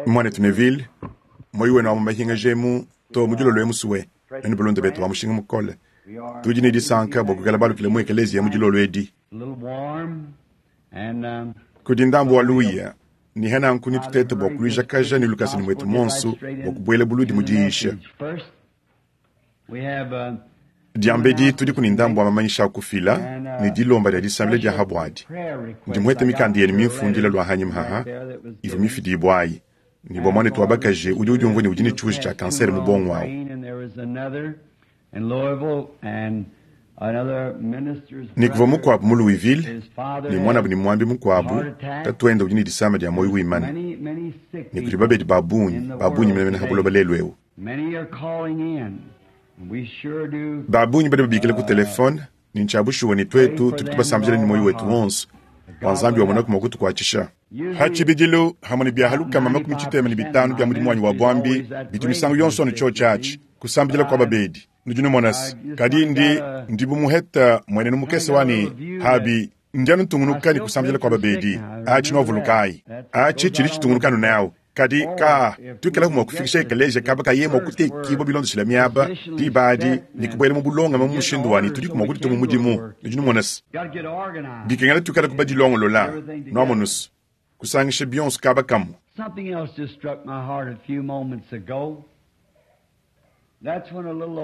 Mwanetu Neville, moyi wenu wa mu mahinga emu to mu dilolo emu suwe, nenu balunda betu ba mushinga mukole. Tudi ne disanka bua kuikala balukile mu ekeleziya mu dilolo edi. Kudi ndambu wa luya, ne hananku nitutete bua kuluijakaja ne lukasa ne muetu monso bua kubuela buludi mu diyisha. Diambedi tudiku ne ndambu wa mamanyisha a kufila ne dilomba dia disambila dia habuadi. Ndi muhete mikanda yenu mimfundila lua hanyima haha ivua mifidibua ayi, ne bua muanetu wa bakaji udi udiumvua ne udi ne tshiuji tshia kansere mu bongo awu. Ne kuvua mukuabu mu Louisville, ne muanabu ne muambi mukuabu, tatuende udi ne disama dia muoyo wimana. Ne kudi babedi ba bungi, ba bungi menemene ha buloba lelu eu. Ba bungi badi babikila ku telefone, ne ntshia bushuwa ne tuetu tudi tubasambila ne muoyo wetu wonso bua Nzambi wamonaku mua kutukuatshisha. Pa tshibidilu, hamue ne bia 65 bia mudimu wanyi wa buambi bitu misangu yonso anu tshiotshi atshi, kusambidila kua babedi. Nudi numona se, kadi ndi, ndi bu muheta muenenu mukese wa ne, habi, ndi anu ntungunuka ne kusambidila kua babedi. Atshi nuavulukayi. Atshi tshidi tshitungunuka anu nawu. Kadi ka tuikalaku mua kufikisha ekeleziya kaba kaye mua kutekibua bilondeshile miaba, diba adi, ne kubuela mu bulongame mu mushindu wa ne tudiku mua kuditua mu mudimu. Nudi numona se, bikengela tuikalaku badilongolola, nuamonu se, kusangisha bionso kaba kamue.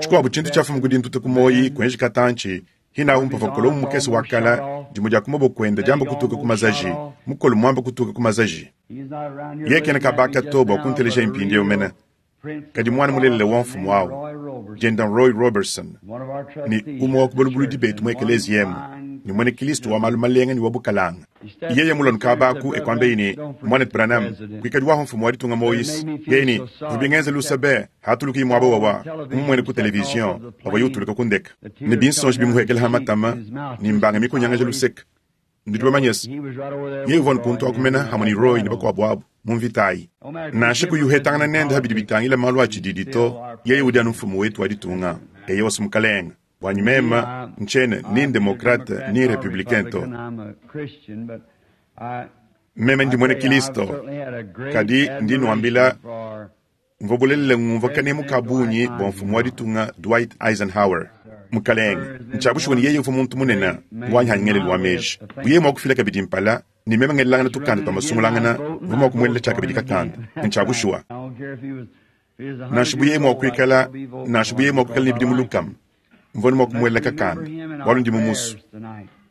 Tshikuabu tshintu tshiafuma ku dintuta ku muoyi kuenji katantshi, hinawu mpavua Kolomo mukese wa kala, dimue dia ku maboko ende diamba kutuka ku mazaji, mukolo muamba kutuka ku mazaji. Yeye kena kabaka to bua kunteleja mpindieu mene, kadi muana mulelela wa mfumu au, dienda Roy Roberson, ne umue wa ku balubuludi betu mu ekeleziya emu, ne muena Kilisto wa malu malenga ne wa bukalanga. Yeye mulua kaba aku e kuambeyi ne, Muanetu Branham, kuikadi wahu mfumu wa ditunga Moise. Yeye ne, Bivua bingenza luse be, hatulukiyi muaba wawa, mumuene ku television, pavuaye utuluka ku ndeka, ne binsonji bimuhuekela ha matama, ne mbanga mikonyangaja luseka. Nudi bamanye se, yeye uvua kuntu aku mena hamue ne Roy ne bakuabu abu mu mvita ayi. Nansha kuyi uhetangana nende ha bidi bitangila malu a tshididi to, yeye udi anu mfumu wetu wa ditunga. Eyowa, mukalenga. Buanyi mema, ntshiena ni ndemokrate ni republicain to. Meme ndi muena Kilisto, kadi ndi nuambila, mvua bulelela ngumvua kanemu ka bungi bua mfumu wa ditunga Dwight Eisenhower. Mukalenge, ntshia bushuwa ne yeye uvua muntu munene wanyi hanyi ngelelu wa meji. Bu yeye mua kufila kabidi mpala ne meme ngelelangana tukanda tua masungulangana, mvua mua kumuelela tshiakabidi kakanda. Ntshia bushuwa. Nansha bu yeye mua kuikala, nansha bu yeye mua kuikala ne bidimu lukama, mvua ne mua kumuelela kakanda, bualu ndi mumusu.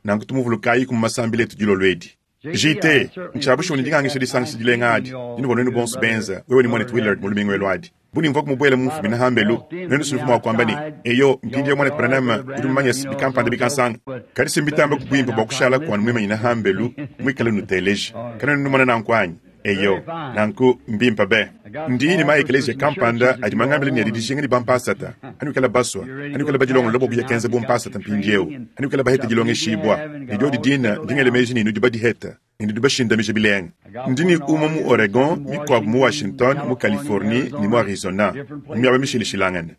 Nanku tumuvulukayiku mu masambila etu dilolo edi. JT, ntshia bushuwa ne ndingangisha disangisha dilenga adi dinuvua nuenu bonso benza, wewe ne muanetu Willard mu lumingu elu adi. Bu ne mvua kumubuela mu mfumina hambelu, nuenu si nuvua mua kuamba ne, Eyo, mpindieu muanetu Branham udi mumanye se bikampanda bikansanga. Kadi si mbitamba ku buimpe bua kushalaku anu muimanyine hambelu, muikale nuteleja. Kanuena numona nanku anyi? Eyo, nanku mbimpe be. Ndi ne ma-ekeleziya kampanda adi mangambile ne adi dijinga ne bampasata. Anuikala basua, anuikala badilongolola bua kuya kenza bumpasata mpindieu, anuikala bahete dilongeshibua, ne diodi dina, ndi ngela meji ne nudi badihete, ne nudi bashindamija bilenga. Ndi ne umue mu Oregon, mikuabu mu Washington, mu Californie ne mu Arizona, mu miaba mishilashilangane.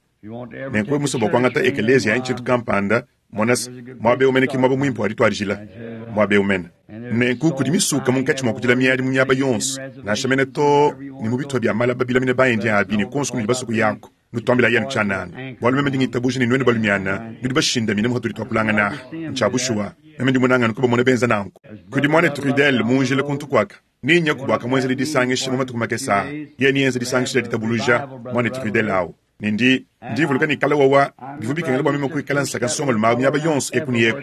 Nenku wewe musue bua kuangata ekeleziya anyi tshintu kampanda, mona se, muaba eu mene ke muaba muimpe wa dituadijila, muaba eu mene. Nenku kudi misuka munkatshi mua kudila miadi mu miaba yonso, nansha mene too ne mu bitupa bia malaba bilamine ba-Indien abi ne kuonso kunudi basue kuyaku. Nutuambilayi anu tshianana, bualu meme ndi ngitabuja ne nuenu balumiana nudi bashindamine mu hatudi tuakulangana aha. Ntshia bushuwa, meme ndi munange anu kubamona benza nanku. Kudi muanetu Ruddell mu njila kuntu kuaka. Nenyaku bua kamuenzele disangisha mu matuku makese aa. Yeye neenze disangisha dia ditabuluja, muanetu Ruddell awu. Ne ndi, ndi mvuluka ne kale wawa, bivua bikengela bua meme kuikala nsaka nsongalume awu miaba yonso eku ne eku,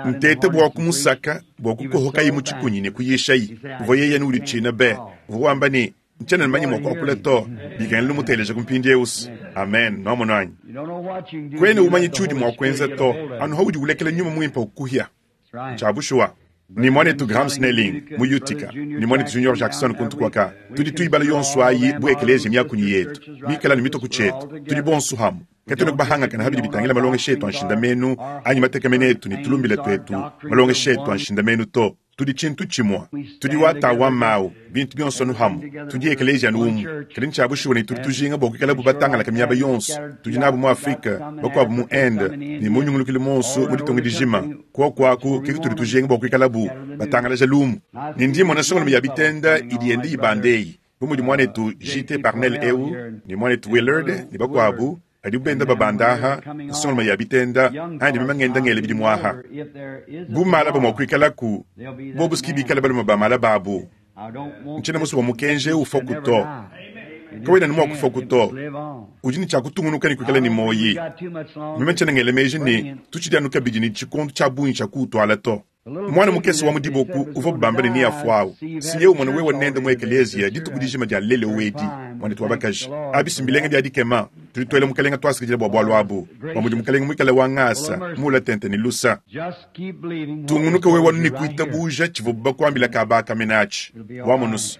nteta bua kumusaka bua kukohokaye mu tshikunyi ne kuyishaye. Uvua yeye anu uditshina be. Uvua wamba ne, Ntshiena mumanye mua kuakula to. Bikengela numuteleje ku mpindiewu's. Amen. Nwamonu anyi? Kuena umanya tshiudi mua kuenza to, anu haudi ulekela Nyuma Muimpe ukuhia. Ntshia bushuwa. Ne muanetu Graham Snelling mu Utica, ne muanetu Junior Jackson kuntu kuaka, tudi tuyibala yonso ayi bu ekeleziya miakunyi yetu, mikale anu mitue ku tshietu. Tudi bonso amu. Katuena kubahangakana ha bidi bitangila malongesha etu a nshindamenu anyi matekemena etu ne tulumbila tuetu malongesha etu a nshindamenu to. Tudi tshintu tshimue. Tudi wa ta wa mawu, bintu bionso anu hamue. Tudi ekeleziya anu umue. Kadi ntshia bushuwa ne tudi tujinga bua kuikalabu batangalake miaba yonso. Tudi nabu mu Afrike, bakuabu mu Inde, ne mu nyungulukilu muonso mu ditunga dijima. Kuoku aku ke kutudi tujinga bua kuikalabu batangalaja lumu. Ne ndi mmona nsongalume ya bitenda idi yenda ibanda eyi, bu mudi muanetu JT. Parnell eu, ne muanetu Willard, ne bakuabu, Padibu benda babanda aha, nsongalume ya bitenda, andi meme ngenda ngela bidimu aha. Bu malaba mua kuikalaku, bobu si bikale balume ba malaba abu. Ntshiena musue bua mukenji eu ufuaku to. Kawena anu mua kufuaku to. Udi ne tshia kutungunuka ne kuikala ne muoyi. Meme ntshiena ngela meji ne, tutshidi anu kabidi ne tshikondo tshia bungi tshia kuwutuala to. Muana mukese wa mu diboku uvuabu bamba ne neafuawu, si yewe umona wewe nende mu ekeleziya dituku dijima dia lelu edi, muanetu wa bakaji. Abi si mbilenga bia dikema! Tudi tuela Mukalenga tuasakidila bua bualu abu, bua mudi Mukalenga muikale wa ngasa, muula tente ne lusa. Tungunuka wewe anu ne kuitabuja tshivuabu bakuambila kaba aka mene atshi. Wamonu's,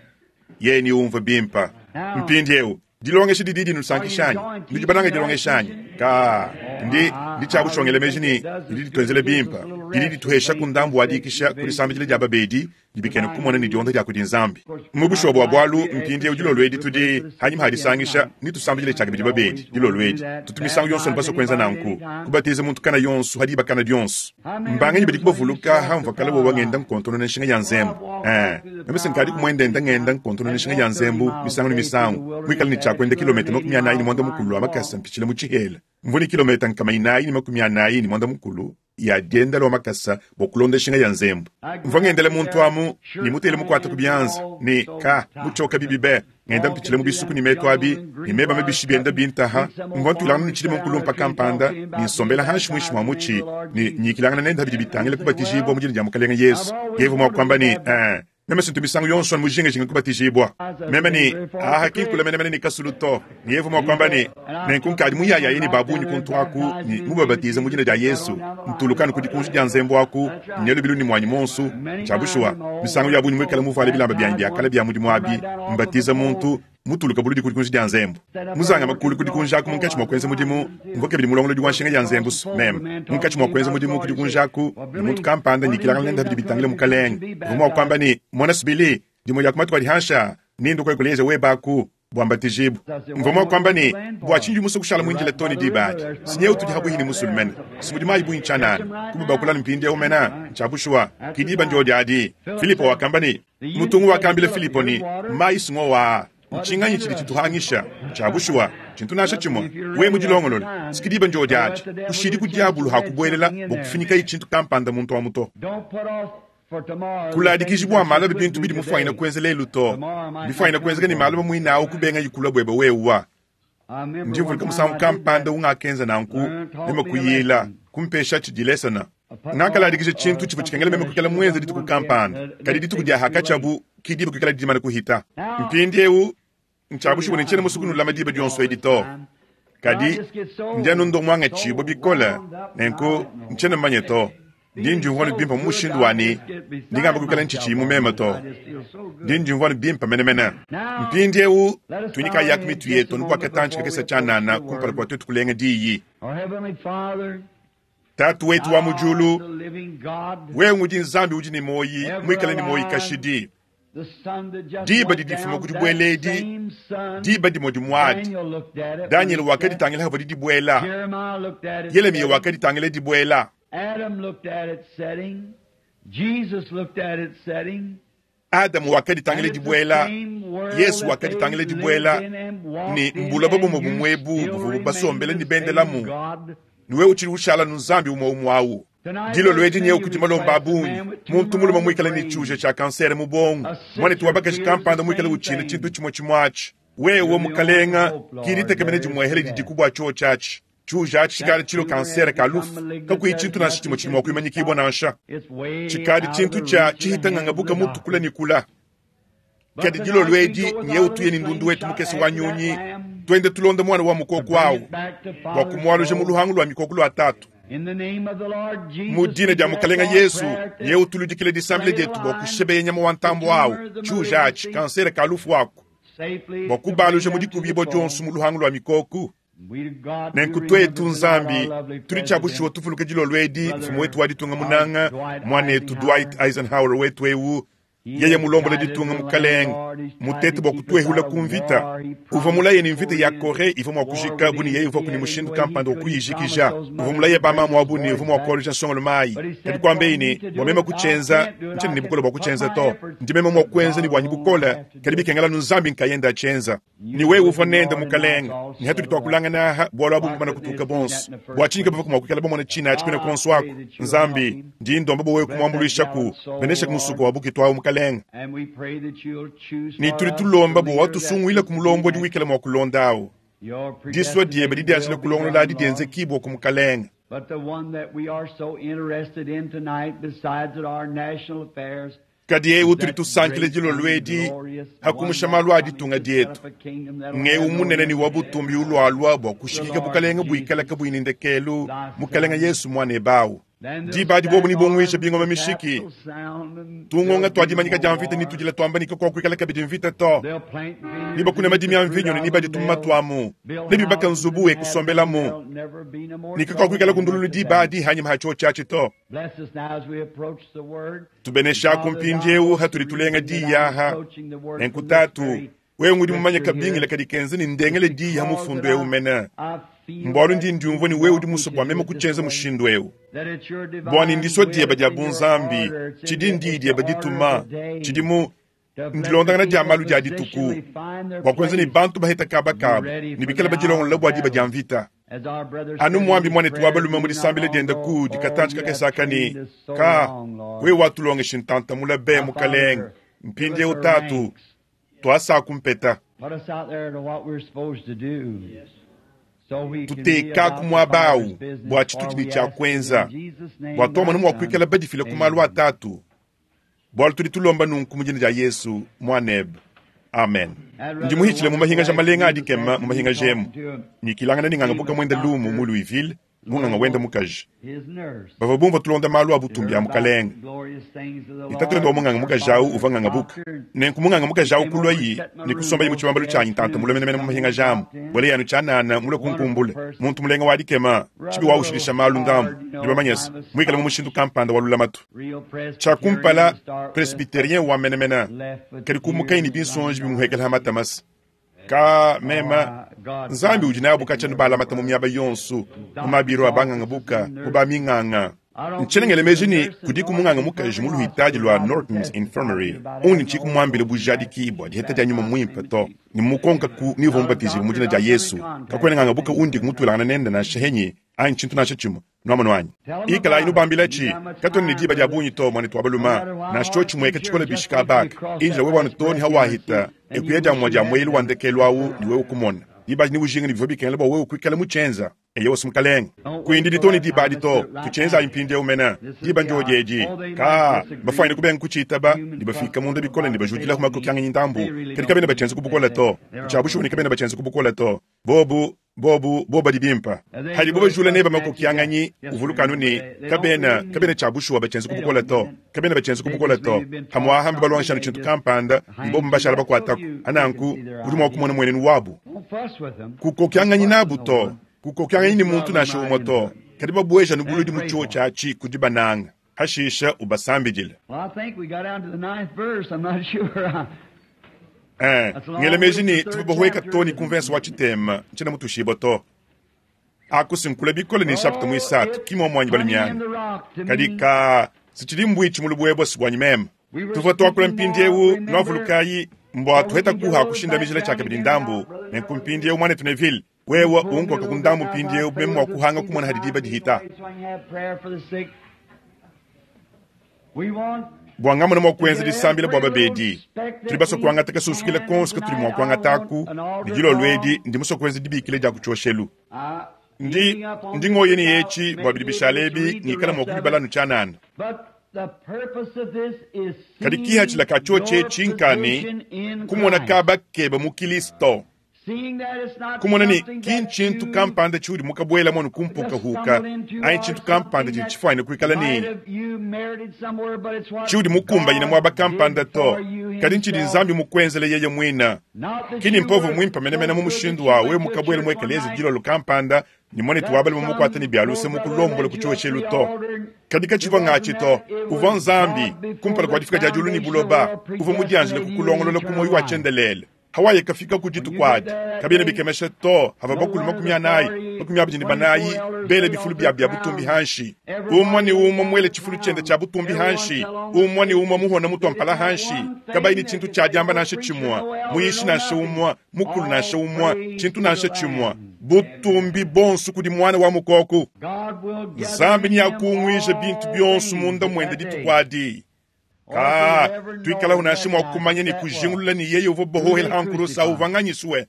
yeye neumvue bimpe. Mpindieu, Dilongesha didi dinusankisha anyi? Nudi banange dilongesha anyi? Kaa, ndi, ndi tshia bushuwa ngela meji ne, didi dituenzela bimpe. Didi dituheshaku ndambu wa dikisha ku disambidila dia babedi ne bikena kumona ne dionda dia kudi Nzambi. Mu bushuwa bua bualu, mpindieu dilolo edi tudi, hanyima ha disangisha, netusambidile tshiakabidi babedi dilolo edi. Tutu misangu yonso anu basue kuenza nanku, kubatiza muntu kana yonso ha diba kana dionso. Mbanganyi badiku bavuluka hamvua kale wewa ngenda nkontonona nshinga ya nzembu? Ee, meme se nkadiku muendenda ngenda nkontonona nshinga ya nzembu misangu ne misangu, muikale ne tshia kuenda kilometa 45 lua makasa mpitshila mu tshihela. Mvua ne kilometa 445 ya dienda lua makasa bua kulonda nshinga ya nzembu. Mvua ngendela muntu amu ne mutele mukuate ku bianza ne ka mutshioka bibi be. Ngenda mpitshila mu bisuku ne metu abi, ne meba mabishi bienda bintaha. Mvua ntuilangana ne tshidime mukulumpa kampanda, ne nsombela hanshi muinshi mua mutshi, ne nyikilangana nende pa bidi bitangila kubatijibua mu dina dia Mukalenge Yesu. Yeye uvua mua kuamba ne, Ee, meme si ntu misangu yonso anu mujingajinga kubatijibua. Meme ne, Aha ki nkule menemene ne kasulu to. Ne yeye uvua mua kuamba ne, Nenku nkadi muyayaye ne ba bungi kuntu aku ne mubabatize mu dina dia Yesu. Ntuluka anu ku dikunji dia nzembu aku, nya lubilu ne muanyi muonso. Ntshia bushuwa, misangu ya bungi muikale muvuale bilamba bianyi bia kale bia mudimu abi, mbatiza muntu, mutuluka buludi ku dikunji dia nzembu. Muzangame kulu ku dikunji aku munkatshi mua kuenza mudimu, mvua kabidi mulongolodi wa nshinga ya nzembu. Meme munkatshi mua kuenza mudimu ku dikunji aku ne muntu kampanda nyikilangana nende pa bidi bitangila Mukalenge, uvua mua kuamba ne, Mona, Billy, dimue dia ku matuku adi hanshi aa, nendue kuekuleza webe aku. bua mbatijibu. Mvua mua kuamba ne, Bua tshinyi udi musue kushala muindile too ne diba adi? Si nyewu tudi habuihi ne musulu mene, si mudi mayi bungi tshianana. Kubabakula anu mpindieu mene, ntshia bushuwa, ki diba ndiodi adi. Filipo wakamba ne, Mutungu wakambila Filipo ne, Mayi si ngowa aa, ntshinganyi tshidi tshituhangisha? Ntshia bushuwa, tshintu nansha tshimue. Wewe mudilongolole, si ki diba ndiodi adi. Kushidi ku diabulu ha kubuelela bua kufinyikaye tshintu kampanda muntu amu to. Kuladikiji bua malu abi bintu bidi mufuanyine kuenza lelu to. Bifuanyine kuenzeka ne malu muine au kubenga kulua buebe wewa. Ndi mvuluka musangu kampanda ungakenza nanku, meme kuyila, kumpesha tshidilesona. Ngakaladikija tshintu tshivua tshikengela meme kuikala muenze dituku kampanda, kadi dituku dia hakatshiabu ki diba kuikala dimane kuhita. Mpindieu Ntshia bushuwa ne ntshiena musue kunulama diba dionso edi to, kadi ndi anu ndua muangatshibue bikole, nenku ntshiena mumanye to. Ndi ndiumvua anu bimpe mu mushindu wa ne, ndi ngamba kuikala ntshitshiyi mu meme to. Ndi ndiumvua anu bimpe menemene. Mpindieu tuinyikayaku mitu yetu anu bua katantshi kakese tshianana kumpala kua tuetu kulenga diyi. Tatu wetu wa mu diulu, wewe ngudi Nzambi udi ne muoyi, muikale ne muoyi kashidi. Diba didi difuma ku dibuela edi, diba dimue dimue adi, Danyele wakaditangila havua dibuela, Yelemiya wakaditangila dibuela. Adamu wakaditangila dibuela, Yesu wakaditangila dibuela, ne mbuloba bumue bumue ebu buvuabu basombele ne bendelamu, ne wewe utshidi ushala anu Nzambi umue umue au. Dilolo edi nyewu kudi malomba a bungi, muntu mulume muikale ne tshiuja tshia kansere mu buongo, muanetu wa bakaji kampanda muikale utshina tshintu tshimue tshimue atshi. Wewe, Mukalenga, ki ditekemena dimuehele didiku bua tshiotshi atshi. Tshiuja atshi tshikadi tshilue kansere ka lufu, kakuyi tshintu nansha tshimue tshidi mua kuimanyikibua nansha. Tshikadi tshintu tshia tshihita ngangabuka mutu kule ne kula. Kadi dilolo edi nyewu tuye ne ndundu wetu mukese wa nyunyi, tuende tulonda muana wa mukoko au bua kumualuja mu luhangu lua mikoko lua tatu. Mu dina dia Mukalenga Yesu, nyewu tuludikile disambila dietu bua kushebeya nyama wa ntambu au, tshiuja atshi, kansere ka lufu aku, bua kubaluja mu dikubibua dionso mu luhangu lua mikoko. Nenku twetu, Nzambi, tudi cya bushuwa tuvuluka dilolo edi mfumu wetu wa ditunga munanga, mwanetu Dwight Eisenhower wetu ewu, yeye mulombola ditunga mukalenge, mutete bwa kutwehula ku mvita. Uvwa mulaye ne mvita ya Coree ivwa mwa kujika bu ne yeye uvwaku ne mushindu kampanda wa kuyijikija. Uvwa mulaye bamamu abu ne uvwa mwa kwalujija nsongolume ayi. Kadi kwambeyi ne, Bwa meme kucyenza, ncyena ne bukole bwa kucyenza to. Ndi meme mwa kwenza ne bwanyi bukole, kadi bikengela anu Nzambi nkayende acyenza. Ne wewe uvwa nende, Mukalenge. Ne hatudi twakulangana aha, bwalu abu mbumana kutuuka bonso. Bwa cinyi kabavwaku mwa kwikala bamona cine aci kwine konso aku? Nzambi, ndi ndomba bwa wewe kumwambulwishaku. Beneshaku musuko wa bukitu awu, Mukalenge. Ne tudi tulomba bwa watusungwilaku mulombodi wikala mwa kulonda awu. Diswa dyebe didyanjila kulongolola adi dyenzekibwaku, Mukalenge. Kadi eu utudi tusankila dilolo edi, ha kumusha malu a ditunga dietu, ng'eu munene ne wa butumbi ulualua bua kushikika bukalenge buikala kabuyi ne ndekelu, Mukelenge Yesu Muanebe au. Diba adi bobu nebunguije bingoma mishiki, tungonga tua dimanyika dia mvita ne tudila tuamba ne kakuakuikala kabidi mvita to. Nebakune madimi a mvinyo ne nebadie tumuma tuamu, nebibake nzubu e kusombelamu, ne kakuakuikalaku ndululu diba adi hanyima ha tshiotshi atshi to. Tubeneshaku mpindiewu hatudi tulenga diyi aha. Nenku Tatu, wewe ngudi mumanye kabingila kadi kenza ne ndengele diyi ha mufundu ewu mene. Mbualu ndi ndiumvua ne wewe udi musue bua meme kutshienza mushindu ewu. Bua ne ndisua dieba dia bunzambi, tshidi ndiyi dieba dituma, tshidi mu ndilondangana dia malu dia dituku, bua kuenza ne bantu baheta kaba kabu ne bikale badilongolola bua diba dia mvita. Anu muambi muanetu wa balume mu disambila diende kudi katantshi kakese aka ne, Ka, wewe watulongeshi ntanta mula be, Mukalenge. Mpindieu, Tatu, tuasaku mpeta. Tutekaku muaba au bua tshitudi ne tshia kuenza, bua tuamona mua kuikala badifile ku malu a Tatu. Bualu tudi tulomba nunku mu dina dia Yesu, Muanebe. Amen. Ndi muhitshile mu mahingaja malenga a dikema mu mahingaja emu, nyikilangana ne nganga buka muende lumu mu Louisville, munganga wende mukaji. Bavua bumvua tulonda malu a butumbi a Mukalenge. Ne tatuende wa munganga mukaji au uvua nganga buka. Nenku munganga mukaji au kuluayi ne kusombaye mu tshibambalu tshianyi ntanta mule menemene mu mahingaja amu, buelaye anu tshianana mulue kunkumbula. Muntu mulenga wa dikema, tshibi waushidisha malu ndambu, nudi bamanye se, muikale mu mushindu kampanda wa lulamatu. Tshia kumpala, presbyterien wa menemene, kadi kumukaye ne binsonji bimuhuekela ha matamasa. Ka mema, Nzambi udi nabu katshia nubalamata mu miaba yonso, mu mabiro a banganga buka, mu ba minganga. Ntshiena ngela meji ne kudiku munganga mukaji mu luhitadi lua Norton's Infirmary undi ntshiyi kumuambila bujadiki bua diheta dia Nyuma Muimpe to, ne mmukonkaku ni uvua mubatijibue mu dina dia Yesu. Kakuena nganga buka undi kumutuilangana nende nansha henyi anyi tshintu nansha tshimue. Nwamonu anyi? Ikalayi nubambilatshi. Katuena ne diba dia bungi to, muanetu wa baluma. Nansha tshiotshi mueka tshikole bishi kabaka. Indila wewe anu too ne hawahita ekuya dia mua dia mueyelu wa ndekelu awu ne wewe kumona. Diba adi neujinga ne bivua bikengela bua wewe kuikala mutshienza. Eyowa, Mukalenge. Kuindidi too ne diba adi to. Tutshienzayi mpindieu mene. Diba ndiodi edi. Kaa, mbafuanyine kubenga kutshiitaba, ne bafiika munda bikole ne bajudilaku makokianganyi ndambu. Kadi kabena batshienza ku bukole to. Ntshia bushuwa ne kabena batshienza ku bukole to. Bobu, bobu, bobu badi bimpa. Hadibo bajula neba makokianganyi, uvuluka anu ne, kabena, kabena tshia bushuwa batshienza ku bukole to. Kabena batshienza ku bukole to. Pamu'aha mbabalongesha anu tshintu kampanda, ne bobu mbashala bakuataku. Nanku, udi mua kumona muenenu wabu. Kukokianganyi nabu to. Kukokianganyi ne muntu nansha umue to. Kadi babueja anu buludi mu tshiotshi atshi ku dibananga. Hashisha ubasambidile. Eh, ngela meji ne tuvua bahueka to ne ku mvense wa tshitema, ntshiena mutushibue to. Aku si nkula bikole ne nshapita muisatu, ki muomu anyi balumiana? Kadi ka si tshidi mbuitshi mu lubuebue si buanyi meme. Tuvua tuakula mpindieu, nuavulukayi, mbua tuheta kuha kushindamijila tshiakabidi ndambu. Nenku mpindieu, muanetu Neville, wewe unkoka ku ndambu mpindieu meme mua kuhanga kumona hadi diba dihita. Bua ngamona mua kuenza disambila bua babedi, tudi basue kuangata kasunsukila konso katudi mua kuangataku, ne dilolo edi ndi musue kuenza dibikila dia ku tshioshelu. Ndi, ndi ngoya ne etshi bua bidi bishala ebi ngikala mua kubibala anu tshianana. Kadi kihatshila ka tshiotshi etshi nka ne, kumona kaba keba mu Kilisto. Kumona ne, ki ntshintu kampanda tshiudi mukabuelamu anu ku mpukahuka, anyi tshintu kampanda tshidi tshifuanyine kuikala ne tshiudi mukumbanyine muaba kampanda to. Kadi ntshidi Nzambi mukwenzele yeye mwine. Ki ni mpova mwimpe menemene mu mushindu wa wewe mukabwele mu ekeleziya dilolo kampanda ne mwanetu wa balume mukwate ne bya luse mukulombola ku cyoshelu to. Kadi kacivwa ngaci to. Uvwa Nzambi, kumpala kwa difika dya dyulu ne buloba, uvwa mudyanjile kukulongolola ku mwoyi wa cyendeleele. Hawaye kafika ku dituku adi, kabiena bikemesha to havua bakulu 40, 24 bele bifulu biabu bia butumbi hanshi, umue ne umue muele tshifulu tshiende tshia butumbi hanshi, umue ne umue muhone mutua mpala hanshi, kabayi ne tshintu tshia diamba nansha tshimue, muyishi nansha umue, mukulu nansha umue, tshintu nansha tshimue. Butumbi buonso kudi Muana wa Mukoko. Nzambi neakunguije bintu bionso munda muende dituku adi. Kaa, twikalahu nansha mwa kumanya ne kujingulula ne yeye uvwa bohohela ha nkurusa uvwa nganyiswe.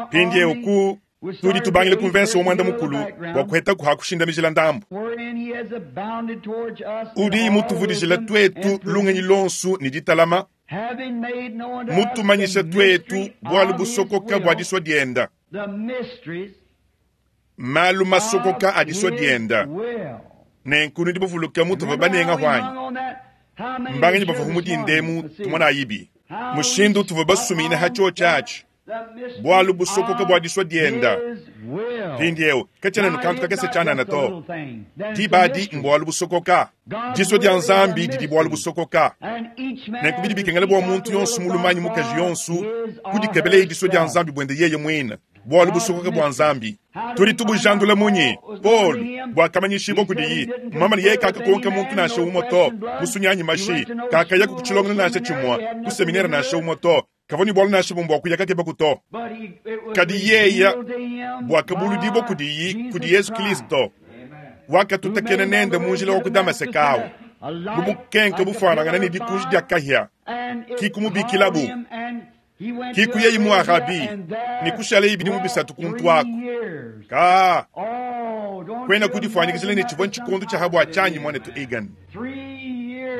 Mpindiewu ku, tudi tubangila ku mvensa wa mwanda-mukulu bwa kuhetaku ha kushindamijila ndambu. Udi mutuvudijila twetu lungenyi lonsu ne ditalama, mutumanyisha twetu bwalu busokoka bwa diswa dyenda, malu masokoka a diswa dyenda. Nenku nudi bavuluke mutuvua banenga hwanyi? Mbanganyi bavua mu dinda emu tumonayibi mushindu utuvua basuminyine ha tshiotshi atshi, bualu busokoka bua disua dienda. Mpindieu katshiena anu kantu kakese tshianana to. Diba adi mbualu busokoka. Disua dia Nzambi didi bualu busokoka. Nenku bidi bikengela bua muntu yonso mulume anyi mukaji yonso kudikebeleye disua dia Nzambi buende yeye muine. Bualu busokoka bua Nzambi tudi tubujandula munyi? Paulo buakamanyishibua kudiyi, mmamane ne yeye kakakonka muntu nansha umue to, musunyi anyi mashi, kakayaku ku tshilongelu nansha tshimue, ku seminere nansha umue to, kavua ne bualu nansha bumue bua kuya kakebaku to. Kadi yeye buakabuludibua kudiyi kudi Yezu Kristo, wakatutakena nende mu njila wa ku Damaseke au, mu bukenke bufuanangane ne dikunji dia kahia, ki kumubikilabu Ki kuyayi mu Arabie ne kushalayi bidimu bisatu kuntu aku. Kaa, kuena kudifuanyikijila ne tshivua ntshikondo tshia ha bua tshianyi, muanetu Egan.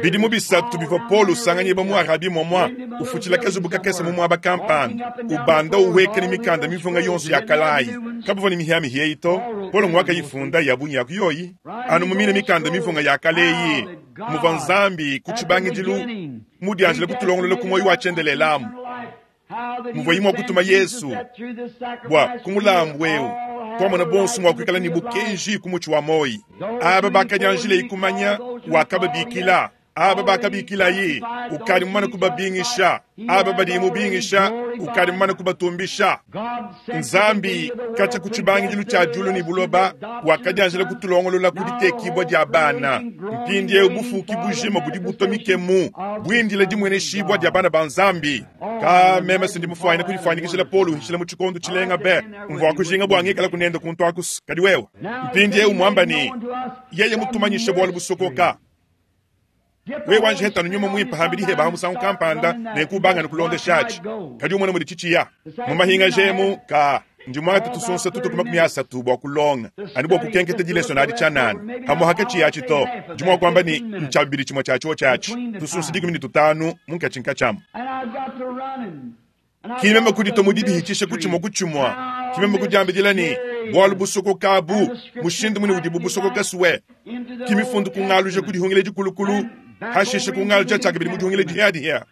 Bidimu bisatu bivua Paulo usanganyibua mu Arabie muamua, ufutshila kazubu kakese mu muaba kampanda, ubanda uhueka ne mikanda mivunga yonso ya kalayi. Kabavua ne mihiamihia eyi to, Paulo nguakayifunda ya bungi ya ku yoyi. Anu mu mine mikanda mivunga ya kale eyi muvua Nzambi ku tshibangidilu mudianjile kutulongolola ku muoyo wa tshiendelele amu muvuaye mua kutuma Yezu bua ku mulambu eu tuamona bonso mua kuikala ne bukenji ku mutshi wa muoyo. Aba bakadianjilaye kumanya wakababikila, aba bakabikilaye ukadi mumane kubabingisha, aba badiye mubingisha ukadi mumane kubatumbisha. Nzambi katshia ku tshibangidilu tshia diulu ne buloba wakadianjila kutulongolola ku ditekibua dia bana. Mpindieu bufuki bujima budi butua mikemu buindila dimueneshibua dia bana ba Nzambi. Ka meme si ndi mufuanyine kudifuanyikijila Paulo uhishila mu tshikondo tshilenga be, mvua kujinga bua ngikala kunende kuntu aku. Kadi wewe mpindieu muamba ne, yeye mutumanyishe bualu busokoka. Wewe wanji hetanu nyuma muimpe hambidi heba ha musangu kampanda ne kubangana kulondeshatshi. Kadi umone mudi tshitshiya mu mahinga jemu ka ndi muangate tusunsa tutu ku 30 bua kulonga anu bua kukenketa dilesona adi tshianana hamua hakatshiya atshi to. Ndi mua kuamba ne ntshia bibidi tshimue tshia tshiotshi atshi tusunsa 15 munkatshi nkatshiamu. Ki meme kuditua mu didihitshisha ku tshimue ku tshimue, ki meme kudiambidila ne bualu busokoka abu mushindu mune udibu busokoka sue. Ki mifundu kungaluja ku dihungila dikulukulu, hashishe kungaluja tshiakabidi mu dihungila dihiadihia.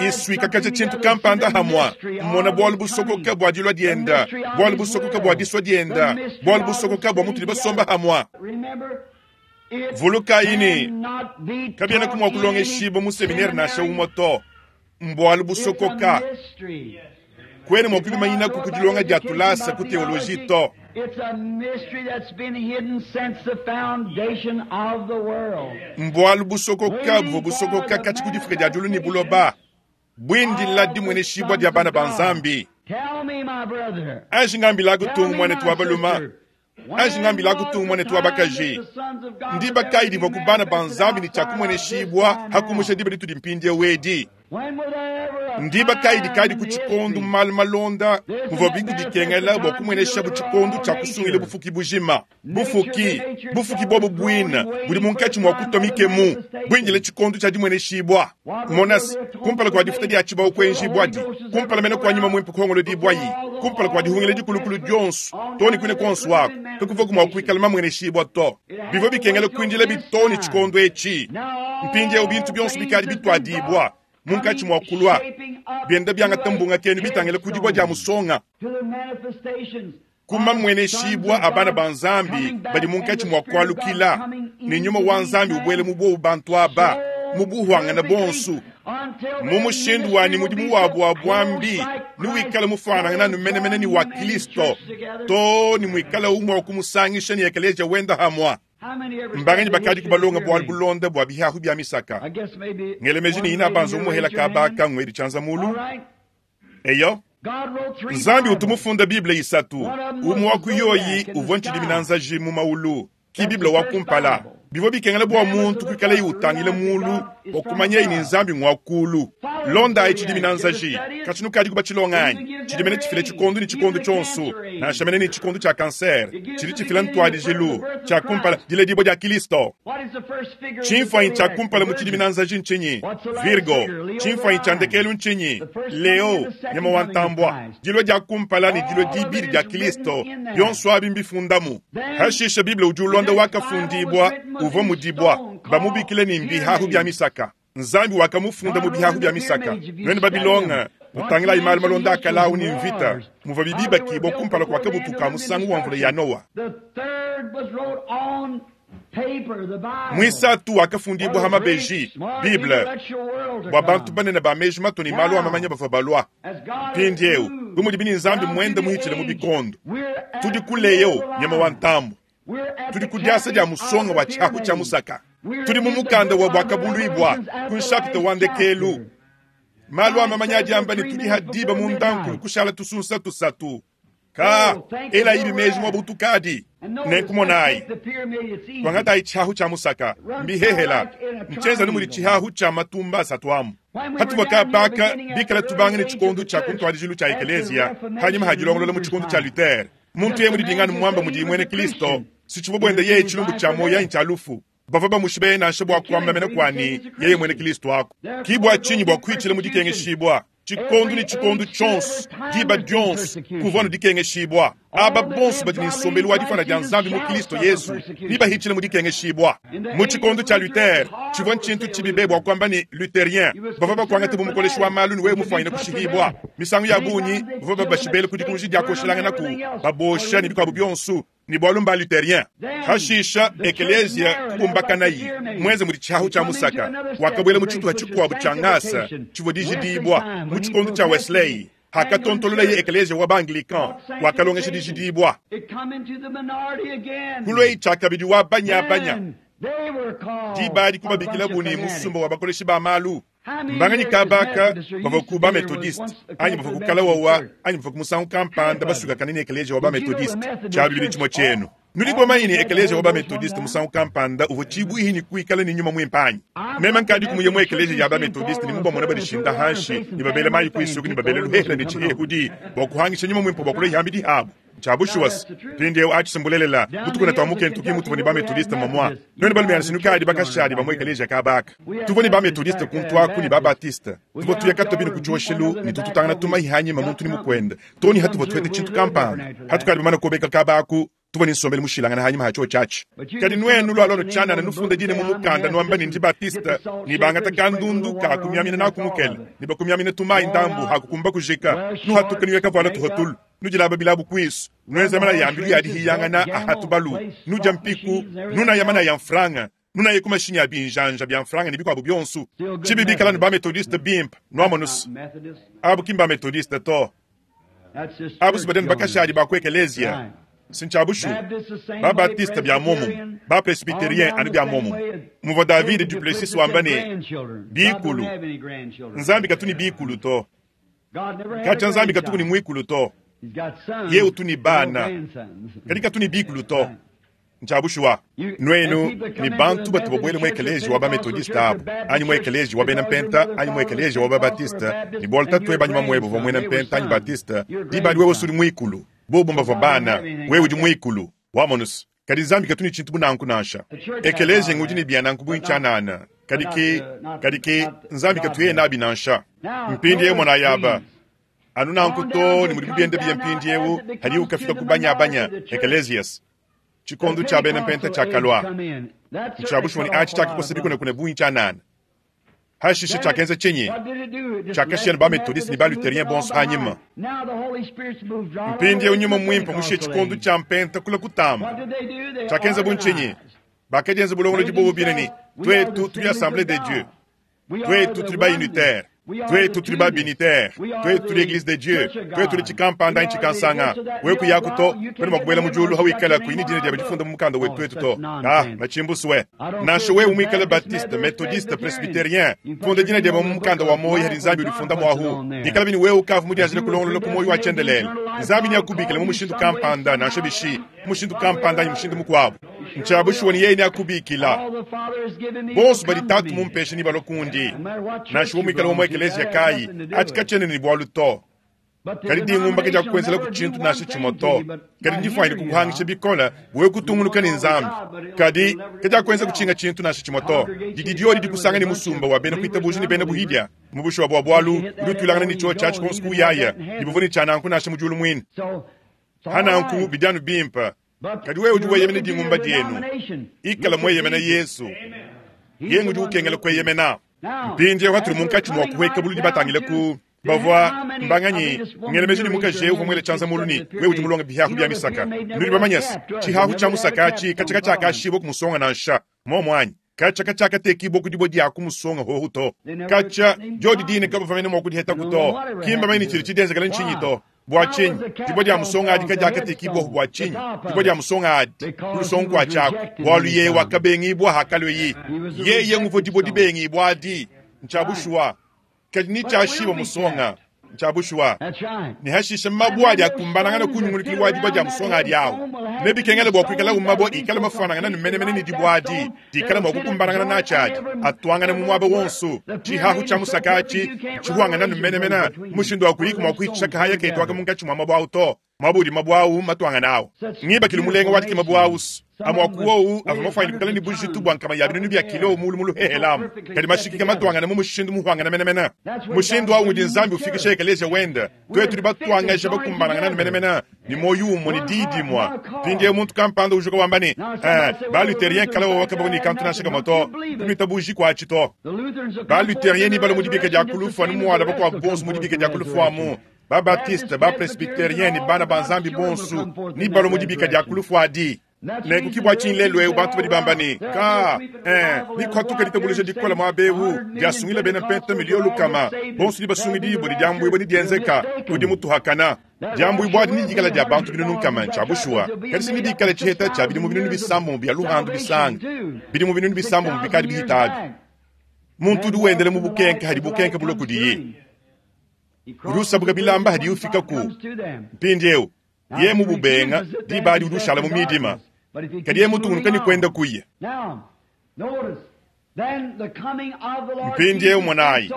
Isuikakaja tshintu kampanda hamua, mmona bualu busokoka bua dilua dienda, bualu busokoka bua disua dienda, bualu busokoka bua mutudi basomba hamua. Vulukayi ne, kabienaku mua kulongeshibua mu seminere nansha umue to. Mbualu busokoka. Kuena mua kubimanyinaku ku dilonga dia tulasa ku teoloji to. Mbualu busokoka buvua busokoka katshi ku difuka dia diulu ne buloba, buindila dimueneshibua dia bana ba Nzambi. Anji ngambilaku tung, muanetu wa baluma, Anji ngambilaku tung, muanetu wa bakaji, ndiba kayi divua ku bana ba Nzambi ne tshia kumueneshibua ha kumusha diba ditudi mpindieu edi? Ndiba kayi dikadi ku tshikondo mu malu malonda muvua biku bikengela bua kumueneshabu tshikondo tshia kusungila bufuki bujima? Bufuki, bufuki buobu buine budi munkatshi mua kutua mikemu, buindile tshikondo tshia dimueneshibua. Mona se, kumpala kua difuta dia tshibawu kuenjibuadi, kumpala mene kua nyuma muimpe kuhongolodibuayi, kumpala kua dihungila dikulukulu dionso, too ne kuine kuonso aku, kakuvuaku mua kuikala mamueneshibua to. Bivua bikengela kuindila bi too ne tshikondo etshi. Mpindieu bintu bionso bikadi bituadibua. Munkatshi mua kulua, bienda biangata mbungakenu bitangila ku dibua dia musonga, ku mamueneshibua a bana ba Nzambi badi munkatshi mua kualukila, ne Nyuma wa Nzambi ubuele mu buobu bantu aba mu buhuangana bonsu, mu mushindu wa ne mudimu wabu wa buambi newikale mufuanangane anu menemene ne wa Kilisto, too ne muikale umue wa kumusangisha ne ekeleziya wenda hamua. Mbanganyi bakadi kubalonga bualu bulonda bua bihahu bia misaka? Ngele meji ne ina banza umuhela kabaka ngwedi tshianza mulu. Eyo, Nzambi utu mufunda Bible isatu, umue wa ku yoyi uvua ntshidimina nzaji mu maulu, ki Bible wa kumpala. Bivua bikengela bua muntu kuikalaye utangila mulu bua kumanyaye ne Nzambi ngua kulu. Londayi tshidimina nzaji, katshi nukadi kubatshilonga anyi? Tshidimina tshifila tshikondo ne tshikondo tshionso, nansha mene ne tshikondo tshia kansere, tshidi tshifila ntuadijilu tshia kumpala, diledibua dia Kilisto. Tshimfuanyi tshia kumpala mu tshidimina nzaji ntshinyi? Virgo. Tshimfuanyi tshia ndekelu ntshinyi? Leo, nyama wa ntambua. Dilua dia kumpala ne dilua dibidi dia Kilisto, bionso abi mbifundamu. Hashishe Bible udi ulonda wakafundibua uvua mu dibua, bamubikile ne mbihahu bia misaka. Nzambi wakamufunda mu bihahu bia misaka. Nuenu babilonga, nutangilayi malu malonda a kale ne mvita, muvua bibibakibua kumpala kua kabutu ka musangu wa mvula ya Noa. Muisatu wakafundibua ha mabeji, Bible, bua bantu banene ba meji matue ne malu a mamanya bavua balua. Mpindieu, bu mudibi ne Nzambi muende muhitshile mu bikondo, tudi ku Leo, nyama wa ntambu. Tudi ku diasa dia musonga wa tshiahu tshia musaka. Tudi mu mukanda wa Buakabuluibua, ku nshapita wa ndekelu. Malu a mamanya adi amba ne tudi ha diba mundankulu kushala tusunsa tusatu. Ka, elayi meji mua butukadi. Nenku monayi, tuangatayi tshiahu tshia musaka, mbihehela, ntshienza mudi tshihahu tshia matumba asatu amu. Hatuvua kapaka bikala tubanga ne tshikondo tshia ku ntuadijilu tshia ekeleziya, hanyima ha dilongolola mu tshikondo tshia Luther. Muntu yeye mudidinganu muamba mudiye muena Kristo, si tshivua buenda yeye tshilumbu tshia muoyo anyi tshia lufu. Bavua bamushibe nansha bua kuamba mena kua ne yeye muena Kristo aku. Ki bua tshinyi bua kuitshila mu dikengeshibua tshikondo ne tshikondo tshionso, diba dionso kuvua anu dikengeshibua. Aba bonso badi ne nsombelu wa difana dia Nzambi mu Kristo Yesu nebahitshile mu dikengeshibua. Mu tshikondo tshia Luther, tshivua ntshintu tshibi be bua kuamba ne Lutherien. Bavua bakuangate bu mukoleshi wa malu ne wewe mufuanyine kushihibua. Misangu ya bungi bavua babashibele ku dikunji dia kuoshelanganaku, babosha ne bikuabu bionso, ne bualu mba Lutherien. Hashisha ekeleziya kubumbakanayi muenze mudi tshiahu tshia musaka, wakabuela mu tshituha tshikuabu tshia ngasa tshivua dijidibua. Mu tshikondo tshia Wesley, hakatontololaye ekeleziya wa ba-Anglican, wakalongesha dijidibua. Kulua tshiakabidi wa banyabanya, diba adi kubabikilabu ne musumba wa bakoleshi ba malu. Mbanganyi kabaka bavua ku ba-Methodiste anyi bavua ku kalawawa anyi bavua ku musangu kampanda basukakane ne ekeleziya wa ba-Methodiste. Tshia bibidi tshimue tshienu. Nudi bamanye ne ekeleziya wa ba-Methodiste musangu kampanda uvua tshibuihi ne kuikala ne nyuma muimpe anyi? Meme nkadi kumuye mu ekeleziya ya ba-Methodiste ne mubamona badishinda hanshi ne babela mayi ku isuku ne babela luhehela ne tshihehudi bua kuhangisha nyuma muimpe bua kulua ihambidi habu. Tshia bushuwa se, mpindieu atshi mbulelela, butukuna tua mu Kentucky mutuvua ne ba-Methodiste mamua. Nuenu balume nukadi bakashadi ba mu ekeleziya kabaka. Tuvua ne ba-Methodiste kuntu aku ne ba-Baptiste. Tuvua tuya katobini ku tshioshelu ne tututangana tumahi hanyima muntu ne mukuende. Too ne hatuvua tuheta tshintu kampanda. Hatukadi bamana kuobeka kaba aku, tuvua ne nsombelu mushilangane hanyima ha tshiotshi atshi. Kadi nuenu lualua nutshianana nufunda dina mu mukanda nuamba ne ndi Baptiste, ne bangata kandundu ka kumiamina naku mukele, ne bakumiamina tumayi ndambu hakukumba kujika, nuhatuka nuya kavuala tuhotulu. Nudilaba bilabu kuisu, nuenza mana ya mbilu ya dihiyangana ahatubalu, nudia mpiku, nunaya mana ya mfranga, nunaye ku mashinyi a binjanja bia mfranga ne bikuabu bionso. Tshibi bikala nu ba-Methodiste bimpe, nuamonusu. Abu ki mba-Methodiste to. Abu si badeni bakashadi ba ku ekeleziya. Sintsha bushu. Ba-Baptiste bia muomumue, ba-Presbyterien anu bia muomumue. Muvua David Duplessis wamba ne, bikulu. Nzambi katu ne bikulu to. Katshia Nzambi katuku ne muikulu to. Ye utu ne bana, kadi katu ne bikulu to. Ntshia bushuwa. Nuenu ne bantu batu babuele mu ekeleziya wa ba-Methodiste abu, anyi mu ekeleziya wa bena Mpenta, anyi mu ekeleziya wa ba-Baptiste, ne bualu tatuebe anyi mamuebe uvua muena Mpenta anyi Baptiste, diba adi wewe usudi muikulu. Bobu mbavua bana, wewe udi muikulu. Wamonus. Kadi Nzambi katu ne tshintu bu nanku nansha. Ekeleziya ngudi ne bia nanku bu ntshianana, kadi ki, kadi ki Nzambi katu yeye nabi nansha. Mpindieu monayi aba, anu nanku too ne mudibu bienda biya mpindieu, hadiwu kafika ku banyabanya, ekelezias. Tshikondo tshia bena Mpenta tshiakalua. Ntshia bushuwa ne atshi tshiakakosa bikunekune bungi tshianana. Hashishe tshiakenza tshinyi? Tshiakashiya ne ba-Methodiste ne ba-Lutherien bonso anyima. Mpindieu Nyuma Muimpe mushiye tshikondo tshia Mpenta kule kutamba. Tshiakenza bu ntshinyi? Bakadienza bulongolodi bobo bine ne, Tuetu tudi Assemblee de Dieu. Tuetu tudi ba-Unitaire. Tuetu tudi ba-Binitaire. Tuetu tudi Eglise de Dieu. Tuetu tudi tshikampanda anyi tshikansanga. Wewe kuyaku to, kuena mua kubuela mu diulu hawikala kuyi ne dina diebe difunda mu mukanda wetu tuetu to. Ah, matshimbusue. Nansha wewe muikale Baptiste, Methodiste, Presbyterien, funda dina diebe mu mukanda wa muoyo hadi Nzambi udifunda muahu. Bikalabi ne wewe ukavua mudianjile kulongolola ku muoyo wa tshiendelele, Nzambi neakubikile mu mushindu kampanda, nansha bishi, mu mushindu kampanda anyi mushindu mukuabu. Ntshia bushuwa ne yeye neakubikila. Bonso badi Tatu mumpeshe nebalue kundi. Nansha wewe muikale wa mu ekeleziya kayi, atshi katshiena ne bualu to. Kadi dingumba kadiakukuenzelaku tshintu nansha tshimue to. Kadi ndifuanyine kukuhangisha bikole wewe kutungunuka ne Nzambi. Kadi kadiakuenzaku tshinga tshintu nansha tshimue to. Didi diodi dikusanga ne musumba wa bena kuitabuja ne bena buhidia mu bushuwa bua bualu udi utuilangana ne tshiotshi atshi konso kuuyaya ne buvua ne tshia nanku nansha mu diulu muine. Pa nanku bidi anu bimpe. Kadi wewe udi weyemena dingumba dienu, ikala mueyemena Yesu. Yeye ngudi ukengela kueyemena. Mpindieu hatudi munkatshi mua kuhueka buludi batangile ku bavua mbanganyi ngela meji ne mukaji eu uvua muele tshianza mulu ne wewe udi mulonge bihahu bia misaka. Nudi bamanye se, tshihahu tshia musaka atshi katshia katshiakashibua ku musonga nansha. Muomu anyi? Katshia katshiakatekibua ku dibue dia ku musonga hohu to. Katshia diodi dine kabavua mene mua kudihetaku to. Ki mbamanye ne tshidi tshidienzekela ntshinyi to. Bua tshinyi dibue dia musonga adi kadiakatekibua bua tshinyi dibue dia musonga adi ku lusongo kua tshiaku? Bualu yeye wakabengibua hakalueyi. Yeye nguvua dibue dibengibua adi. Ntshia bushuwa. Kadi ne tshiashibua musonga. Ntshia bushuwa. Ne hashishe mabue adi akumbanangana ku nyungulukilu wa dibue dia musonga adi awu. Nebikengele bua kuikalawu mabue ikale mafuanangana ne menemene ne dibue adi dikale mua kukumbanangana natshi adi atuangana mu muaba wonso. Tshihahu tshia musaka atshi ntshihuangana ne menemene mushindu wa kuyiku mua kuhitshisha kahaya ketu aka munkatshi mua mabue au to, muaba udi mabue au matuangane au. Ngibakilu mulenga wa dikema bu au amue a ku wowu avua mafuanyine kuikala ne bujitu bua nkama ya binunu bia kilo mulu mu luhehelamu, kadi mashikike matuangane mu mushindu muhuangane menemene. Mushindu au ngudi Nzambi ufikisha ekeleziya wende. Tuetu tudi batuangaja bakumbanangana ne menemene ne muoyo umue ne diyi dimue. Mpindieu muntu kampanda ujuka wamba ne, Eh, ba-Lutherien kale wowo kabavua ne kantu nansha kamue to, kunuitabuji kuatshi to. Ba-Lutherien nebalue mu dibika dia ku lufu anu mualua bakuabu bonso mu dibika dia ku lufu amu. Ba-Baptiste, ba-Presbyterien ne bana ba Nzambi bonso nebalue mu dibika dia ku lufu adi. Nenku ki bua tshinyi lelu eu bantu badi bamba ne, Ka, eh, nikuhatuka ditabuluja dikole muaba eu, diasungila bena mpenta miliyo lukama, bonso dibasungidibue ne diambuibua didienzeka, udi mutuhakana. Diambuibua adi nedikale dia bantu binunu nkama, ntshia bushuwa, kadi si nedikale tshiheta tshia bidimu binunu bisambombo bia luhandu bisanga bidimu binunu bisambombo bikadi bihita abi. Muntu udi wendela mu bukenke hadi bukenke bulue kudiye, udi usabuka bilamba hadiye ufikaku. Mpindieu Yeye mububenga, diba adi udi ushala mu midima. Kadi yeye mutungunuka ne kuenda kuya. Mpindieu monayi,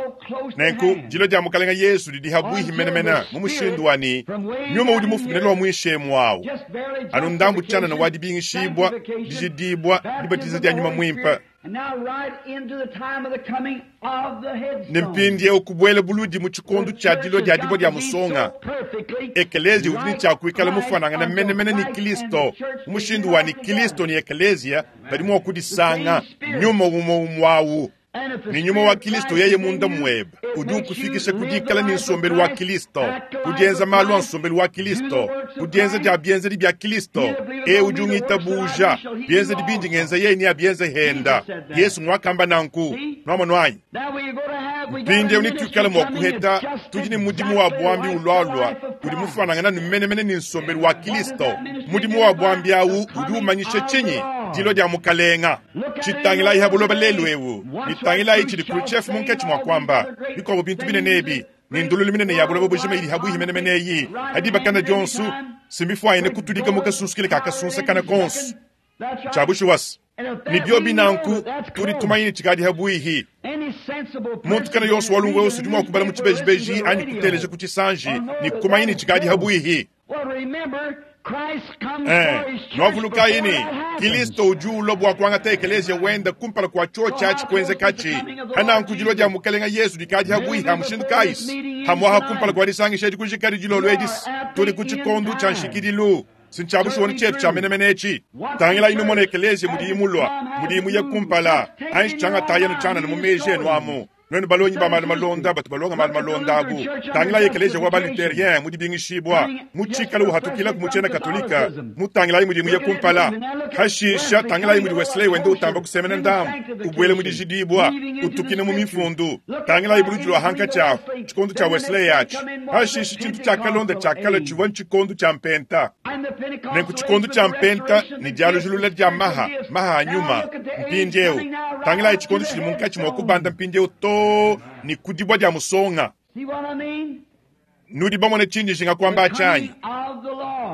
nenku dilua dia Mukalenge Yesu didi habuihi menemene mu mushindu wa ne, nyuma udi mufumine lua muinshi emu awu, anu ndambu tshianana wa dibingishibua, dijidibua, dibatiza dia Nyuma Muimpe, Ne mpindieu kubuela buludi mu tshikondo tshia dilua dia dibue dia musonga, ekeleziya udi ne tshia kuikala mufuanangane menemene ne Kristo mu mushindu wa ne Kristo ne ekeleziya badi mua kudisanga nyuma umue umue au. Ne nyuma wa Kristo yeye munda muebe udi ukufikisha ku dikala ne nsombelu wa Kristo, ku dienza malu a nsombelu wa Kristo, ku dienza dia bienzedi bia Kristo. Eu udi ungitabuja, bienzedi bindi ngenza yeye neabienze henda. Yesu nguakamba nanku. Nuamonu anyi? Mpindieu netuikale mua kuheta, tudi ne mudimu wa buambi ulualua udi mufuanangana ne menemene ne nsombelu wa Kristo. Mudimu wa buambi au udi umanyisha tshinyi? Dilua dia Mukalenga. Tshitangilayi ha buloba lelu eu, ne tangilayi tshidi Khrushchev munkatshi mua kuamba, bikuabo bintu binene ebi, ne ndululu minene ya buloba bujima idi habuihi menemene eyi, ha dibakana dionso, si mbifuanyine kutudika mu kasunsukile ka kasunsakana konso. Ntshia bushuwa se, ne biobi nanku, tudi tumanya ne tshikadi habuihi. Muntu kana yonso wa lumvu udi mua kubala mu tshibejibeji anyi kuteleja ku tshisanji ne kumanya ne tshikadi habuihi. Eh, nuavulukayi ne, Kilisto udi ulua bua kuangata ekeleziya wenda kumpala kua tshiotshi atshi kuenzekatshi. Pananku dilua dia Mukalenga Yesu dikadi habuihi ha mushindu kayisi? Hamuaha kumpala kua disangisha edi kujikadi dilolo edi, tudi ku tshikondo tshia nshikidilu. Si ntshia bushuwa tshietu tshia menemene etshi. Tangilayi numone ekeleziya mudiyi mulua, mudiyi muye kumpala, anji tshiangatayi anu tshianana mu meji enu amu. Nuenu balongi ba malu malonda batu balonga malu malonda abu, tangilayi ekeleziya wa ba-Luterien mu dibingishibua, mu tshikala uhatukilaku mu tshiena Katolika, mutangilayi mudi muye kumpala. Hashisha tangilayi mudi Wesley wenda utamba kusemena ndambu, ubuela mu dijidibua, utukina mu mifundu. Tangilayi buludi lua hankatshi ahu, tshikondo tshia Wesley atshi. Hashisha tshintu tshiakalonda tshiakalua tshivua ntshikondo tshia Mpenta. Nenku tshikondo tshia Mpenta ne dialujilula dia maha, maha a nyuma. Mpindieu, tangilayi tshikondo tshidi munkatshi mua kubanda mpindieu too ne ku dibua dia musonga. Nudi bamone tshindi njinga kuamba atshi anyi?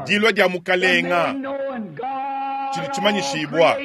Dilua dia Mukalenga tshidi tshimanyishibua.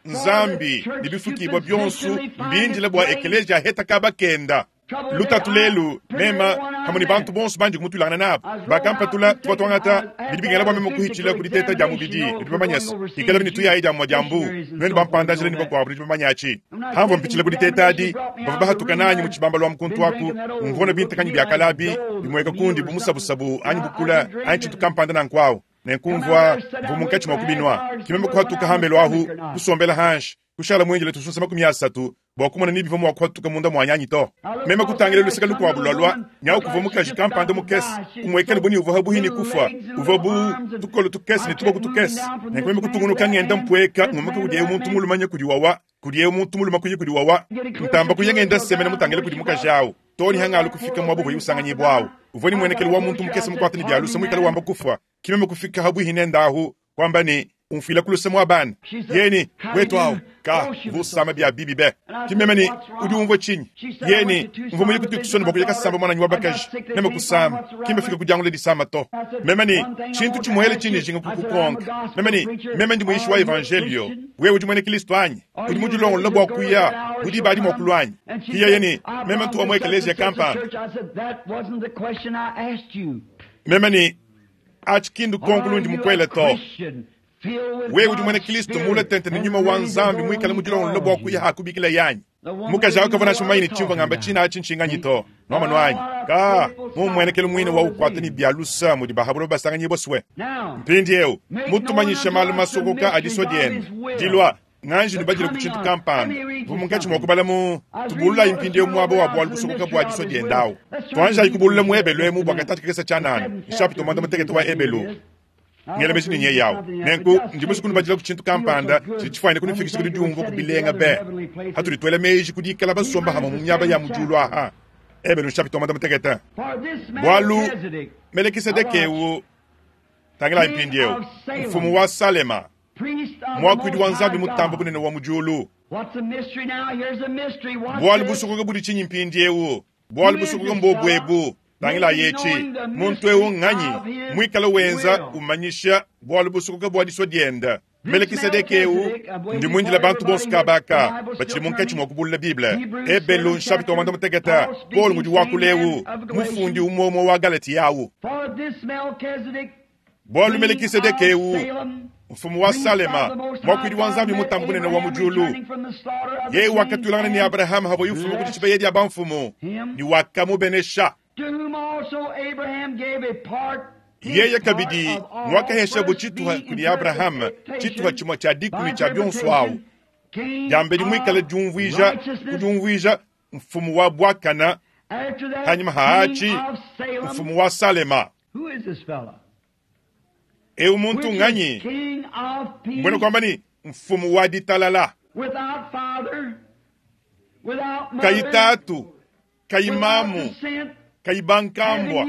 Nzambi ne bifukibua bionso mbindile bua ekeleziya aheta kaba kenda. Lutatu lelu, mema hamwe ne bantu bonso bandi kumutuilangana nabu bakampatula, tuvua tuangata bidi bikengela bua meme kuhitshila ku diteta dia mubidi. Nudi bamanye se, ikala ne tuyayi dia mua dia mbu, nuenu bampanda-njila ne bakuabu nudi bamanye atshi. Hamvua mpitshila ku diteta adi, bavua bahatuka nanyi mu tshibambalu amu kuntu aku, mvua na bintakanyi bia kale abi bimueka kundi bu musabusabu anyi bukula anyi tshintu kampanda nanku awu. Nenku mvua mvua munkatshi mua kubinua, ke meme kuhatuka hambelu ahu, kusombela hanshi, kushala muindile tusunsa 30 bua kumona ni bivua mua kuhatuka munda muanyi anyi to. Meme kutangila luseke lukuabu lualua, nyawu kuvua mukaji kampanda mukese, umuekele bu ne uvua pabuipi ne kufua, uvua bu tukolo tukese ne tuboku tukese. Nenku meme kutungunuka ngenda mpueka, ngumuka kudi eu muntu mulume nya kudi wawa, kudi eu muntu mulume kuya kudi wawa, ntamba kuya ngenda semena mutangile kudi mukaji au, too ne hangalu kufika muaba uvuaye usanganyibua au. Uvua ne muenekelu wa muntu mukese mukuate ne bia luse muikale wamba kufua. Ke meme kufika pabuipi nende ahu, kuamba ne, Umfuila ku luse muabana. Yeye ne, Wetu awu, ka, uvua usama bia bibi be. Ke meme ne, Udi umvua tshinyi? Yeye ne, Mvua muye ku Tucson bua kuya kasamba muananyi wa bakaji. Meme kusama, ki mbafike ku diangula disama to. Meme ne, Tshintu tshimuele tshindi njinga kukukonka. Meme ne, Meme ndi muyishi wa Evanjeliyo. Wewe udi muena Kilisto anyi? Udi mudilongolole bua kuya bu diba adi mua kulua anyi? Ke yeye ne, Meme ntu wa mu ekeleziya kampanda. Meme ne, Atshi ki ndukonko lundi mukuele to. Wewe udi muena Kristo muule tente ne nyuma wa Nzambi muikale mudilongolole bua kuya hakubikila anyi? Mukaji au kavua nansha mumanye ne tshimvua ngamba tshina atshi ntshinganyi to. Nuamonu anyi? Ka, mu mmuenekelu muine wa ukuata ne bia lusa mudi ba ha buloba basanganyibua swe. Mpindieu, mutumanyishe malu masokoka a disua diende dilua Nganji nubadile ku tshintu kampanda. Mvua munkatshi mua kubala mu Tubululayi mpindieu muaba wa bualu busokoka bua disua diende au. Tuanjayi kubulula mu Ebelu emu bua katantshi kakese tshianana, nshapita 18 wa Ebelu. Ngela meji ne nyeye au. Nenku, ndi musue kunubadila ku tshintu kampanda tshidi tshifuanyine kunufikisha ku didiumvua ku bilenga be patudi tuela meji ku dikala basomba hamue mu miaba ya mu diulu aha. Ebelu nshapita 18. Bualu Melekisedeke eu, tangilayi mpindieu, mfumu wa Salema, muakuidi wa Nzambi Mutambe Bunene wa mu diulu. Bualu busokoka budi tshinyi mpindieu? Bualu busokoka mbobu ebu. Tangilayi etshi, muntu eu nnganyi muikale wenza umanyisha bualu busokoka bua disua diende? Melekisedeke eu, ndi muindile bantu bonso kaba aka batshidi munkatshi mua kubulula Bible. Ebelu nshapita wa 16, Paulo ngudi wakula eu, mufundi umue umue wa Galatia au. Bualu Melekisedeke eu, mfumu wa Salema, muakuidi wa Nzambi Mutambe Bunene wa mu diulu, yeye wakatuilangana ne Abrahama havuaye ufuma ku dishibeya dia bamfumu, ne wakamubenesha. Yeye kabidi nguakaheshabo tshituha kudi Abrahama, tshituha tshimue tshia dikumi tshia bionso au, diambedi muikale diumvuija ku diumvuija mfumu wa buakana, hanyima ha atshi mfumu wa Salema. Eu muntu nganyi? Mbuena kuamba ne, mfumu wa ditalala, kayi tatu, kayi mamu, kayi bankambua,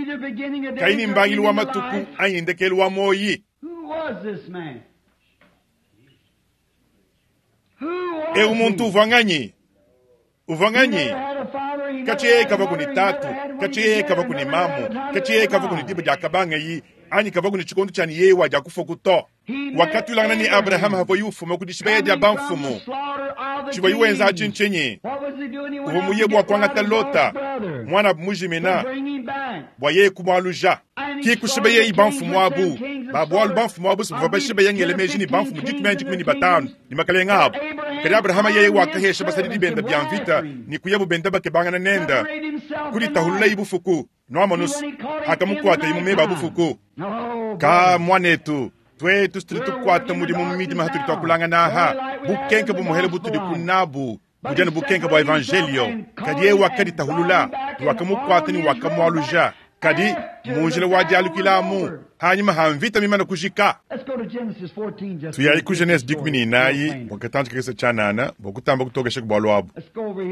kayi ne mbangilu wa matuku anyi ndekelu wa muoyi. Eu muntu uvua nganyi? Uvua nganyi? Katshi yeye kavua ne tatu, katshi yeye kavua ne mamu, katshi yeye kavua ne diba diakabangayi anyi kavua ne tshikondo tshia ne yeye wadia kufua to. Wakatuilangana ne Abrahama havuaye ufuma ku dishibeya dia bamfumu. Tshivuaye wenza atshi ntshinyi? Uvua muye bua kuangata Lota, muanabu mujimina, bua yeye kumualuja. Ki kushibeyeyi bamfumu abu ba bualu bamfumu abu bavua bashibeya ngele meji ne bamfumu dikumi anyi 15 ne makalenge abu. Kadi Abrahama yeye wakahesha basadidi bende bia mvita ne kuyabu benda bakebangana nende, kuditahululayi bufuku. Nuamonus, hakamukuatayi mu meba a bufuku. Ka muanetu, tuetu tudi tukuata mudimu mu midima hatudi tuakulangana aha, bukenke bumuhele butudi ku nabu. Budi anu bukenka bua Evanjeliyo. Kadi yeye wakaditahulula, ne wakamukuata ne wakamualuja. Kadi mu njila wa dialukila amu, hanyima ha mvita mimane kujika. Tuyayi ku Genese 14 bua katantshi kakese tshianana bua kutamba kutokesha ku bualu abu.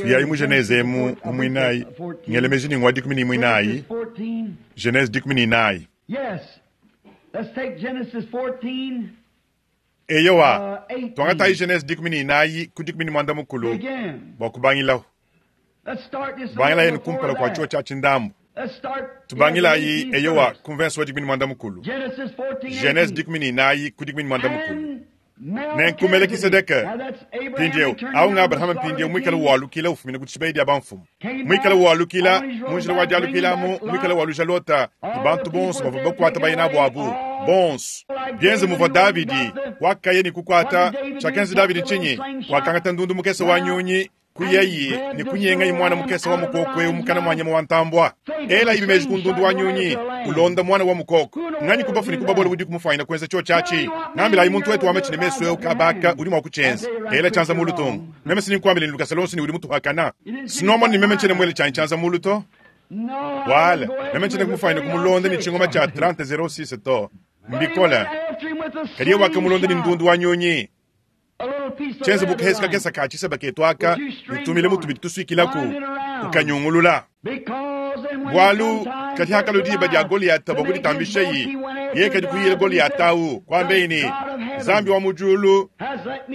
Tuyayi mu Genese emu mu muinayi, ngela meji ne ngua 14, Genese 14. Eyowa, tuangatayi Genese 14 ku 13 bua kubangilahu. Bangilayi ne kumpala kua tshiwa tshia tshindambu. Tubangilayi, eyowa, ku mvenso wa 14. Genese 14 ku 13. Nenku Melekisedeke, mpindieu, awu nga Abrahama mpindieu muikale walukila ufumina ku dishibeya dia bamfumu, muikale walukila mu njila wa dialukila amu, muikale waluja Lota ne bantu bonso bavua bakuata baye nabu abu bonso, bienze muvua Davidi wakaya ne kukuata. Tshiakenza Davidi ntshinyi? Wakangata ndundu mukese wa nyunyi kuyayi ne kunyengayi muana mukese wa mukoko eu mukana mua nyama wa ntambua. Elayi meji ku ndundu wa nyunyi ulonda muana wa mukoko. Nganyi ku bafue ne ku babole udiku mufuanyine kuenza tshiotshi atshi? Ngambilayi muntu wetu wa matshi ne mesu eu kabaka udi mua kutshienza. Ela tshianza mulu tung. Meme si ninkuambile ne lukasa luonso ne udi mutuhakana. Sinomona ne meme ntshiena muele tshianyi tshianza mulu to. Wala, meme ntshiena kumufuanyine kumulonda ne tshingoma tshia 30-06 to. Mbikole. Kadi yeye wakamulonda ne ndundu wa nyunyi. Tshienze bu kahesa kakese ka tshiseba ketu aka, ne tumile mu tubidi tusuikilaku, ukanyungulula. Bualu kadi hakalua diba dia Goliata bua kuditambishayi, yeye kadi kuyila Goliata au, kuambeyi ne, Nzambi wa mu diulu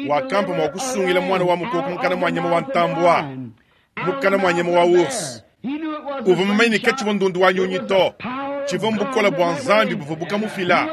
wakampa mua kusungila muana wa mukoko mukana mua nyama wa ntambua, mukana mua nyama wa ours. Uvua mumanye ne katshivua ndundu wa nyunyi to, tshivua mbukole bua Nzambi buvua bukamufila.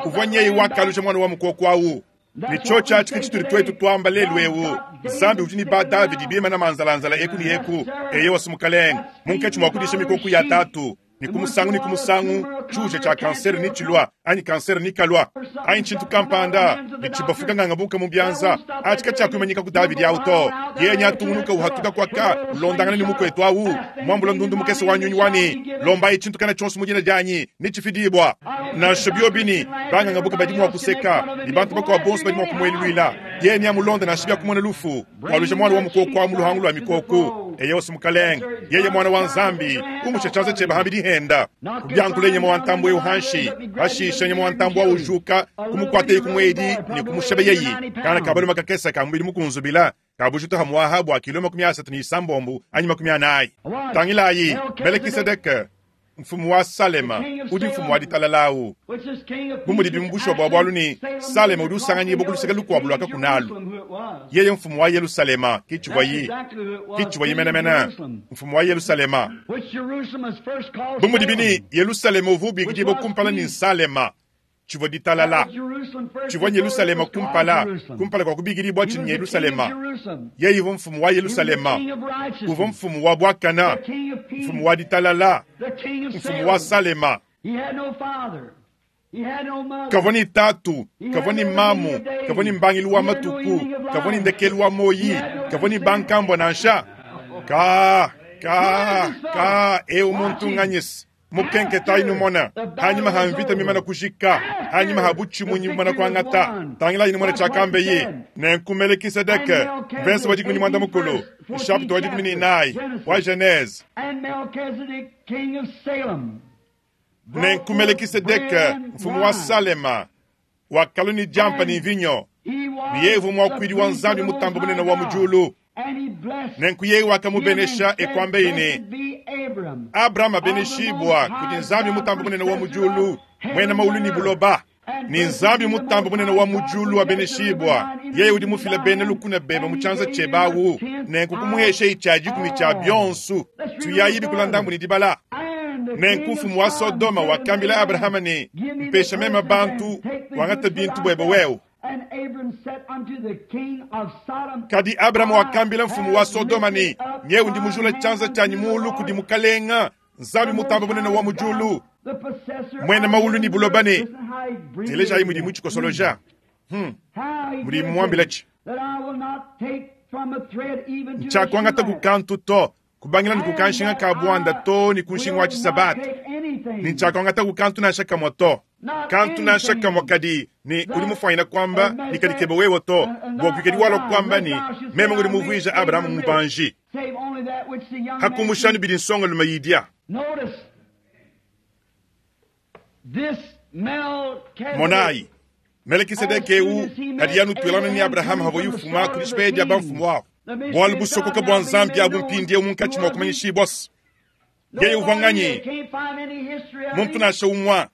Uvua nyeye wakaluja muana wa mukoko au. Ne tshiotshi atshi ke tshitudi tuetu tuamba lelu eu. Nzambi udi ne ba Davidi bimana manzalanzala eku ne eku, eyowa si Mukalenge, munkatshi mua kudisha mikoko ya tatu, ne ku musangu ne ku musangu tshiuja tshia kansere netshilua, anyi kansere nekalua, anyi tshintu kampanda, ne tshibafuka ngangabuka mu bianza. Atshi katshiakuimanyika ku Davidi au to. Yeye neatungunuka uhatuka kuaka, ulondangana ne mukuetu au, muambula ndundu mukese wa nyunyi wa ne, Lombayi tshintu kana tshionso mu dina dianyi, netshifidibua. Nansha biobi ne, bangangabuka badi mua kuseka, ne bantu bakuabu bonso badi mua kumueluluila, yeye neamulonde nansha biakumona lufu. Waluja muana wa mukoko wa mu luhangu lua mikoko. Eyewa si Mukalenge, yeye muana wa Nzambi, umusha tshianza tshiebe hambidi henda. Kubiankule nyama wa ntambue eu hanshi. Pashishe nyama wa ntambue au ujuka, kumukuataye ku muedi ne kumushebeyeyi. Kana ka balume kakese ka mubidi mukunzubila, ka bujitu hamuaha bua kilo 36 anyi 40. Tangilayi, Melekisedeke, mfumu wa Salema, udi mfumu wa ditalala au. Bu mudibi mu bushuwa bua bualu ne Salema udi usanganyibua ku luseke lukuabu lua kakuna alu. Yeye mfumu wa Yelusalema, ke tshivuaye, ke tshivuaye menemene, mfumu wa Yelusalema. Bu mudibi ne Yelusalema uvua ubikidibua kumpala ne Salema, tshivua ditalala. Tshivua Yelusalema kumpala, kumpala kua kubikidibua tshi ne Yelusalema. Yeye uvua mfumu wa Yelusalema, uvua mfumu wa buakana, mfumu wa ditalala, mfumu wa Salema. Kavua ne tatu, kavua ne mamu, kavua ne mbangilu wa matuku, kavua ne ndekelu wa muoyi, kavua ne bankambua nansha. Ka, ka, ka, eu muntu nganyisi. Mukenketayi numona, hanyima ha mvita mimana kujika, hanyima ha butshimunyi bumana kuangata, tangilayi numona tshiakambeye. Nenku Melekisedeke, mvese wa 14, nshapita wa 14 wa Genese. Nenku Melekisedeke, mfumu wa Salema, wakalua ne diampa ne mvinyo, ne yeye uvua muakuidi wa Nzambi Mutambe Bunene wa mu diulu. Nenku yeye wakamubenesha e kuambaye ne, Abrahama abeneshibua kudi Nzambi Mutambe Bunene wa mu diulu, muena maulu ne buloba. Ne Nzambi Mutambe Bunene wa mu diulu abeneshibua, yeye udi mufile bena lukuna bebe mu tshianza tshiebe awu, nenku kumuheshayi tshia dikumi tshia bionso. Tuyayi bikula ndambu ne dibala. Nenku mfumu wa Sodoma wakambila Abrahama ne, Mpesha meme bantu, wangate bintu buebe wewe. Kadi Abrahama wakambila mfumu wa Sodoma ne, Nyewu ndi mujula tshianza tshianyi muulu kudi Mukalenga, Nzambi Mutambe Bunene wa mu diulu, muena maulu ne buloba ne, telejayi mudi mutshikosoloja, hmm, mudi muambilatshi. Ntshiakuangata ku kantu to, kubangila ne ku kanshinga ka buanda too ne ku nshinga wa tshisabata, ne ntshiakuangata ku kantu nansha kamue to. Kantu nansha kamue kadi ne udi mufuanyine kuamba ne kadi kebe wewe to, bua kuikadi walua kuamba ne, Meme ngudi muvuije Abrahama mubanji. Pa kumbusha anu bidi nsongalume idia. Monayi, Melekisedeke eu kadi anutuilangana ne Abrahama pavuaye ufuma ku dishipeya dia bamfumu abu. Bualu busokoka bua Nzambi abu mpindieu munkatshi mua kumanyishibua. Yeye uvua nganyi? Muntu nansha umue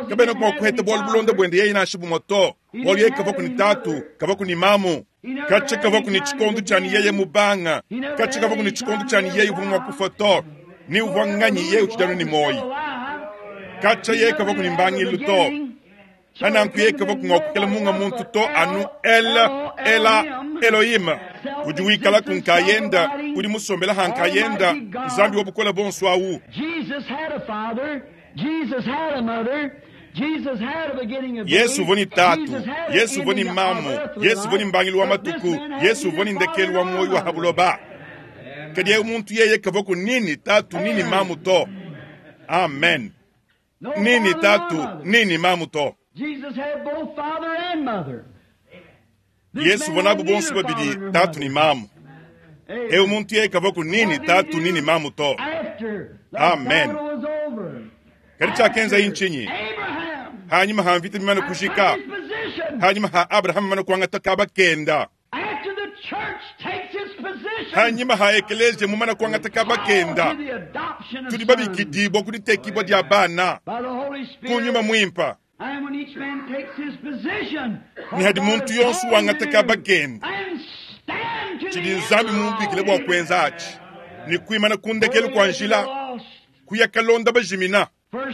kabena mua kuheta bualu bulonda buende yeye nansha bumue to, bualu yeye kavua ne tatu, kavua ne mamu, katshia kavua ne tshikondo tshia ne yeye mubanga, katshia kavua ne tshikondo tshia ne yeye uvua mua kufua to. Ne uvua nganyi? Yeye utshidi anu ne muoyo. Katshia yeye kavua ne mbangilu to. Pa nanku yeye kavua mua kuikala munga muntu to anu El, Ela, Elohim, udi wikalaku nkayenda, udi musombela ha nkayenda, Nzambi wa bukole buonso awu. Yesu uvua ne tatu, Yesu uvua ne mamu, Yesu uvua ne mbangilu wa matuku, Yesu uvua ne ndekelu wa muoyo wa ha buloba. Kadi eu muntu yeye kavuaku ni ne tatu ni ne mamu to. Amen. Ni ne tatu ni ne mamu to. Yesu uvua nabu bonso babidi tatu ne mamu. Eu muntu yeye kavuaku ni ne tatu ni ne mamu to. Amen. Kadi tshiakenzaye ntshinyi? Hanyima ha mvita mimane kujika, hanyima ha Abrahama mumane kuangata kaba kenda, Hanyima ha ekeleziya mumane kuangata kaba kenda, tudi babikidibua ku ditekibua dia bana ku Nyuma Muimpa. Ne hadi muntu yonso wangata kaba kenda, tshidi Nzambi mumubikile bua kuenza atshi, ne kuimana ku ndekelu kua njila, kuya kalonda bajimina.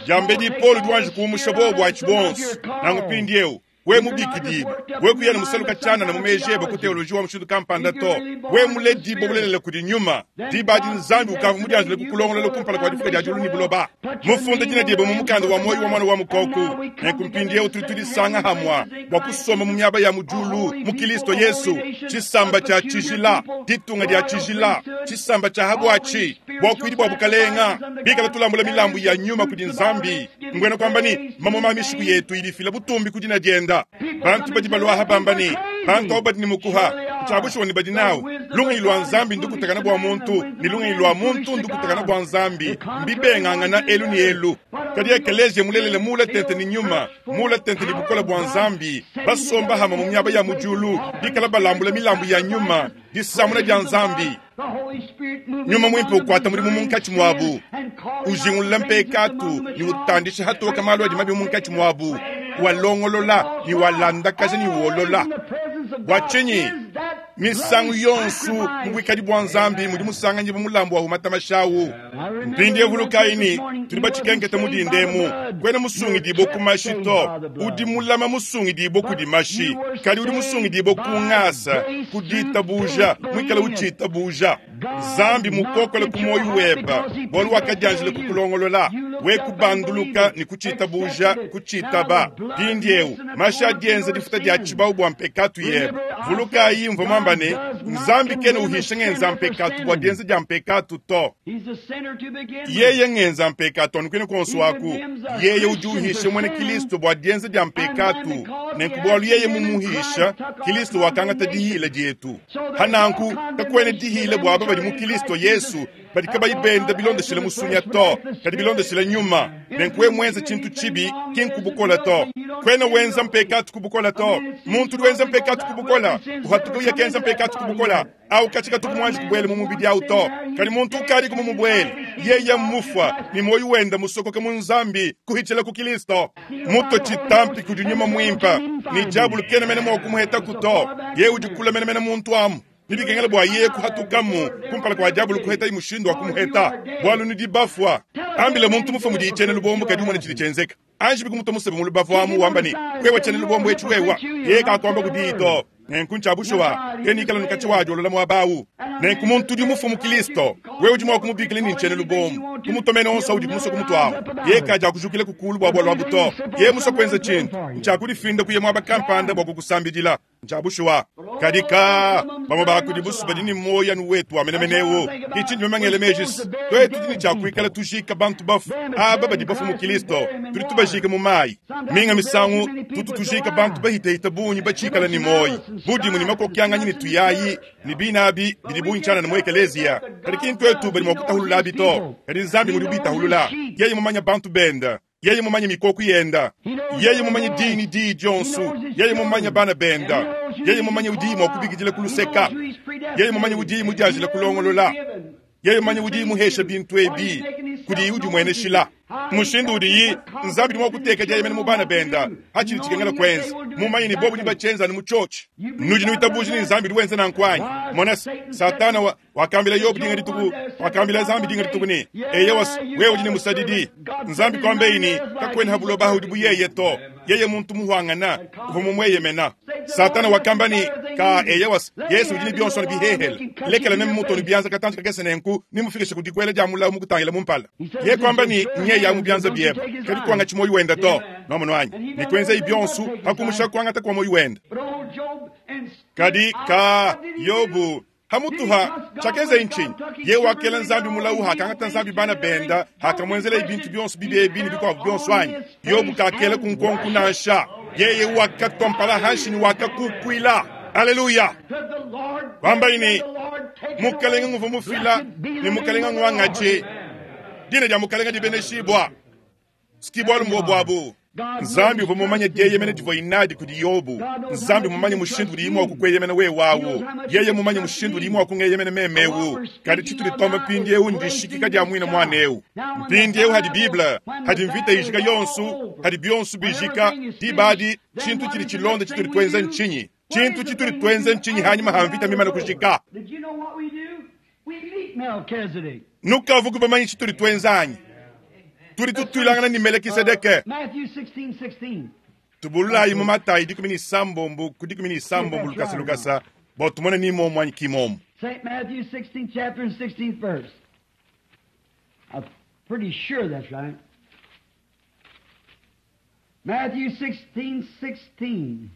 Diambedi Paulo udi wanji kuumusha buowa atshi buonso. Nanku mpindieu, wewe mubikidibue, wewe kuya ne musaluka tshianana mu meji ebe ku teoloji wa mushindu kampanda to. Wewe muledibue bulelela kudi nyuma, diba adi Nzambi ukavua mudianjile kukulongolola kumpala kua difuka dia diulu ne buloba. Mufunda dina diebe mu mukanda wa muoyo wa Muana wa Mukoko. Nenku mpindieu tudi tudisanga hamua bua kusomba mu miaba ya mu diulu mu Kilisto Yesu, tshisamba tshia tshijila, ditunga dia tshijila, tshisamba tshia ha buatshi, buakuidi bua bukalenga, bikala tulambula milambu ya nyuma kudi Nzambi, mbuena kuamba ne, mamuma a mishiku yetu idi ifila butumbi ku dina dienda. Bantu badi baluaha bamba ne, bantu abo badi ne mukuha, ntshia bushuwa ne badi nawu. Lungenyi lua Nzambi ndukutakana bua muntu, ne lungenyi lua muntu ndukutakana bua Nzambi, mbibengangana elu ne elu. Kadi ekeleziya mulelela muula tente ne nyuma, muula tente ne bukole bua Nzambi, basomba hamue mu miaba ya mu diulu, bikala balambula milambu ya nyuma, disamuna dia Nzambi. Nyuma Muimpe ukuata mudimu munkatshi muabu, ujingulula mpekatu ne utandisha hatoka malu adi mabi munkatshi muabu, walongolola ne walandakaja ne wolola. Bua tshinyi? Misangu yonso mu buikadi bua Nzambi mudi musanganyibua mulambu wa umata mashi. Mpindieu vulukayi ne, tudi batshikenketa mu dinda emu. Kuena musungidibue ku mashi to, udi mulama musungidibue kudi mashi, kadi udi musungidibue ku ngasa, ku ditabuja, muikale utshitabuja. Nzambi mukokole ku muoyo webe, bualu wakadianjila kukulongolola, we kubanduluka ne kutshitabuja, kutshitaba. Mpindieu mashi adi enza difuta dia tshibawu bua mpekatu yebe. Vulukayi, mvua muamba ne, Nzambi kena uhisha ngenza mpekatu bua dienza dia mpekatu to. Yeye ngenza mpekatu anu kuine kuonso aku. Yeye udi uhisha muena Kilisto bua dienza dia mpekatu, nenku bualu yeye mumuhisha, Kilisto wakangata dihila dietu. Pa nanku kakuena dihila bua aba badi mu Kilisto Yesu, badi kabayi benda bilondeshile musunya to, kadi bilondeshile nyuma. Nenku wewe muenze tshintu tshibi, ki nku bukole to. Kuena wenza mpekatu ku bukole to. Muntu udi wenza mpekatu ku bukole, uhatuka uya kenza mpekatu ku bukole, au katshi katuku muanji kubuela mu mubidi au to. Kadi muntu ukadiku mumubuele, yeye mmufua, ne muoyo wende musokoka mu Nzambi kuhitshila ku Kilisto. Mutue tshitampi kudi Nyuma Muimpe, ne diabulu kena mene mua kumuhetaku to. Yeye udi kule menemene muntu amu. Ne bikengela bua yeye kuhatukamu kumpala kua diabulu kuhetaye mushindu wa kumuheta, bualu nudi bafua. Ambila muntu mufue mudiye tshiena lubombo, kadi umone tshidi tshienzeka. Anji bikumutua musebe mu lubavu amu, wamba ne, Wewa tshiena lubombo etshi wewa. Yeye kakuamba kudiyi to. Nenku ntshia bushuwa, kena ikala ne katshia wadiolola muaba au. Nenku muntu udi mufue mu Kilisto, wewe udi mua kumubikila ne ntshiena lubombo, kumutua mene onso audi musue kumutuawu. Yeye kadiakujukila ku kulu bua bualu abu to. Yeye musue kuenza tshintu, ntshia kudifinda kuya muaba kampanda bua kukusambidila. Ncya bushuwa. Kadi kaa, bamwe baa kudibu's badi ne mwoyi anu wetu wa menemene ewu. Ki cindi meme ngela meeji's, twetu tudi ne cya kwikala tujiika bantu bafwe aba badi bafwe mu Kilisto. Tudi tubajiika mu mayi. Minga misangu tutu tujiika bantu bahitehite bungi baciikala ne mwoyi. Budimu ne makokyanganyi ne tuyayi ne biine abi bidi bungi cyanana mu ekeleeziya. Kadi ki ntwetu badi mwa kutahulula abi to, kadi Nzambi ngudi ubitahulula. Yeye mumanye bantu bende. Yeye mumanye mikoku yenda. Yeye mumanye diyi ne diyi dyonso. Yeye mumanye bana benda. Yeye mumanye udiyi mwa kubikidila ku luseka. Yeye mumanye udiyi mudyajila kulongolola. Yeye mumanye udiyi muhesha bintu ebi kudiyi udimweneshila. Mushindu udiyi Nzambi udi mwa kuteka dyeyemena mu bana benda, atshidi tshikengela kwenza. Mumanye ne bobu nebatshienza anu mu tshiotshi. Nudi nuitabuja ne Nzambi udi wenza nanku anyi? Mona, Satana wa, wakambila Yobo dinga dituku, wakambila Nzambi dinga dituku ne, Eyowa, wewe udi ne musadidi. Nzambi kuambeyi ne, Kakuena ha buloba aha udi bu yeye to. Yeye muntu muhuangana, uvua mumueyemena. Satana wakamba ne, Ka, eyowa, Yesu udi ne bionso anu bihehele. Lekela meme mutue ne bianza katantshi kakese nenku nemufikishe ku dikuela dia mulawu mukutangila mu mpala. Yeye kuamba ne, Nyeya mu bianza biebe, kadi kuangatshi muoyo wende to. Nwamonu anyi? Ne kuenzayi bionso pa kumusha kuangata kua muoyo wende. Kadi, ka, Yobo, Hamutu ha tshiakenzeye ntshinyi? Yeye wakela Nzambi mulawu hakangata Nzambi bana benda, hakamuenzeleye bintu bionso bibi ebi ne bikuabo bionso anyi? Yobo kakela ku nkonko nansha. Yeye wakatua mpala hanshi ne wakakukuila. Aleluya! Wambayi ne, Mukelenge nguvua mufila ne Mukelenge nguangatshi. Dina dia Mukelenge dibeneshibua. Ski bualu mbuobu abu. Nzambi uvua mumanye dieyemena divuaye nadi kudi Yobo. Nzambi mumanye mushindu udiye mua kukueyemena wewe au. Yeye mumanye mushindu udiye mua kungeyemena meme eu. Kadi tshitudi tuamba mpindieu ndishikika dia muine muana eu. Mpindieu hadi Bible, hadi mvita ijika yonso, hadi bionso bijika, diba adi tshintu tshidi tshilonda tshitudi tuenza ntshinyi? Tshintu tshitudi tuenza ntshinyi hanyima ha mvita mimane kujika? Nukavuku bamanye tshitudi tuenza anyi? Tudi tutuilangana ne Melekisedeke. Tubululayi mu Matayi 16 ku 16 lukasa lukasa bua tumone ni momu anyi ki momu. St. Matthew 16th chapter and 16th verse. I'm pretty sure that's right. Matthew 16, 16.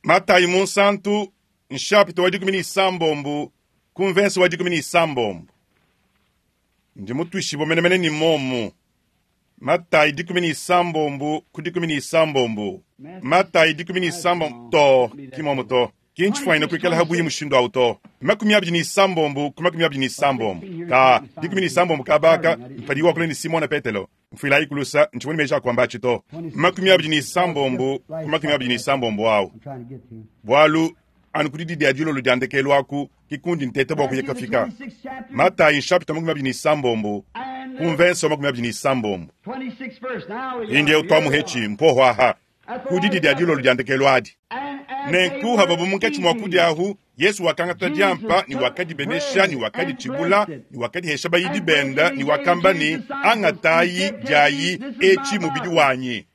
Matayi Munsantu, nshapita wa 16 ku mvense wa 16. Ndi mutuishibue menemene ne momu. Matayi 16 ku 16. Matayi 16 to, ki momu to. Ki ntshifuanyine kuikala ha buihi mushindu au to. 26 ku 26. Ka, 16 kaba aka, mpadiwu wakula ne Simona Petelo. Mfuilayi kulusa, ntshivua ne meji a kuamba atshi to. 26 ku 26 au. Bualu, anu ku didi dia dilolo dia ndekelu aku ke kundi nteta bua kuya kafika. Matayi nshapita 26 ku mvense wa 26. Mpindieu tuamuhetshi mpoho aha ku didi dia dilolo dia ndekelu adi. Nenku havuabu munkatshi mua kudia ahu, Yesu wakangata diampa ne wakadibenesha ne wakaditshibula ne wakadihesha bayidi benda ne wakamba ne, Angatayi, diayi, etshi mubidi wanyi.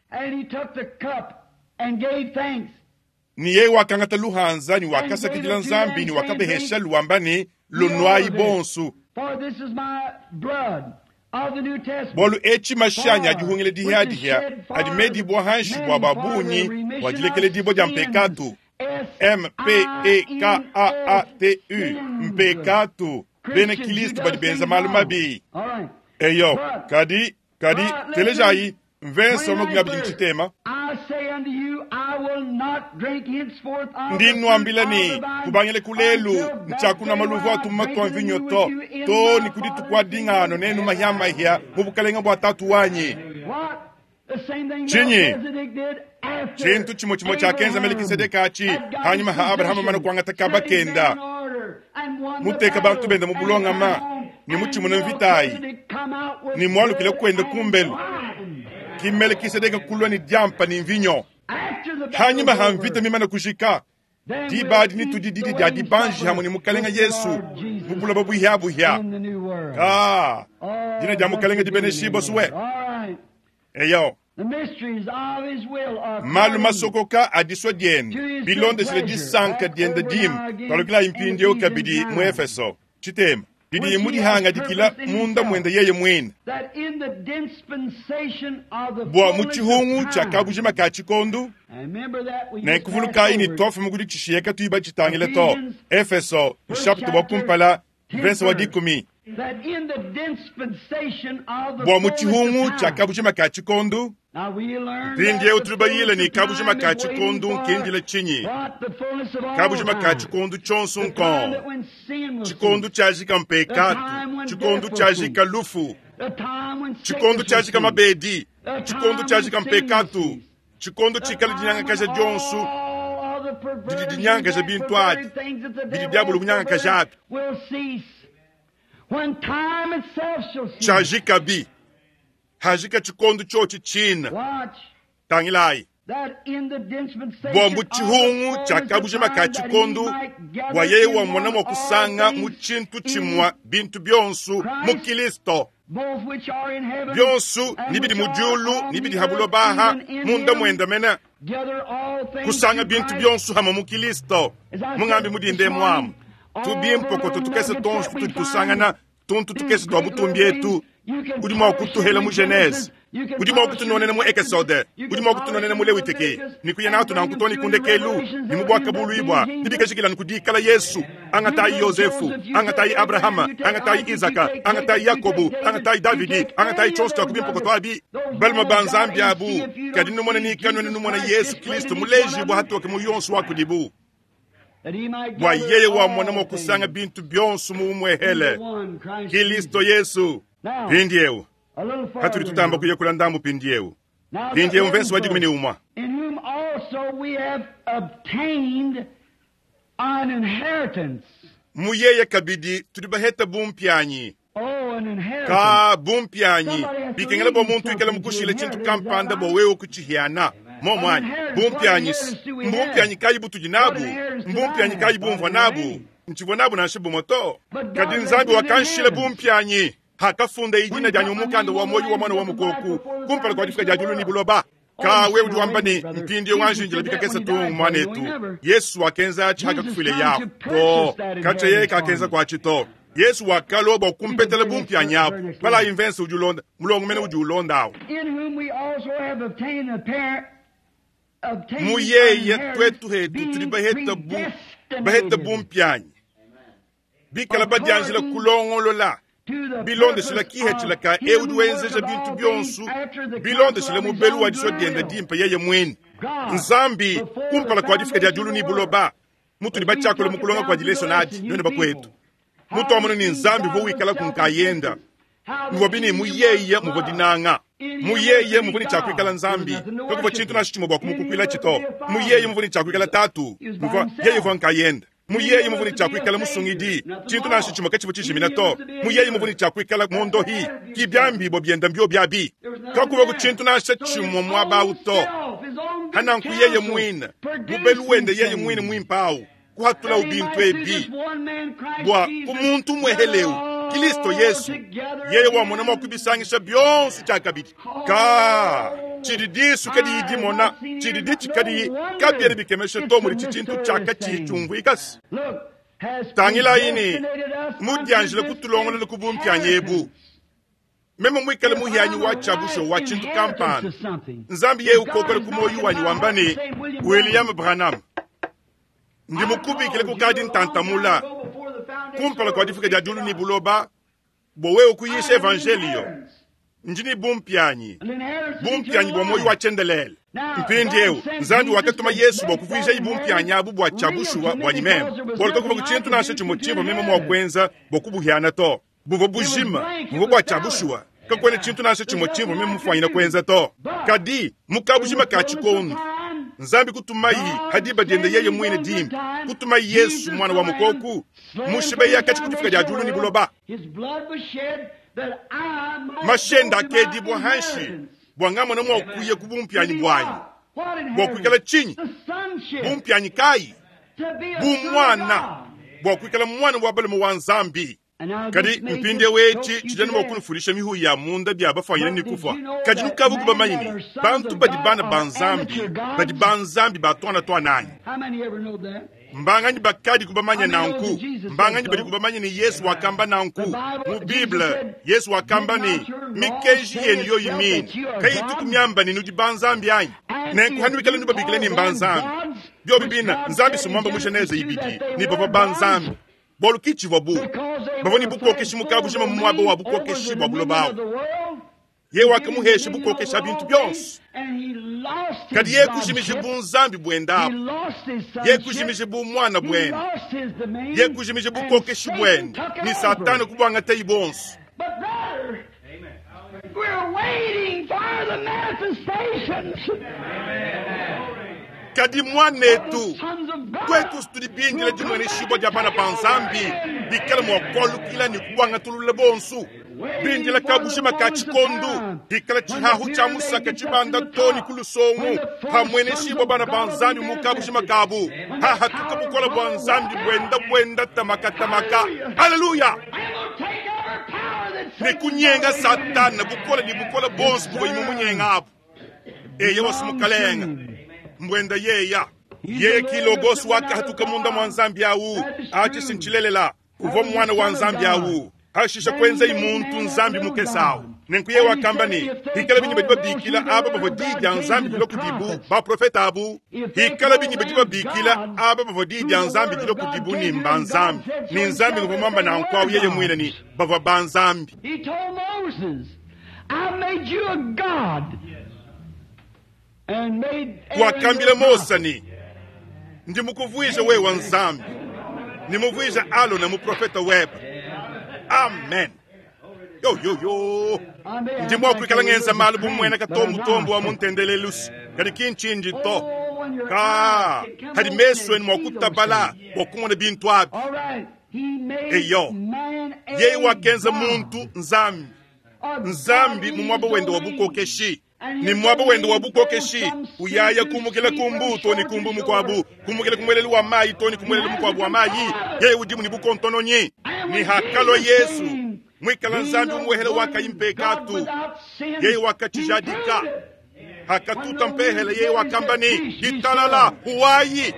Ne yeye wakangata luhanza ne wakasakidila Nzambi ne wakabeheshalu wamba ne, Lunuayi bonso, bualu etshi mashi anyi a dihungila dihia-dihia adi medibua hanshi bua ba bungi bua dilekeledibua dia mpekatu. M-p-e-k-a-a-t-u, mpekatu. Bena Kilisto badi benza malu mabi. Eyo, kadi, kadi, telejayi, mvese wa 23. Ndi nnuambila ne, kubangila ku lelu, ntshiakunua maluvu a tumuma tua mvinyo to, too ne ku dituku adi ngano nenu mahiamahia mu bukalenge bua Tatu wanyi. Tshinyi? Tshintu tshimue tshimue tshiakenza Melekisedeke atshi hanyima ha Abrahama mane kuangata kaba kenda, muteka bantu bende mu bulongama ne mutshimune mvita ayi, ne mualukile kuende kumbelu. Ki Melekisedeke kulua ne diampa ne mvinyo. Hanyima ha mvita mimane kujika, diba adi netudi didi dia dibanji hamue ne Mukalenga Yesu mu buloba buhia-buhia. Ka, dina dia Mukalenga dibeneshibue sue. Eyo, malu masokoka a disua diende bilondeshile disanka diende dimpe. Tualukilayi mpindieu kabidi mu Efeso tshitema. Didiye mudihangadikila munda muende yeye muine, bua mu tshihungu tshia kabujima ka tshikondu. Nenku vulukayi ne tuafuma ku ditshishiya katuyi batshitangile to. Efeso, nshapita wa kumpala, mvese wa dikumi. Bua mu tshihungu tshia kabujima ka tshikondu. Mpindieu tudi bayile ne kabujima ka tshikondu nkindile tshinyi? Kabujima ka tshikondu tshionso nkong. Tshikondu tshiajika mpekatu, tshikondu tshiajika lufu, tshikondu tshiajika mabedi, tshikondu tshiajika mpekatu, tshikondu tshikala dinyangakaja dionso didi dinyangakaja bintu abi bidi diabolo munyangakaja abi. Tshiajikabi hajika tshikondu tshiotshi tshina. Tangilayi. Bua mu tshihungu tshia kabujima ka tshikondu, bua yeye wamona mua kusanga mu tshintu tshimua bintu bionso mu Kilisto, bionso ni bidi mu diulu ni bidi ha buloba aha, munda muende mene, kusanga bintu bionso hamue mu Kilisto. Mungambi mudinde muamu tubimpokoto tukese tonso tudi tusangana tuntu tukese tua butumbi etu. Udi mua kutuhela mu Genese, udi mua kutunonena mu Ekesode, udi mua kutunonena mu Lewiteke, ne kuya natu nanku too ne ku ndekelu, ne mu Buakabuluibua, ne bikajikila nuku dikala Yesu. Angatayi Yozefu, angatayi Abrahama, angatayi Izaka, angatayi Yakobu, angatayi Davidi, angatayi tshionso tshia ku bimpokoto abi, balume ba Nzambi abu, kadi numone ne kanuena numona Yesu Kristo mulejibua hatoke mu yonso wa kudibu, bua yeye wamona mua kusanga bintu bionso mu umuehele, Kilisto Yesu. Mpindieu patudi tutamba kuya kula ndambu mpindieu, mpindieu mvese wa dikumi ne umue. Mu yeye kabidi tudi baheta bumpianyi. Ka bumpianyi bikengela bua muntu ikala mukushile tshintu kampanda bua wewe kutshihiana. Momu anyi? Bumpianyi mbumpianyi kayi butudi nabu? Mbumpianyi kayi bumvua nabu? Ntshivua nabu nansha bumue to. Kadi Nzambi wakanshila bumpianyi hakafunda dina dianyi mu mukanda wa muoyo wa Muana wa Mukoko kumpala kua difika dia diulu ne buloba. Ka wewe udi wamba ne, mpindieu wanji njila bikakese tu muanetu. Yesu wakenza atshi hakakufuile yahu to. Katshia yeye kakenza kuatshi to. Yesu wakalua bua kumpetela bumpianyi abu. Balayi mvese udi ulonda, mulongo mene udi ulonda awu. Mu yeye tuetu hetu tudi baheta bu baheta bumpianyi bikala badianjila kulongolola bilondeshila kihetshila ka eu udi wenzeja bintu bionso bilondeshila mubelu wa disua diende dimpe yeye muine Nzambi kumpala kua difika dia diulu ne buloba. Mutudi batshiakule mu kulonga kua dilesonadi nuenu bakuetu, mutuamona ne Nzambi uvua wikalaku nkayenda, muvua bine mu yeye muvua dinanga, mu yeye muvua ne tshia kuikala Nzambi, kakuvua tshintu nansha tshimue bua kumukukuilatshi to. Mu yeye muvua ne tshia kuikala Tatu, muvua yeye uvua nkayenda. Mu yeye muvua ne tshia kuikala Musungidi, tshintu nansha tshimue katshivua tshijimina to. Mu yeye muvua ne tshia kuikala Muondohi, ki biambibua bienda mbio biabi, kakuvua ku tshintu nansha tshimue muaba au to. Hananku yeye muine, mubelu wende yeye muine muimpe au, kuhatulawu bintu ebi bua ku muntu umueheleu, Kilisto Yesu, yeye wamona mua kubisangisha bionso tshiakabidi. Ka tshidi disu kadiyi dimona, tshidi ditshi kadiyi, kabiena bikemesha to mudi tshintu tshiakatshiyi tshiumvuikase. Tangilayi ne mudianjila kutulongolola ku bumpianyi ebu. Meme muikale muhianyi wa tshiabusho wa tshintu kampanda, Nzambi yeye ukokola ku muoyo wanyi wamba ne, William Branham, ndi mukubikile kukadi ntantamula kumpala kua difika dia diulu ne buloba bua wewe kuyisha evanjelio. Ndi ne bumpianyi, bumpianyi bua muoyo wa tshiendelele. Mpindieu Nzambi wakatuma Yesu bua kuvuijaye bumpianyi abu bua tshia bushuwa buanyi meme, bualu kakuvua ku tshintu nansha tshimue tshimvua meme mua kuenza bua kubuhiana to. Buvua bujima, buvua bua tshia bushuwa, kakuena tshintu nansha tshimue tshimvua meme mufuanyina kuenza to. Kadi mu kabujima ka tshikondu, Nzambi kutumayi ha diba diende yeye muine dimpe, kutumayi Yesu muana wa mukoku mushibeya katshi ku difika dia diulu ne buloba. Mashenda akedibua hanshi bua ngamona mua kuya ku bumpianyi buanyi, bua kuikala tshinyi? Bumpianyi kayi? Bu muana, bua kuikala muana wa balume wa Nzambi. Kadi mpindieu etshi tshidi anu mua kunufulisha mihu ya munda bia bafuanyina ne kufua. Kadi nukavu kubamanye ne bantu badi bana ba Nzambi, badi ba Nzambi ba tuana tuananyi. Mbanganyi bakadiku bamanye nanku? Mbanganyi badiku bamanye ne Yesu wakamba nanku? Mu Bible, Yesu wakamba ne, Mikenji yenu yoyi mine kayituku miamba ne nudi banzambi anyi? Nenku hanuikala nubabikila ne mbanzambi, biobi bina Nzambi si muamba mu Genese ibidi ne bavua banzambi, bualu ki tshivua bu bavua ne bukokeshi mu kabujima mu muaba wa bukokeshi bua buloba abu. Yeye wakamuhesha bukokeshi ha bintu bionso, kadi yeye kujimija bunzambi buende abu, yeye kujimija bumuana buende, yeye kujimija bukokeshi buende, ne Satana kubuangatayi buonso. Kadi muanetu, tuetu tudi bindila dimueneshibua dia bana ba Nzambi bikale mua kualukila ne kubuangatulula bonso. Bindila kabujima ka tshikondu hikala tshihahu tshia musaka tshibanda to ne ku lusongu, hamueneshibua bana ba Nzambi mu kabujima kabu, hahatuka bukole bua Nzambi buenda buenda tamaka tamaka. Haleluya! Ne kunyenga Satana bukole ne bukole bonso buvua mumunyenga abu. Eye wasu mukalenga mbuenda yeya yeye ki logos wakahatuka munda mua Nzambi awu atshi sintshilelela uvua muana wa Nzambi awu. Hashisha kuenzayi muntu Nzambi mukese awu. Nenku yeye wakamba ne, Hikala binyi badi babikila aba bavua diyi dia Nzambi dilua kudibu baprofete abu, hikala binyi badi babikila aba bavua diyi dia Nzambi dilua kudibu ne mba Nzambi, ne Nzambi nguvua muamba nanku awu yeye muine ne bavua ba Nzambi. He told Moses, I made you a god and made Aaron Wakambila your Mose prophet. ne, ndi mukuvuije wewe Nzambi, ne muvuije Alona muprofete webe. Amen. Yo yo yo. Ndi mua kuikala ngenza malu bu muena katombotombo wa muntendelelusi, kadi ki ntshindi to. Ka hadi mesu enu mua kutabala bua kumona bintu abi. All right. He made Eyo. man a Yeye wakenza god. muntu Nzambi, A Nzambi mu muaba godly wende wa domain. bukokeshi. And Ne his muaba wende wa domain goes bukokeshi from sea uyaya to kumukila sea, kumbu from to ne shore to kumbu shore. mukuabu, kumukila ku muelelu wa mayi to ne ku muelelu mukuabu wa mayi. Yeye udimu ne bukontononyi. And Ne when hakalua Jesus Yesu came, mwikala being Nzambi the umuhele one wakayi God mpekatu, without sin, yeye he wakatshijadika proved it. hakatuta mpehele yeye wakamba ne ditalala huwayi.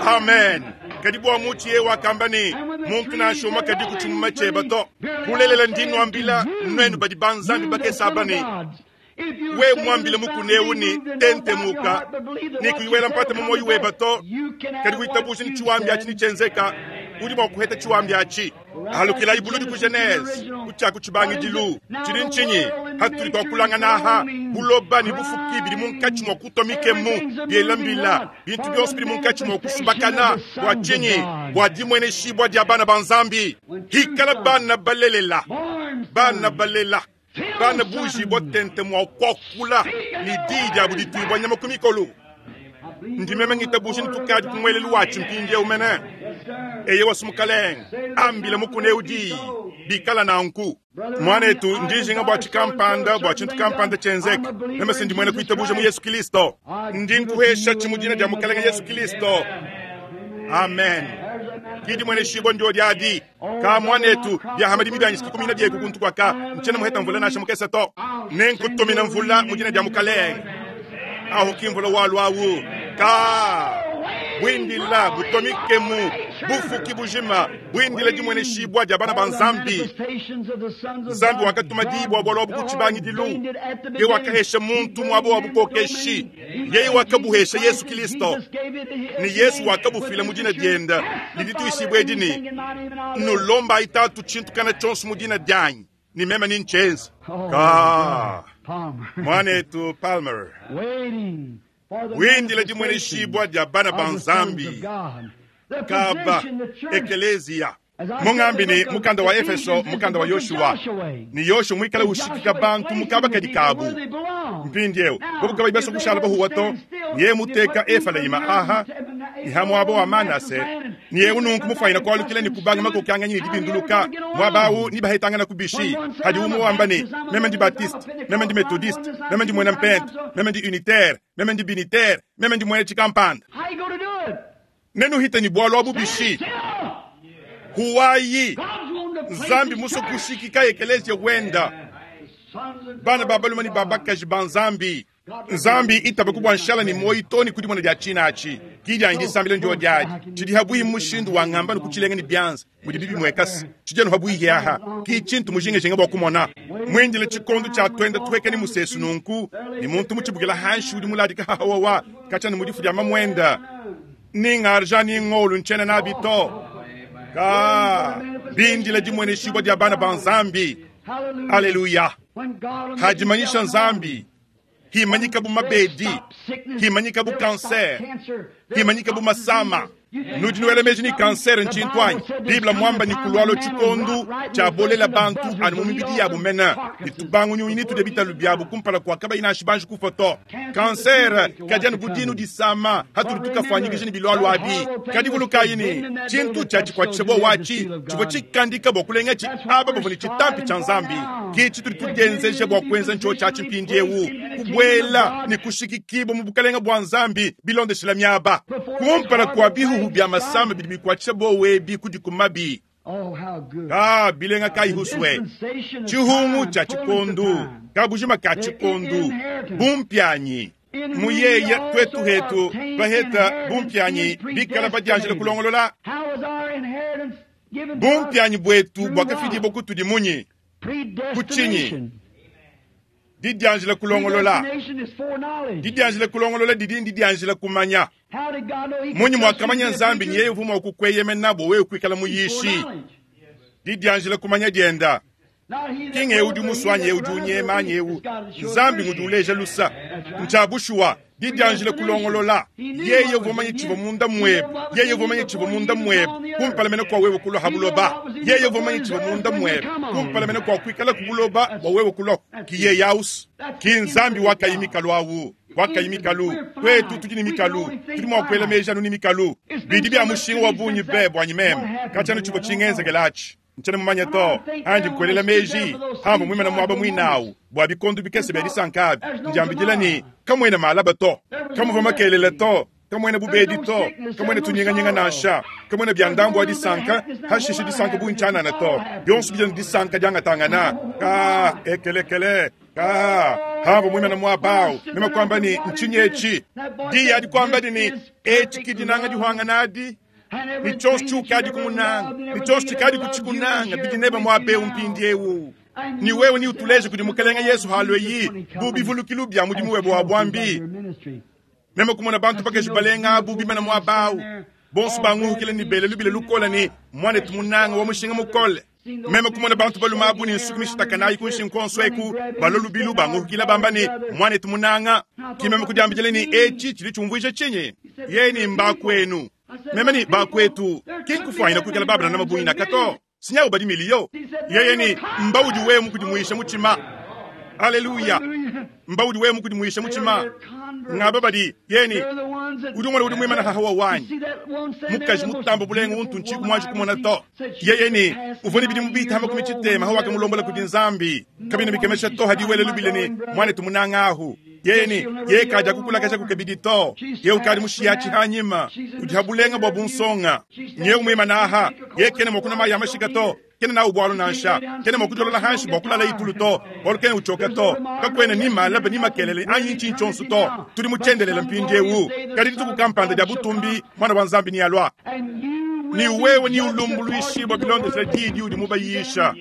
Amen. Kadi bua muchi yeye wakamba ne muntu nashoma kadi kuchimuma cheba to kulelela ndinuambila nwenu badi ba Nzambi bakesaba ne we mwambile mukuneu ne tentemuka ne kuiwela mpata mu moyo weba to kadi kuitabusha ni chiwambi achi ni chenzeka udi mua kuheta chiwambi achi alukilayi buludi ku Genese kuchaku chibangidilu chili nchinyi hatuli twakulangana aha buloba ni bufuki bili munkatshi mua kutwa mikemu biela mbila bintu bionso bili munkatshi mua kusubakana bua tshinyi bua dimueneshibua dia bana ba Nzambi hikala bana balelela bana balela bana bujibua tente mua kuakula ni diyi diabu dituibua nyama ku mikolo ndimeme ngitabusha ni tukadi ku muelelu watshi mpindieu mene eye wasu mukalenge ambila mukune diyi bikala nanku mwanetu ndijinga bua tshikampanda bua tshintu kampanda tshenzeka meme si ndi muena kuitabuja mu Yesu Kristo ndi nkuhesha tshimudina dia mukalenge Yesu Kristo. Amen. Kidi mwene shibo ndio diadi ka mwanetu bya hamadi mibyanyisiki kumina dieku kuntu kwaka nchena muheta mvula nasha mukesa to nenkutumina mvula mudina dia mukalenge aho kimvula walwawu ka bwindila butomikemu bufuki bujima bwindila dimwene shibwa dia bana ba Nzambi. Nzambi wakatuma dibwa bwalwa bukutshibangidilu ye wakahesha muntu mwabo wa bukokeshi yeye wakabuhesha Yesu Kristo ni Yesu wakabufila mu dina dienda lidituishibwe edini nulomba itatu tshintu kana tshonso mu dina dianyi ni meme ni nchenza ka mwanetu Palmer windila dimweneshibwa dia bana ba Nzambi kaba ekeleziya mungambi ni mukanda wa Efeso mukanda wa Yoshua ni Yoshua mwikala ushikika bantu mukaba kadi kabu mpindieu bobu kabayi baso kushala bahuwa to niye muteka Efalaima aha ni hamwabo wa Manase niye ununku mufayina kwalukila ni kubanga makokyanga nyini dibinduluka mwabawu ni bahetangana kubishi hadi umo wamba ni meme ndi Baptiste meme ndi Methodiste meme ndi mwena mpente meme ndi unitaire meme ndi binitaire meme ndi mwena chikampanda How you going to do it? nenu hita ni bwalo abubishi Still, huwayi God's wanting to place Nzambi his muso church. kushikika ekelezia wenda Sons and bana daughters babaluma ni of God. babakaji ba Nzambi Nzambi itabaku bua nshala ne muoyi too ne ku dimona dia tshiina atshi. Ki dianyi disambila ndio diadi. Tshidi habuihi mmushindu wa ngamba ne kutshilenga ne bianza mudibi bimuekase. Tshidi anu habuihi aha. Ki tshintu mujingajinga bua kumona. Muindile tshikondo tshia tuenda tuhueka ne musesu nunku, ne muntu mutshibukila hanshi udi muladika hahawawa katshia ne mu difu dia mamuenda. Ni ng'argent ni ng'olu ntshiena nabi to. Ka bindila dimueneshibua dia bana ba Nzambi. Aleluya! Hadimanyisha Nzambi, himanyika bu mabedi, himanyika bu kanser, himanyika bu masama. Nudi nuela meji ni kanser ntshintu anyi? Bible muamba ni kulualo tshikondu tshiabolela bantu anu mu mibidi yabu mena ne tubangu nyunyi ne tudia bitalu biabu kumpala kua kabayi nansha banji kufua to. Kanser kadi anu bu dinu disama hatudi tukafuanyikija ne bilualua abi. Kadi vulukayi ne, tshintu tshia tshikuatshisha buowa atshi tshivua tshikandika bua kulengatshi aba bavua ne tshitampi tshia Nzambi. Ke tshitudi tudienzeja bua kuenza ntshiotshi atshi mpindieu, kubuela ne kushikikibua mu Bukalenge bua Nzambi bilondeshila miaba. Kumpala kua bihuhu bia masama bidi bikuatshisha buowa ebi kudikumabi. Ka bilenga kayi huswe tshihungu tshia tshikondu kabujima ka tshikondu bumpianyi mu yeya tuetu hetu baheta bumpianyi bikala badianjila kulongolola bumpianyi buetu buakafidibua kutudi munyi ku tshinyi didianjila kulongolola didianjila kulongolola didi ndidianjila kumanya Munyi muakamanya Nzambi ne yeye uvua mua kukueyemena bua wewe kuikala muyishi? Didianjila kumanya dienda ki ng'eu udi musue anyi eu udi unyema anyi eu Nzambi ngudi uleja lusa. Ntshia bushuwa, didianjila kulongolola. Yeye uvua mumanye tshivua munda muebe, yeye uvua mumanye tshivua munda muebe kumpala mene kua wewe kulua ha buloba. Yeye uvua mumanye tshivua munda muebe kumpala mene kua kuikala ku buloba bua wewe kulua. Ki yeye ausu, ki Nzambi wakayi mikalu au. Wakayi mikalu. Tuetu tudi ne mikalu, tudi mua kuela meji anu ne mikalu. Bidi bia mushinga wa bungi be buanyi meme. Katshia anu tshivua tshingenzekela atshi, ntshiena mumanye to. Anji nkuelela meji amvua muimane muaba muine au bua bikondo bikese bia disanka abi, ndiambidila ne, kamuena malaba to, kamuvua makelela to, kamuena bubedi to, kamuena tunyinganyinga nansha, kamuena bia ndambu wa disanka, hashishe disanka bungi tshianana to. Bionso bidi anu disanka diangatangana. Ka ekelekele ka hamvua muimane muaba au, meme kuamba ne, ntshinyi etshi? Diyi adi kuamba di ne, etshi ki dinanga dihuangana adi ne tshionso tshiukadi kumunanga ne tshionso tshikadi kutshikunanga bidi nebe muaba eu mpindieu. Ne wewe neutuleje kudi Mukelenge Yesu halueyi bu bivulukilu bia mudimu webe wa buambi. Meme kumona bantu bakaji balenga abu bimana muaba au, bonso banguhukile ne bele lubila lukole ne, Muanetu munanga wa mushinga mukole. Meme kumona bantu balume abu ne nsuki mishitakanayi ku nshingu kuonso eku, balua lubilu banguhukila bamba ne, Muanetu munanga. Ki meme kudiambidila ne, Etshi tshidi tshiumvuija tshinyi? Yeye ne, Mbakuenu. Meme ne, Bakuetu ki nkufuanyina kuikala ba Branham bungi naka to. Sinyawu badi miliyo. Yeye ne, Mba udi wewe mukudimuisha mutshima. Aleluya! Mba udi wewe mukudimuisha mutshima. Ngaba badi yeye ne, udi umona udi muimana hahawa wanyi. Mukaji mutamba bulenga untu ntshiku muanji kumona to. Yeye ne, uvua ne bidimu bitamba ku tshitema hawakamulombola kudi Nzambi. Kabina bikemesha to hadi wele lubile ne, muanetu munanga ahu. Yeye ne, yeye kadi akukulakaja kukebidi to. Yeye ukadi mushiya tshihanyima. Udi ha bulenga bua bunsonga. Nyewu muimana aha. Yeye kena mua kunua mayi a mashika to. Kena nawu bualu nansha. Kena mua kudiolola hanshi bua kulala itulu to. Bualu kena utshioka to. Kakuena ni malaba ni makelele anyi ntshinyi tshionso to. Tudi mu tshiendelele mpindiewu. Kadi dituku kampanda dia butumbi, Muana wa Nzambi nealua. Ne wewe neulumbuluishibua bilondeshile diyi diudi mubayisha.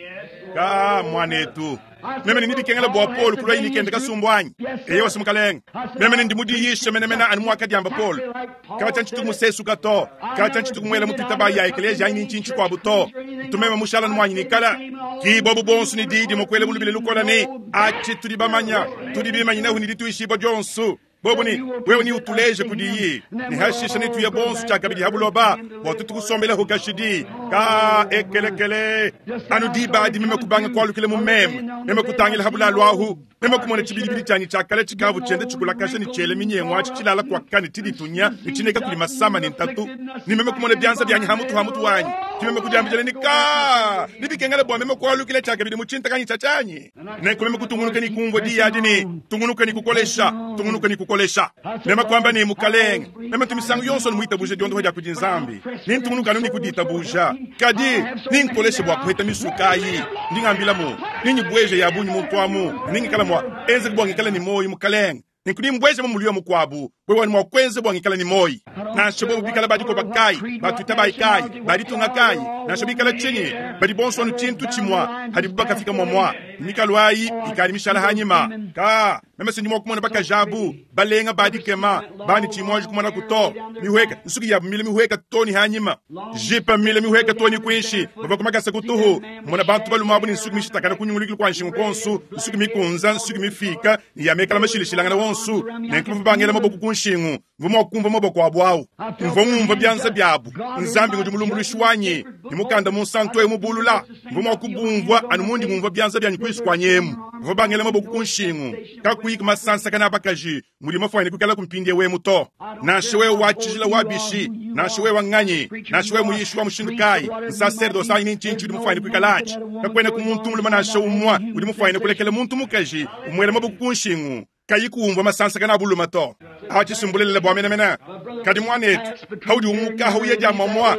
Ka muanetu. Meme ne bikengela bua Paulo kulua ne kende kasumbu anyi? Eyowa, si mukalenge. Meme ne ndi mudiyishe menemene anu muakadiamba Paulo. Katshia ntshitu musesuka to, katshia ntshitu kumuela mu tuitaba ya ekeleziya anyi ntshinyi tshikuabu to. Ntu meme mushala muanyi nikala. Ki bobu bonso ne diyi dimue kuela bulubile lukola ne, Atshi tudi bamanya, tudi bimanyinahu ne dituishibua dionso. Bobu ne, Wewe neutuleje kudiyi, ne hashishe netuye bonso tshiakabidi ha buloba bua tutu kusombelaho kashidi. Ka ekelekele anu diba adi meme kubanga kualukila mu meme, meme kutangila ha bulalu ahu, meme kumona tshibidibidi tshianyi tshia kale tshikavu tshienda tshikulakasha ne tshiela minyengu atshi tshilala kuaka ne tshiditunya ne tshineka kudi masama ne ntatu, ne meme kumona bianza bianyi ha mutu ha mutu wanyi, ki meme kudiambidila ne, Ka nebikengele bua meme kualukila tshiakabidi mu tshintakanyi tshia tshianyi. Nenku meme kutungunuka ne kumvua diyi adi ne, Tungunuka ne kukolesha, tungunuka ne kukolesha. Meme kuamba ne, Mukalenge, meme ntu misangu yonso anu muitabuje diondopa dia kudi Nzambi, ne ntungunuka anu ne kuditabuja. Kadi ninkoleshe bua kuheta misuka ayi. Ndi ngambilamu, nenyibueje ya bungi muntu amu, ne ngikala mua enzeka bua ngikale ne muoyo, Mukalenge. Nenku nimbueja mu muliyo mukuabu, wewe wani mua kuenza bua ngikala ne muoyi. Nansha bobu bikala ba dikoba kayi, ba tuitabayi kayi, ba ditunga kayi, nansha bikala tshinyi, badi bonso anu tshintu tshimua hadibu bakafika muamua. Mikalu ayi ikadi mishala hanyima. Ka, meme se ndi mua kumona bakaji abu, balenga ba dikema, bandi tshiyi muanji kumonaku to. Mihueka, nsuki yabu mile mihueka too ne hanyima. Jipa mile mihueka too ne kuinshi, bavua ku makasa kutuhu. Mmona bantu balume abu ne nsuki mishitakane ku nyungulukilu kua nshingu kuonso, nsuki mikunza, nsuki mifiika, ne ya mekala mashilashilangane wonso. Nenku bavua bangela maboko ku nshingu. Mvua mua kumvua maboko abu au. Mvua ngumvua bianza biabu. Nzambi ngudi mulumbuluishi wanyi, ne mukanda munsantu eu mubulula. Mvua mua kubumvua anu mundi ngumvua bianza bianyi kuinshi kuanyi emu. Bavua bangela maboko ku nshingu, kakuyi ku masansakana a bakaji mudi mafuanyine kuikalaku mpindieu emu to. Nansha wewe wa tshijila wa bishi, nansha wewe nganyi, nansha wewe muyishi wa mushindu kayi, nsaserdose anyi ni ntshinyi tshiudi mufuanyine kuikalatshi, kakuenaku muntu mulume nansha umue udi mufuanyine kulekela muntu mukaji umuela maboko ku nshingu kayi kuumvua masansakana a bulume to. Atshi si mbulelela bua menemene. Kadi muanetu, paudi umuka uya dia muamua,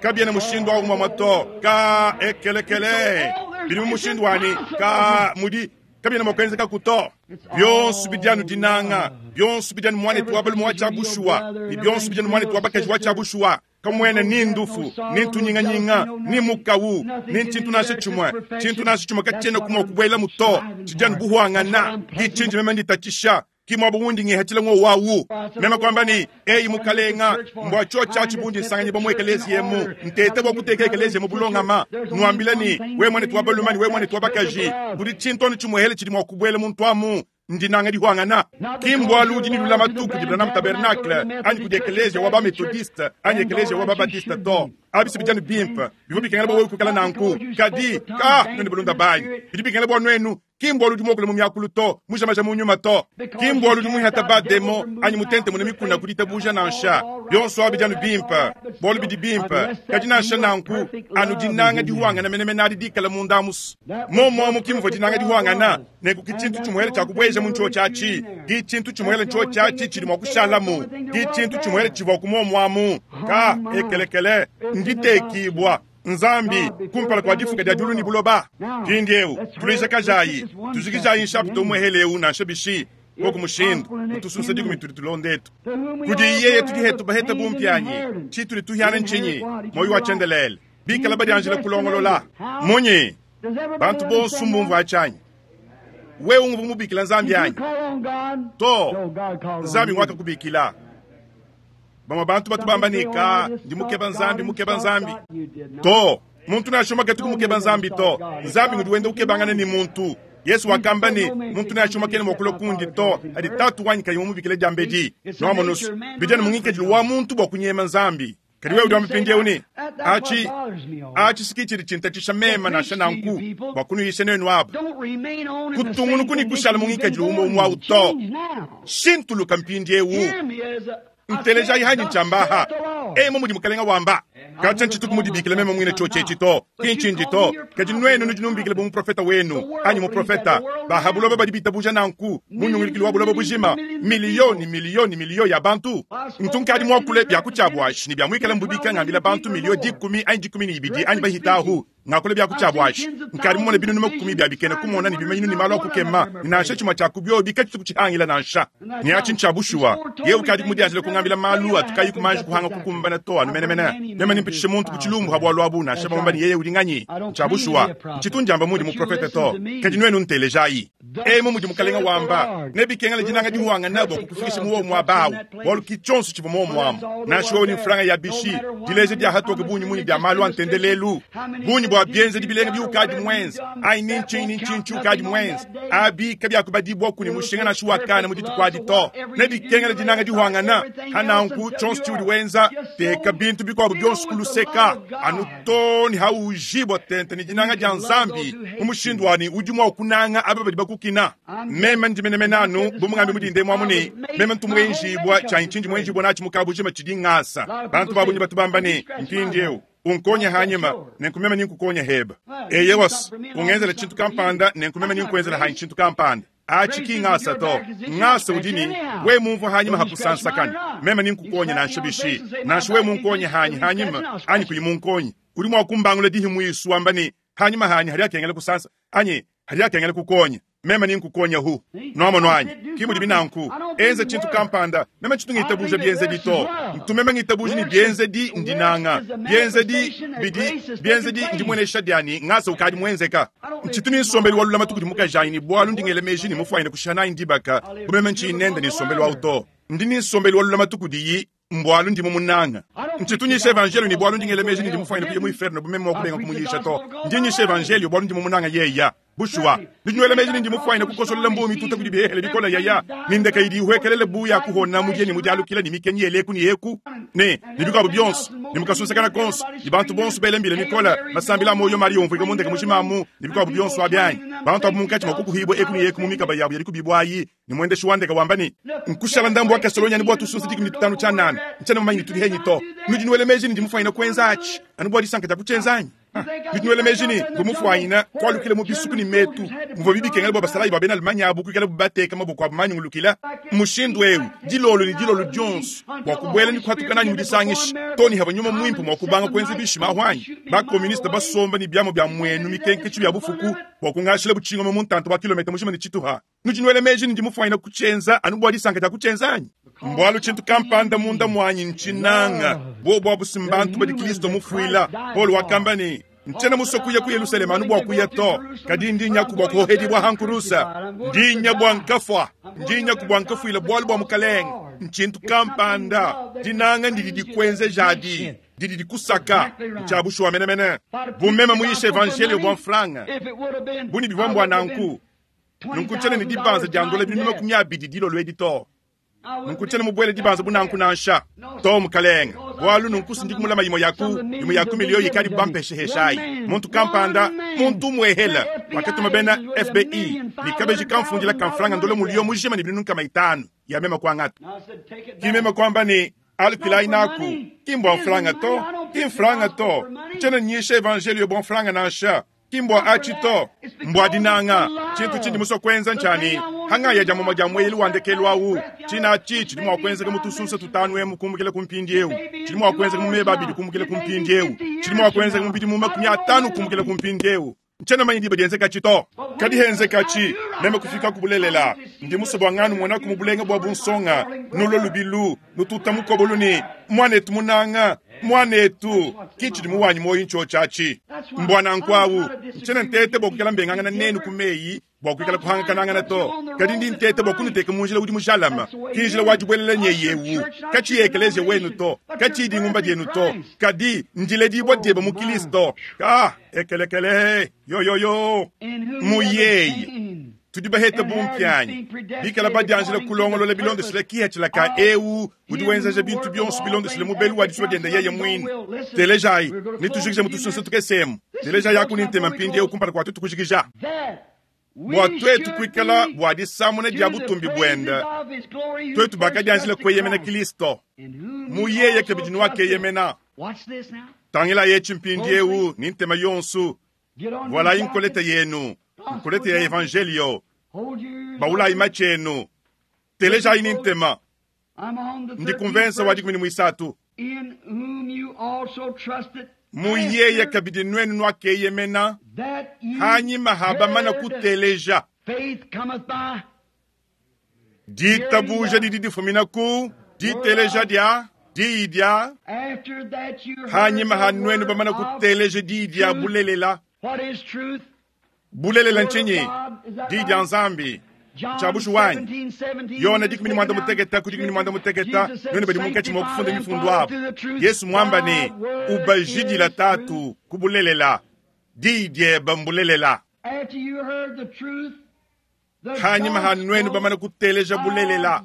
kabiena mushindu au muamua to. Ka ekelekele, bidi mu mushindu wanyi ka mudi kabiena mua kuenzekaku to. Bionso bidi anu dinanga, bionso bidi anu muanetu wa balume wa tshia bushuwa, ne bionso bidi anu muanetu wa bakaji wa tshia bushuwa. Kamuena ni ndufu, ni ntunyinganyinga, ni mukawu, ni ntshintu nansha tshimue. Tshintu nansha tshimue katshienaku mua kubuelamu to. Tshidi anu buhuangana. Ki tshindi meme nditatshisha, ki muaba undi ngihatshila ngowu awu. Meme kuamba ne, Eyi Mukalenga, mbua tshiotshi atshi bundi nsanganyibua mu ekeleziya emu, nteta bua kuteka ekeleziya mu bulongama. Nuambila ne, Wewe muanetu wa balume ne wewe muanetu wa bakaji, kudi tshintu anu tshimuehele tshidi mua kubuela muntu amu, ndinanga dihuangana. Ki mbualu udi ne lulamatu kudi Branham Tabernacle anyi kudi ekeleziya wa ba-Methodiste anyi ekeleziya wa ba-Baptiste to. Abi si bidi anu bimpe, bivua bikengela bua wewe kuikala nanku. Kadi, ka, nuenu balunda banyi, bidi bikengela bua nuenu. Ki mbualu udi muakule mu miakulu to, mujamaja mu nyuma to. Ki mbualu udi muihata ba-demon anyi mutentemune mikuna ku ditabuja nansha. Bionso abi bidi anu bimpe, bualu bidi bimpe. Kadi nansha nanku, anu dinanga dihuangana menemene adi dikala munda amu's. Momuamu ki muvua dinanga dihuangana, nenku ki tshintu tshimuele tshia kubueja mu ntshiotshi atshi, ki tshintu tshimuele ntshiotshi atshi tshidi mua kushalamu, ki tshintu tshimuele tshivuaku muomuamu. Ka ekelekele, nditekibua. Nzambi, kumpala kua difuka dia diulu ne buloba. Mpindieu, tuluijakajayi, tujikijayi nshapita umuehele eu nansha bishi, koku mushindu, mutusunsa dikumi tudi tulonda etu. Kudi yeye tudi hetu baheta bumpianyi, tshitudi tuhiana ntshinyi? Muoyo wa tshiendelele. Bikala badianjila kulongolola. Munyi? Bantu bonso mbumvua atshi anyi? Wewe unguvua mubikila Nzambi anyi? To, Nzambi nguakakubikila. Bamue bantu batu bamba ne, Ka, ndi mukeba Nzambi, mukeba Nzambi. To, muntu nansha umue katu kumukeba Nzambi to. Nzambi ngudi wenda ukebangana ne muntu. Yesu wakamba ne, muntu nansha umue kena mua kulua kundi to, adi Tatu wanyi kayi mumubikile diambedi. Nuamonu's, bidi anu mu ngikadilu wa muntu bua kunyema Nzambi. Kadi wewe udi wamba mpindieu ne, Atshi, atshi si ki tshidi tshintatshisha meme nansha nanku, bua kunuyisha nuenu aba. Kutungunuku ne kushala mu ngikadilu umue umue au to. Shintuluka mpindieu. Ntelejayi hanyi ntshiamba aha. Emu mudi Mukalenga wamba. Katshia ntshituku mudibikila meme muine tshiotshi etshi to, ki ntshindi to. Kadi nuenu nudi numbikila bu muprofeta wenu, anyi muprofeta. Ba ha buloba badi bitabuja nanku, mu nyungulukilu wa buloba bujima, miliyo ne miliyo ne miliyo ya bantu. Ntu nkadi muakule bia ku tshiabuashi ne bia muikala mbubika ngambila bantu miliyo dikumi anyi 12 anyi bahita ahu, ngakula bia ku tshiabuashi. Nkadi mumone binunu makumi bia bikena kumona ne bimanyinu ne malu a kukema, ne nansha tshimue tshia ku biobi katshitu kutshihangila nansha. Ne atshi ntshia bushuwa. Yewe ukadi mudianjile kungambila malu atu kayi kumanji kuhanga kukumbana to anu menemene. Meme nempitshishe muntu ku tshilumbu ha bualu abu, nansha bamamba ne yeye udi nganyi. Ntshia bushuwa. Ntshitu ndiamba mundi muprofete to. Kadi nuenu ntelejayi. Emu mudi Mukalenga wamba, nebikengela dinanga dihuangana bua kukufikisha mu wowo muaba awu, bualu ki tshionso tshivua muomu amu. Nansha wewe ne mfranga ya bishi, dileja dia hatoke bungi munyi dia malu a ntendelelu, bungi bua bienzedi bilenga biukadi muenze, anyi ni ntshinyi ni ntshinyi tshiukadi muenze, abi kabiakubadibuaku ne mushinga nansha wa kana mu dituku adi to. Nebikengela dinanga dihuangana. Ha nanku, tshionso tshiudi wenza, teka bintu bikuabu bionso ku luseka, anu too ne hawujibua tente ne dinanga dia Nzambi, mu mushindu wa ne udi mua kunanga aba badi bakukina. Meme ndi menemene anu bu mungambi mudinde muamu ne, meme ntu muenjibua, tshianyi tshindi muenjibua natshi mu kabujima tshidi ngasa. Bantu ba bungi batu bamba ne, mpindieu unkonya hanyima, nenku meme ninkukonya heba. Eyewas, ungenzela tshintu kampanda, nenku meme ninkuenzela hanyi tshintu kampanda. Atshi ki ngasa to. Ngasa udi ne, we mumvua hanyima ha kusansakana, meme ninkukonya nansha bishi, nansha we munkonya hanyi hanyima anyi kuyi munkonya. Udi mua kumbangula dihi muisu wamba ne, hanyima hanyi hadi akengela kusansa anyi hadi akengela kukonya. Meme nenkukonyahu. Nwamonu anyi? Ki mudibi nanku. Enza tshintu kampanda. Meme tshitu ngitabuja bienzedi to. Ntu meme ngitabuja ne bienzedi ndinanga. Bienzedi bidi, bienzedi ndimuenesha dia ne, ngasa ukadi muenzeka. Ntshitu ne nsombelu wa lulamatu kudi mukajanyi ne bualu ndi ngela meji ne mufuanyine kushiha nanyi dibaka bu meme ntshiyi nende ne nsombelu au to. Ndi ne nsombelu wa lulamatu kudiyi mbualu ndi mumunanga. Ntshitu nyisha evanjeliyo ne bualu ndi ngela meji ne ndi mufuanyine kuya mu iferno bu meme mua kubenga kumuyisha to. Ndi nyisha evanjeliyo bualu ndi mumunanga yeya. Bushuwa, ndi nywela meji ne ndi mufuanyine kukosolola mbuu mituta kudi bihehele bikole yaya, ne ndeka idi ihuekelele bu ya kuhona mudiye ne mudialukila ne mikenyi yele eku ne eku, ne, ne bikuabu bionso, ne mu kasunsekana konso, ne bantu bonso bela mbila mikole, masambila a muoyo mali umvuika mu ndeka mujima amu, ne bikuabu bionso abi anyi? Bantu abu munkatshi mua kukuhibua eku ne eku mu mikaba yabu ya dikubibua ayi, ne muendeshi wa ndeka wamba ne, Nkushala ndambu wa kasolonyi anu bua tusunsa 15 tshianana, ntshiena mumanye ne tudi henyi to. Nudi nuela meji ne ndi mufuanyine kuenza atshi anu bua disanka dia kutshienza anyi? Nudi nuela meji ne mvua mufuanyine kualukila mu bisuku ne metu muvua bikengela bua basalayi ba bena Allemagne abu kuikalabu bateka maboko abu manyungulukila mushindu eu dilolo ne dilolo dionso bua kubuela ne kuhatuka nanyi mu disangisha too ne havua nyuma muimpe mua kubanga kuenza bishima ahu anyi? Ba-koministe basomba ne biamu bia mmuenu mikenketshi bia bufuku bua kungashila butshingoma mu ntanta wa kilometa mujima ne tshituha. Nudi nuela meji ne ndi mufuanyine kutshienza anu bua disanka dia kutshienza anyi? Mbualu tshintu kampanda munda muanyi ntshinanga. Buobu abu si mbantu badi Kristo mufuila. Paulo wakamba ne, Ntshiena musue kuya ku Yelusalema anu bua kuya to, kadi ndi nyaku bua kuohedibua ha nkurusa. Ndi nya bua nkafua, ndi nyaku bua nkafuila bualu bua Mukalenge. Ntshintu kampanda, dinanga ndidi dikuenzejadi, didi dikusaka. Ntshia bushuwa menemene. Bu meme muyishe evanjeliyo bua mfranga, bu ne bivua mbua nanku, Nunku tshiena ne dibanza dia ndola 200 dilolo edi to. Nunku tshiena mubuele dibanza bu nanku nansha. To, mukalenge. Bualu nunku si ndi kumulama imue ya ku imue ya ku miliyo ikadibu bampeshehesha ayi. Muntu kampanda, muntu umuehela, wakatuma bena FBI ne kabeji kamfundila ka mfranga ndola muliyo mujima ne 500 ya meme kuangata. Ki meme kuamba ne, Alukilayi naku, ki mbua mfranga to, ki mfranga to. Tshiena nyisha evanjeliyo bua mfranga nansha. Ki mbua atshi to, mbua dinanga. Tshintu tshindi musue kuenza ntshia ne, hangaya dia mumue dia mueyelu wa ndekelu au, tshina atshi tshidi mua kuenzeka mu tusunsa tutanu emu kumbukila ku mpindieu, tshidi mua kuenzeka mu meba abidi kumbukila ku mpindieu, tshidi mua kuenzeka mu bidimu 50 kumbukila ku mpindieu. Ntshiena manye diba dienzekatshi to. Kadi henzekatshi, meme kufika ku bulelela. Ndi musue bua nganumonaku mu bulenga bua bunsonga, nulue lubilu, nututa mukobolu ne, Muanetu munanga, muanetu, ki tshidi mu wanyi muoyo ntshiotshi atshi. Mbua nanku au, ntshiena nteta bua kuikala mbengangana nenu ku meyi bua kuikala kuhangakanangana to, kadi ndi nteta bua kunuteka mu njila udi mujalame, ki njila wa dibuelela nyeyi eu, katshiyi ekeleziya wenu to, katshiyi dingumba dienu to, kadi ndiledibua diebe mu Kilisto. Ka ekelekele yoyoyo mu yeye tudi bahete bumpianyi, bikala badianjila kulongolola bilondeshile kihatshila ka eu udi wenzeja bintu bionso bilondeshile mubelu wa disua diende yeye muine. Telejayi, netujikije mu tusunsa tukese emu. Telejayi aku ne ntema mpindieu kumpala kua tuetu kujikija. Bua tuetu kuikala bua disamuna dia butumbi buende, tuetu bakadianjila kueyemena Kristo, mu yeye kabidi nuakeyemena. Tangilayi etshi mpindieu ne ntema yonso. Vualayi nkoleta yenu, nkoleta ya evanjeliyo. Bawulayi matshi enu, telejayi ne ntema. Ndi ku mvensa wa 13. Mu yeye kabidi nuenu nuakeyemena, hanyima ha bamana kuteleja. Ditabuja didi difumina ku diteleja dia diyi dia, hanyima ha nuenu bamana kuteleja diyi dia bulelela. Bulelela ntshinyi? Diyi dia Nzambi. Ntshia bushuwa anyi? Yone 16 ku 16, nuenu badi munkatshi mua kufunda mifundu abu, Yesu muamba ne, Ubajidila Tatu ku bulelela, diyi diebe mbulelela. Hanyima ha nuenu bamane kuteleja bulelela,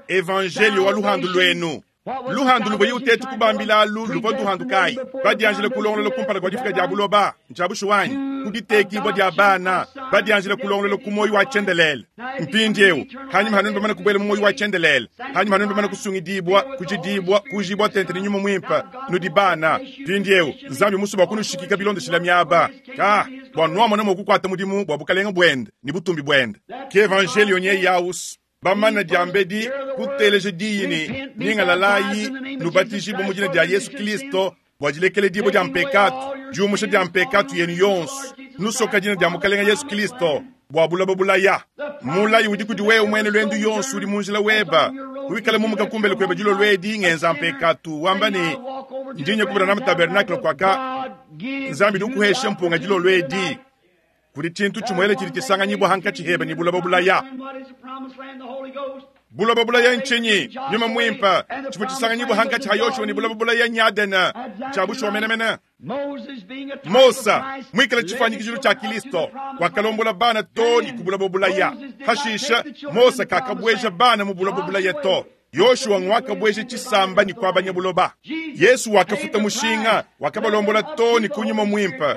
evanjeliyo wa luhandu luenu, luhandu luvua utetu kubambila alu luvua nduhandu kayi? Badianjile kulongolola kumpala kua difika dia buloba, ntshia bushuwa anyi? Ku ditekibua dia bana, badianjile kulongolola ku muoyo wa tshiendelele. Mpindieu, hanyima ha nuenu bamane kubuela mu muoyo wa tshiendelele, hanyima ha nuenu bamane kusungidibua, kujidibua, kujibua tente ne Nyuma Muimpe, nudi bana. Mpindieu, Nzambi musue bua kunushikika bilondeshila miaba ka bua nuamona mua kukuata mudimu bua bukalenge buende ne butumbi buende. Ke evanjeliyo nyeyi aus bamana diambedi kuteleja diyi ne, Nyingalalayi, nubatijibue mu dina dia Yesu Kristo bua dilekeledibua dia mpekatu, diumusha dia mpekatu yenu yonso, nusoka dina dia Mukalenge Yesu Kristo. Bua buloba bulaya. Mulayi udi kudi wewe muena luendu yonso udi mu njila weba. Wikale mumuka kumbele kueba dilolo edi ngenza mpekatu wamba ne ndi nya ku Branham Tabernacle kuaka Nzambi udi ukuhesha mpunga dilolo edi. Kudi tshintu tshimuele tshidi tshisanganyibua hankatshi heba ne buloba bulaya. Buloba bulaya ntshinyi? Nyuma Muimpe. Tshivua tshisanganyibua hankatshi ha Yoshua ne buloba bulaya nyadene. Tshia bushuwa menemene. Mosa, muikale tshifuanyikijilu tshia Kilisto, wakalombola bana too ne ku buloba bulaya. Hashisha, Mosa kakabueja bana mu buloba bulaya to. Yoshua nguakabueja tshisamba ne kuabanya buloba. Yesu wakafuta mushinga, wakabalombola too ne ku Nyuma Muimpe.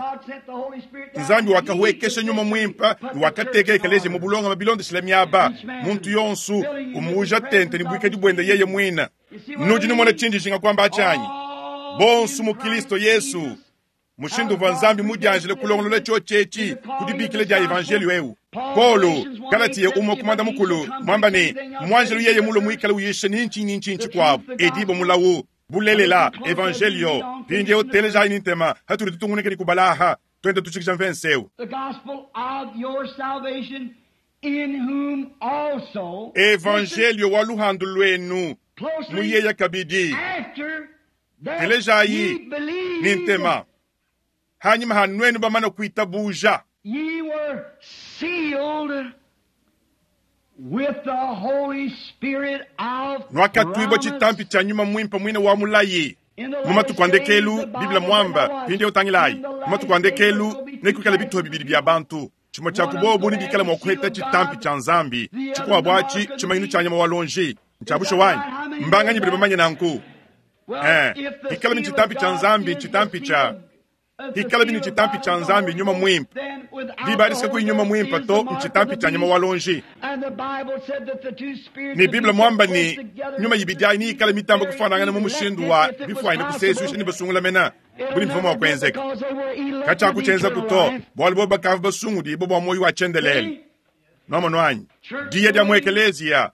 Nzambi wakahuekesha Nyuma Muimpe ne wakateka ekeleziya mu bulongame bilondeshile miaba, muntu yonso umuuja tente ne buikadi buende yeye muine. Nudi numona tshindi njinga kuamba atshi anyi? Bonso mu Kilisto Yesu, mushindu uvua Nzambi mudianjile kulongolola tshiotshi etshi ku dibikila dia evanjeliyo eu. Paulo, Galatiya umue ku muanda mukulu, muamba ne, muanjelu yeye mulue muikale uyisha ni ntshinyi ni ntshinyi tshikuabu, edibue mulawu. Bulelela, evanjeliyo. Mpindieu telejayi ne ntema hatudi tutungunuka ne kubala aha, tuenda tutshikija mvense eu. The gospel of your salvation in whom also, Evanjeliyo wa luhandu luenu closely, muyeya kabidi. after that Telejayi ye believed, ne ntema. Hanyima ha nuenu bamana kuitabuja, ye were sealed with the Holy Spirit of nuakatuibua promise. tshitampi tshia nyuma muimpe muine wa mulayi. In the Mu matuku a last days, ndekelu, the Bible Bible muamba, said, mpindieu tangilayi, in the mu last matuku a days ndekelu there will be nekuikale two bituha bibidi bia bantu. Tshimue tshia One ku bobu of them nebikale mua has the seal kuheta of tshitampi God, tshia Nzambi, the other tshikuabu the mark atshi of the tshimanyinu beast. tshia nyama wa lonji. Ntshia Is that bushuwa right? anyi? How many Mbanganyi know badi that? bamanye nanku? Well, Eh, if the hikala bini seal of tshitampi tshia God Nzambi, is the tshitampi seal tshia of if the hikala bini seal of tshitampi God tshia is the Nzambi Holy nyuma Ghost, muimpe. then without Diba the adi Holy nyuma Ghost muimpe is to the mark of ntshitampi the tshia nyama beast. wa lonji. And the Bible said that the two spirits Ne would be Bible so muamba close ne together nyuma that ibidi ayi niyikale mitambo the kufanangana mu very mushindu elected, wa if it was bifuanyine possible, kusesuisha ne basungula mena it'll budi mvua mua never do kuenzeka. because they were elected Katshiakutshienza eternal kuto life. bualu bobu bakavua basungudibue bua muoyo wa tshiendelele. See? Nomono anyi Church diya dia going muekeleziya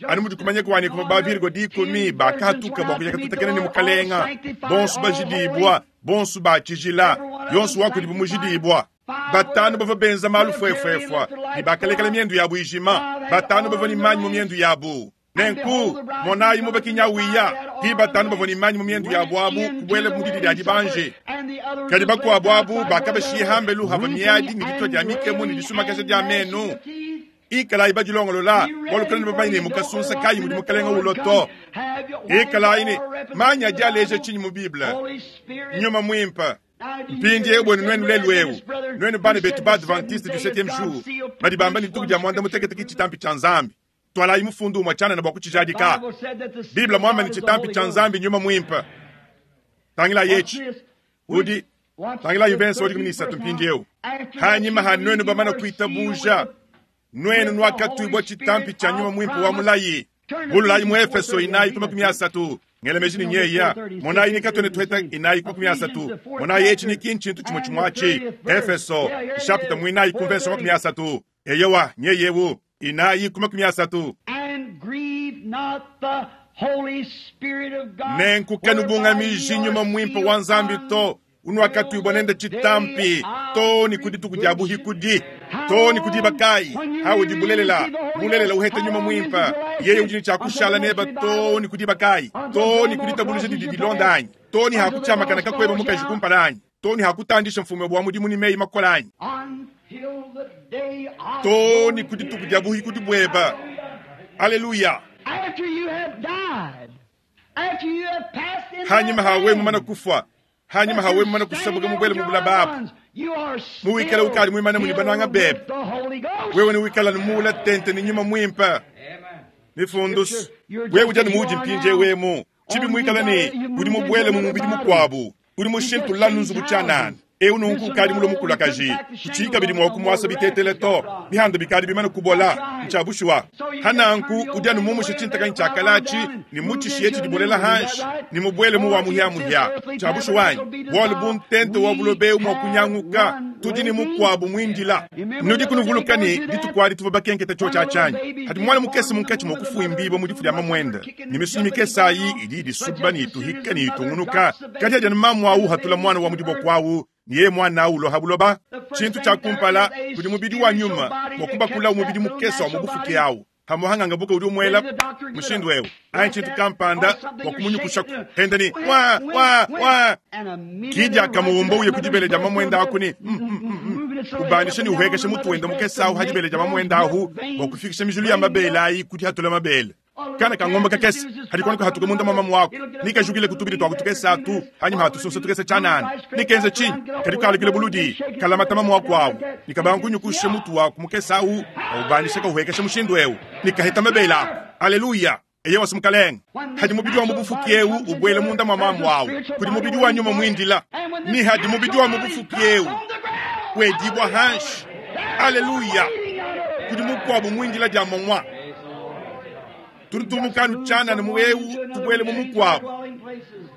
anu just mudi kumanya kuani kuva as ba Virgo dikumi 10 virgins bakahatuka went bua out to kuya meet the katutakena ne Lord, all mukalenga sanctified, bonso all holy, bajidibua bonso bachijila every one of yonso them wa kudibu sanctified. mujidibua Five batanu were bavua benza malu military and fuefuefua let their ne lights go bakalekela out. miendu yabu ijima Five had batanu oil bavua ne in their manyi mu lamps. miendu yabu And nenku behold, the bridegroom monayi cometh, and mubakinya the five wiya had ti oil in batanu their bavua ne lamps manyi mu miendu went yabu abu into kubuela the mu didi wedding dia supper, dibanji and the others kadi was left bakuabu abu outside where they bakabashiye were hambelu hava weeping miadi ne ditua and dia mikemu ne wailing disumakasha and dia gnashing menu of teeth. ikalayi badilongolola Be bualu ready, kalenu for bamanye ne you don't know mukasunsa what kayi mudi minute the mukalenga Lord ulo comes. to Have you, what is ikalayi ne all represented manyi in adi the aleja Bible? tshinyi mu Bible Holy Spirit. nyuma muimpe Now, do you hear mpindieu the buenu nuenu seventh lelu eu Adventist brother nuenu who bana betu said the ba seventh Adventiste du day is septième God's jour seal badi bamba ne produced dituku one dia muanda scripture mutekete ke proof it? tshitampi tshia Nzambi twalayi mufundu umue tshianana bua The kutshijadika Bible said that the seal Bible of muamba God ne is the tshitampi Holy tshia Ghost. Nzambi nyuma muimpe tangilayi Watch etshi this. udi Which, watch tangilayi the mvense wa dikumi 13th ne isatu verse now. mpindieu After that hanyima you ha nuenu believed, you bamana were sealed with kuitabuja the, nuenu with the Holy nuakatuibua tshitampi Spirit tshia nyuma of muimpe wa promise. mulayi Turn to bululayi mu Ephesians Efeso 4:30 and inayi read ku that makumi to me. asatu ngelemeji ne Listen on this nyeya 4:30, monayi 6 nikatwene and tuheta see. inayi ku makumi Ephesians asatu the fourth monayi etshi chapter ni kintshintu tshimue and tshimue the atshi 30th verse. Efeso Yeah, here it nshapita is. muinayi ku mvenso makumi 4:30. asatu eyowa nyeyewu inayi ku makumi asatu And grieve not the Holy Spirit of God, nenku whereby ye kanubungamiji are nyuma muimpe sealed wa Nzambi to unuakatuibua until nende the day tshitampi of to ni ku dituku dia redemption. buhikudi How to ni ku diba long, kayi when you haudi really bulelela receive the Holy bulelela Ghost, uheta how nyuma long is it muimpe to last yeye you? udi ne tshia Until the kushala next neba to revival, ni ku diba kayi until to ni Grandma ku ditabuluja crosses didi your dilonda path, anyi to ni until the hakutshiamakana boss kakueba calls you mukaji out, kumpala anyi to ni hakutandisha mfumu wa mudimu ne meyi makola anyi until the day of to ni glory. ku dituku dia buhikudi bueba aleluya After you have died, after you have passed into hanyima that hawe mumana land, kufua hanyima that hawe you're mumana standing kusabuka there mubwele with your mubula loved babu ones, you are muwikale still ukali muimane muli bananga filled bebe with the Holy Ghost. wewe niwikala nimuula tente ni nyuma mwimpe mifundusu Scripture, you're wewe just ujani as you muudi are mpinje now. wemu chibi Only you muikala ne got you udi moved into mubwele mu another mubidi body. mukuabu udi You just mushintulula changed nzubu tshianana houses. eu This nunku one ukadi got mulo old and couldn't mukulakaji pack the kuchii shingles kabidi on mua no more. kumuasa The bitetele rashes got to on. mihando bikadi bimane That's kubola right. ntshiabushuwa So you just turn hananku the old udi anu thing mumushe away and tshintakanyi let it rot on tshiakalaatshi down and ne move mutshishiye into a new tshidibolela one. Is that hanshi right? ne mubwele mu For wa if this muhiamuhia earthly tshiabushuwa tabernacle anyi be bualu bu dissolved, ntente wa we bulobeu mua have kunyanguka one tudi ne waiting. mukuabu muindila Remember nudi the other day kunuvuluka going ne through that? dituku adi tuvua bakenketa When tshiotshi the little atshanyi babies hadi being muana born mukese in the munkatshi womb mua of the mother, kufuimbibua the mu difu dia mother mamwenda kicking ne and misunyi jumping and mikese going ayi on. idi But idisuba ne just as soon as ituhika the ne mother itungunuka drops the kadi adi baby anu mamu and awu the hatula baby's muana wa to mu earth, diboko awu Ne yeye mwana awu ulua ha buloba, tshintu tshia kumpala kudi mubidi wa nyuma bua kubakula mubidi mukese wa mu bufuki awu. Hamuhanganga buka udi umuela mushindu eu anyi tshintu kampanda bua kumunyukushaku henda ni wa wa wa kidi akamuwumba uye ku dibele dia mamuenda aku ni ubandisha ni uhekesha mutu wenda mukese ahu ha dibele dia mamuenda ahu bua kufikisha mijulu ya mabele ayi kudi hatula mabele. Kana ka ngombe kakese hadi kwana kuhatuka munda mwa mamu wako nikajukile kutubili twa kutukesa atu hanyuma hatusunsa tukese chanana nikenze chinyi kadi kalukile buludi kalamata mamu wako awu nikabangunyukushe mutu wako mukesa awu aubandisha kauhekesha mushindu eu nikaheta mabele ako. Aleluya. Eye wasi mukalenge hadi mubidi wa mubufuki eu ubwele munda mwa mamu awu kudi mubidi wa nyuma mwindila ni hadi mubidi wa mubufuki eu wedibwa hanshi. Aleluya. Kudi mukwabu mwindila dia mongwa turi tumukanu chana ni muwewu tubwele mu mukwabo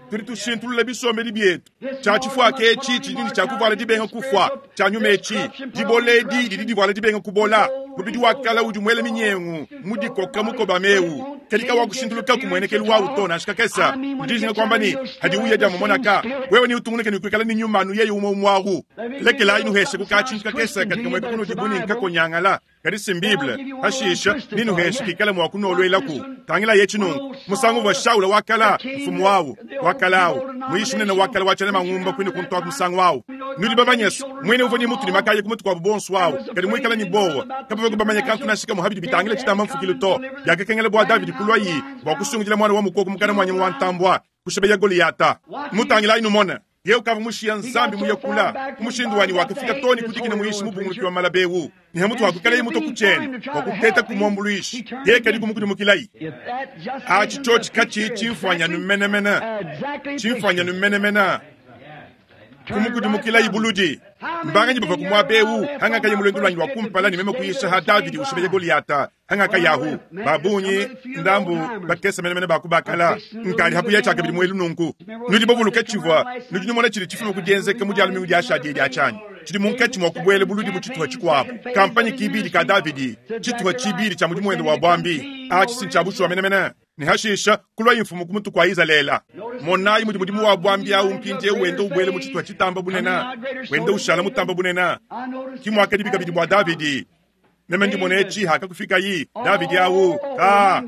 turi tushintulula bisombeli byetu cha chifwa kechi chidini cha kuvala dibenga kufwa cha nyuma echi diboledi didi divala dibenga kubola mubidi wakala udi mwele minyengu mudikoka mukoba mewu kelika wa kushintuluka kumwenekelu wa utona shikakesa ndijinga kwamba ni hadi uya dia mumonaka wewe ni utunguneke ni kuikala ni nyuma nu yeye umo mwahu lekela inu heshe kukachinjika kesa katika mweke kuno dibuni nkakonyangala kadi simbible hashisha ninu heshe kikala mwa kunolwelaku tangila ye chinungu musangu wa shaula wakala mfumu wawu wakalawu muishi munene wakala wachana mangumba kwini kuntwa musangu wawu nudi babanyesu mwene uvoni mutu ni makaye kumutu kwa bubonsu wawu kadi mwikala ni bowa kabava kubamanya kantu nashika muhabidi bitangila chitamba mfukilu to yakakengela bwa Davidi kulwayi bwa kusungujila mwana wa mukoko mukana mwanya wa kushebeya Goliata mutangila inu mona ye ukava mushiya nzambi muyakula kumushindu wani wakafika toni kudikina muishi mubunguluki wa malabewu ni hamutu wakukala ye muto kuchene wakuteta kumwambuluishi ye kadi kumukudimukilai achi chochi kachi chimfanya numenemena chimfanya numenemena kumukudimukilai buludi mbanganyi bava kumwabewu hangaka ye mulendu lwanyi wakumpala ni meme kuyisha ha Davidi ushibeye Goliata hangaka yahu babunyi ndambu bakesa menemene bakubakala nkali hakuya chaka bidi mwelu nunku nudi bobuluka chivwa nudi numona chili chifumu kudienzeka mu dialu mingu diasha die diachanyi chili munkachi mwa kubwele buludi mu chituha chikwabo kampanyi kibili ka Davidi chituha chibili cha mudimu wende wa bwambi achi sinchabushwa menemene ni hashisha kulwa imfumu kumutu kwa Izalela monayi mudi mudimu wa bwambi awu mpindie wende ubwele mu chituha chitamba bunena wende ushala mutamba bunena kimwaka dibika bidi bwa Davidi meme ndimone echi hakakufika yi Davidi awu ka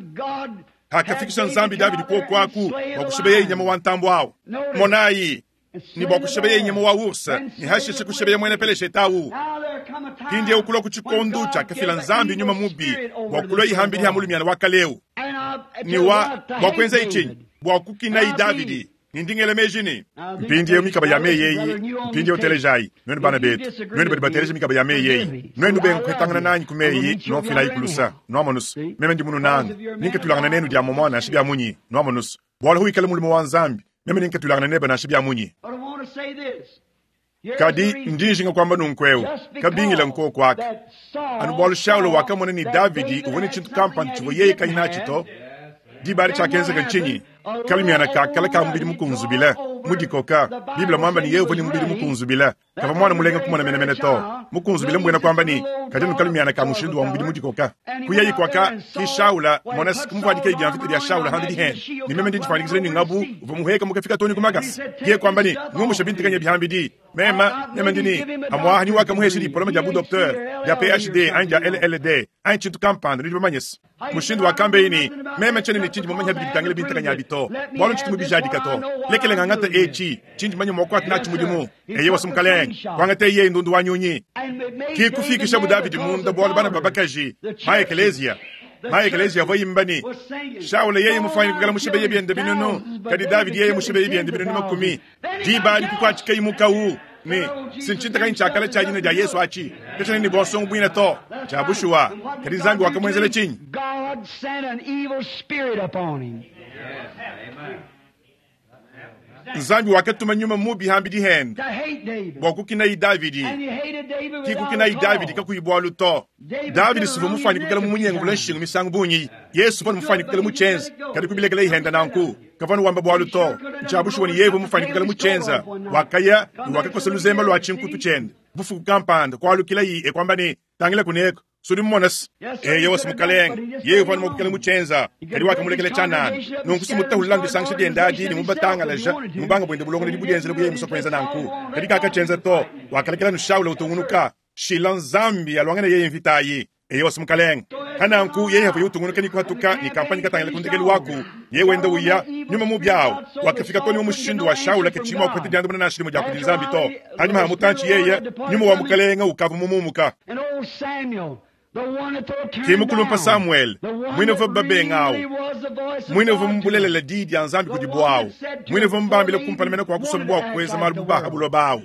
hakafikisha nzambi Davidi kwa kwaku wakushebeye inyama wa ntambo awu monayi ni bwa kushebeye inyama wa ursa ni hashisha kushebeye mwene peleshe tawu pindie ukulwa kuchikondu chakafila nzambi nyuma mubi bwakulwa ihambili hamulumiana wakaleu ni wa bwakwenza ichinyi bwakukina Davidi nindingele mejini mpindie mikaba ya meyeyi mpindie utelejayi nwenu bana betu nwenu badi bateleja mikaba ya meyeyi nwenu benga kuhetangana nanyi kumeyi nofila ikulusa nwamonusu meme ndi munu nanga ninkatulangana nenu dia momona nashi bya munyi nwamonusu bwala huikala mulimo wa nzambi meme ninkatulangana neba nashi bya munyi kadi ndinjinga kwamba nunkweu kabingila nkoko aka anu bwalu Shaulo wakamona ni Davidi uvone chintu kampani chivo yeye kanyina chito dibali chakenzeka nchinyi kalimiana kakala ka mubili mukunzubila mudikoka Biblia mwamba ni yeye uvone mubili mukunzubila kava mwana mulenga kumona menemene to mukunzubila mbwena kwamba ni kadenu kalimiana ka mushindu wa mubili mudikoka kuyeyi kwaka ki Shaula mona sikumvwadika ibya mvita bya Shaula handi dihene ni meme ndijifandikizile ni ngabu uva muheka mukafika toni kumagasi ye kwamba ni ngumusha bintikanya bihambidi mema meme ndini amwaha ni waka muhesha diploma dia bu docteur dia PhD anyi dia LLD anyi chintu kampanda nidi bamanyesi mushindu wa kambe meme chene ni chindi mumanya bidi bitangile bintikanya bito bwalo nchiti mubijadika to lekele ngangata echi chindi manya mwakwati nachi mudimu eye wasumukalenge kwangata iye ndundu wa nyunyi kikufikisha bu Davidi munda bwalo bana babakaji ma eklezia ma eklezia voyimbani Shaula yeye mufanye kukala mushibeye byende binunu kadi Davidi yeye mushibeye byende binunu makumi dibali kukwachika imukawu ni sinchinta kanyi chakala cha jina dia Yesu achi kachana ni bosongo bwina to chabushuwa kadi zambi wakamwenzele chinyi God sent an evil spirit upon him. Nzambi wakatuma nyuma mubi hambidi hende To hate David. bwakukina i Davidi And he hated David without kikukina a i Davidi cause. kakuyibwa luto Davidi sivo mufani kukala mumunyengo vula nshingu misangu bunyi Yesu vanu mufani kukala muchenza kadi kubilekela ihenda nanku kavanu wamba bwa luto nchabushuwa ni yevu mufani kukala muchenza wakaya ni wakakosa luzemba lwa chinkutu chende bufuku kampanda kwalukila yi ekwamba ni tangila kuneko Sudi mumone-se. Eyowa, Mukalenge, yeye uvua anu mua kuikala mutshienza, kadi wakamulekela tshianana. Nunku si mutahulula disangisha diende adi ne mubatangalaja ne mubanga buende bulongolodi budienzela bu yeye musue kuenza nanku. Kadi kakatshienza to, wakalekela anu Shaula utungunuka. Shila Nzambi aluangane yeye mvita ayi. Eyowa, Mukalenge. Pa nanku yeye avuye utungunuka ne kuhatuka ne kampanye katangila ku ndekelu waku, yeye wenda uya, nyuma mubi awu wakafika too ne mu mushindu wa Shaula katshiyi mua kupeta diandamuna nansha dimue dia kudi Nzambi to. Panyima ha mutantshi yeye, nyuma wa Mukalenge ukavua mumuumuka. Ke mukulumpa Samuele, muine uvua babenga awu, muine uvua mubulelela diyi dia Nzambi kudibu awu, muine uvua mubambile kumpala mene kua kusomba bua kuenza malu bu ba ha buloba awu.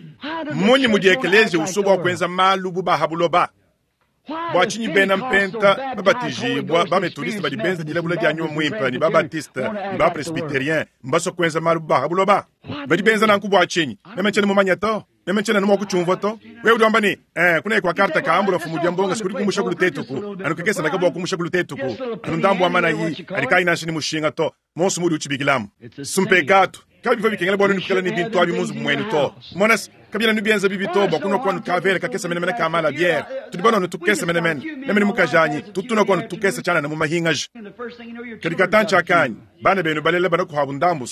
Mmunyi mudi ekeleziya usua bua kuenza malu bu ba ha buloba? Bua tshinyi bena Mpenta babatijibua, ba-Metodiste badi benza dilabula dia Nyuma Muimpe, ne ba-Baptiste ne ba-Presbyterien mbasue kuenza malu bu ba ha buloba? Badi benza nanku bua tshinyi? Meme ntshiena mumanye to. Meme ntshiena anu mua kutshiumvua to. Wewe udi wamba ne, Ee, kuneku kua karte ka ambula mfumu dia mbonga sikudi kumusha ku lutetuku, anu kakese naka bua kumusha ku lutetuku, anu ndambu wa manayi adi kaayi nansha ne mushinga to, monso muudi utshibikilamu. Mpekatu. Kabivua bikengela bua nuenu kuikala ne bintu abi mu nzubu muenu to. Mona se, kabiena nubienza bibi to bua kunua kuanu kavele kakese menemene ka mala biere. Tudi banua anu tukese menemene. Meme ne mukajanyi tutu tunua kuanu tukese tshianana mu mahingaja. Kadi katantshi akanyi, bana benu balela banakuabu ndambu.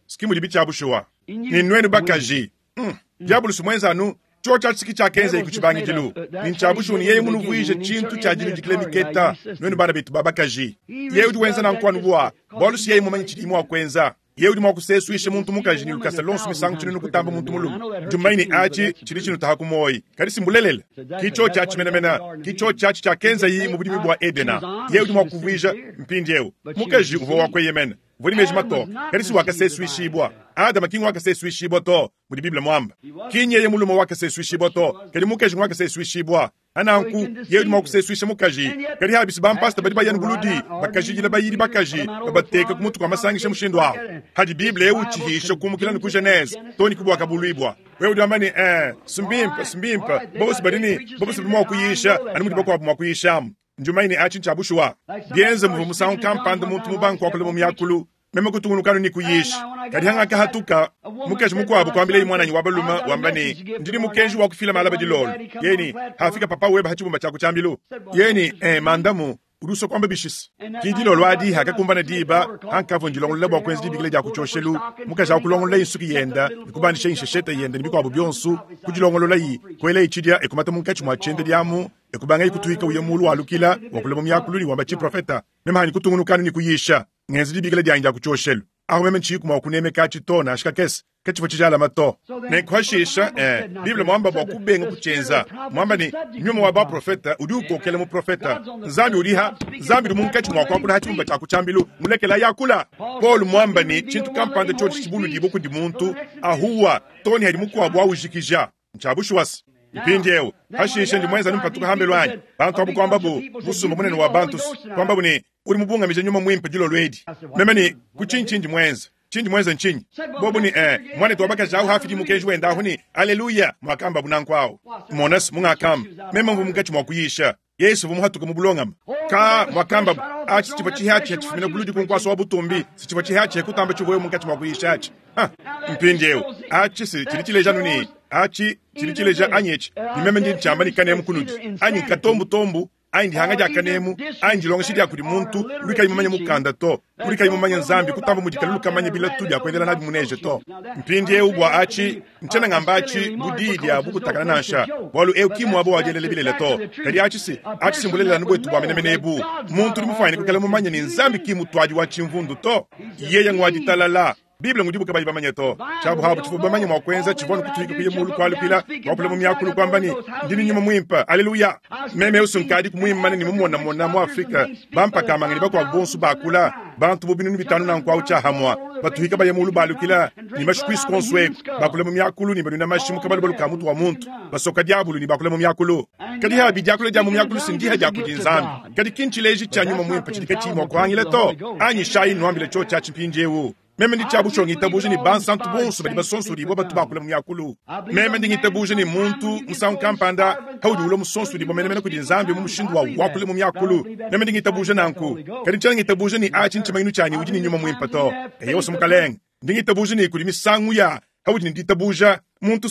Ski mudibi tshia bushuwa. Ne nuenu bakaji, mm, Diabulusi muenza anu tshiotshi atshi ki tshiakenzaye ku tshibangidilu, ne ntshia bushuwa ne yeye munuvuije tshintu tshia diludikila miketa, nuenu bana betu ba bakaji. Yeye udi wenza nanku anu bua bualu si yeye mumanye tshidiye mua kuenza. Yeye udi mua kusesuisha muntu mukaji ne lukasa luonso misangu tshinunu kutamba muntu mulume. Ndi mumanye ne atshi tshidi tshinutaha ku muoyi, kadi si mbulelela. Ki tshiotshi atshi menemene, ki tshiotshi atshi tshiakenzaye mu budimi bua Edena. Yeye udi mua kuvuija, mpindieu, mukaji uvua wa kueyemena, uvua ne meji matoke, kadi si wakasesuishibua. Adama ki nguakasesuishibua to, mudi Bible muambe. Ki nyeye mulume wakasesuishibua to, kadi mukaji nguakasesuishibua. Nanku, yeye udi mua kusesuisha mukaji. Kadi habisi bampasta badi baya ne buludi, bakajidila bayidi bakaji, babateka ku mutu kua masangisha mushindu awu. Hadi Bible eu utshihisha kumukila ne ku Genese too ne ku Buakabuluibua. Wewe udi wamba ne, Ee, simbimpe, simbimpe. Bonso badi ne, bonso badi mua kuyisha anu mudi bakuabu mua kuyishamu. Ndi mumanye ne atshi ntshia bushuwa. Bienze muvua musangu kampanda muntu mubange kuakula mu miakulu, meme kutungunuka anu ne kuyisha. Kadi hangakahatuka, mukaji mukuabu kuambilaye muananyi wa balume wamba ne, ndi ne mukenji wa kufila malaba dilolo. Yeye ne, hafika papa webe ha tshibumba tshia ku tshiambilu. Yeye ne, eh, mandamu, udi usua kuamba bishisa. Ki dilolo adi hakakumbana diba, hankavua ndilongolola bua kuenza dibikila dia ku tshioshelu, mukaji au kulongololaye nsuki yenda ne kubandishaye nsheshete yende ne bikuabu bionso, kudilongololayi, kuelaye tshidia e kumata munkatshi mua tshiendedi amu e kubangaye kutuika uya mulu walukila, wakula mu miakulu ne wamba tshiprofeta. Meme hanyi kutungunuka anu ne kuyisha, ngenza dibikila dianyi dia ku tshioshelu. Ahu meme ntshiyiku mua kunemeka atshi to, nansha kakese. Katshivua tshijalama to. Nenku hashisha, eh, Bible muamba bua kubenga kutshienza, muamba ne, Nyuma wa baprofete udi ukokela muprofete. Nzambi udi ha, Nzambi udi munkatshi mua kuakula ha tshibumba tshia ku tshiambilu, mulekela yakula. Paulo muamba ne, tshintu kampanda tshiotshi tshibuludibue kudi muntu, ahuwa, too ne hadi mukuabu aujikija. Ntshia bushuwa-se. Mpindieu, pashishe ndi muenza anu mpatuka hambelu anyi, bantu abu kuambabu, musumba munene wa bantu, kuambabu ne, Udi mubungamije nyuma muimpe dilolo edi. Meme ne, Ku tshinyi tshindi muenze? Tshindi muenze ntshinyi? Bobu ne, Ee, muanetu wa bakaji awu hafidi mukenji wende ahu ne, Aleluya, muakambabu nanku awu. Mona-se mungakamba, meme mvua munkatshi mua kuyisha. Yesu uvua muhatuke mu bulongame. Ka, muakambabu, atshi tshivua tshihatshia tshifumina buludi ku nkuasa wa butumbi, si tshivua tshihatshia kutamba tshivuaye munkatshi mua kuyisha atshi. Ha! Mpindieu, atshi si tshidi tshileja anu ne, atshi tshidi tshileja anyi etshi, ne meme ndi ntshiamba ne kanemu kunudi, anyi nkatombutombu, anyi dihanga dia kanemu, anyi dilongesha dia kudi muntu udi kayi mumanye mukanda to, udi kayi mumanye Nzambi kutamba mudi kalulu kamanye bilatu bia kuendela nabi mu neje to. Mpindieu bua atshi, ntshiena ngamba atshi bu diyi dia bukutakana nansha, bualu eu ki muaba wa dielela bilele to. Kadi atshi si, atshi si mbulelela anu buetu bua menemene ebu. Muntu udi mufuanyine kuikala mumanye ne Nzambi ki mutuadi wa tshimvundu to. Yeye ngua ditalala. Bible ngudibu kabayi bamanye to. Tshiabu habu tshivua bamanye mua kuenza tshivua anu kutuika kuya mulu kualukila, kuakula mu miakulu kuamba ne, Ndi ne nyuma muimpe. Aleluya! Meme eu nkadiku muimane ne mumonamona mu Afrike bampakamanga ne bakuabu bonso bakula, bantu bu binunu bitanu nanku au tshiahamua, batuika baya mulu balukila ne mashi kuisu kuonso eku, bakula mu miakulu ne banuina mashi mu kabalubalu ka mutu wa muntu, basoka diabulu ne bakula mu miakulu. Kadi habi diakula dia mu miakulu si ndiha dia kudi Nzambi, kadi ki ntshileji tshia nyuma muimpe tshidi katshiyi mua kuhangila to. Anyishayi nnuambile tshiotshi atshi mpindieu. Meme ndi tshia bushuwa ngitabuja ne bansantu bonso badi basonsodibua batu bakula mu miakulu. Meme ndi ngitabuja ne muntu musangu kampanda paudi ulua musonsodibua menemene kudi Nzambi mu mushindu wa wakula mu miakulu. Meme ndi ngitabuja nanku. Kadi ntshiena ngitabuja ne atshi ntshimanyinu tshia ne udi ne nyuma muimpe to. Eyowa, Mukalenge. Ndi ngitabuja ne kudi misangu ya. Paudi ne ditabuja, muntu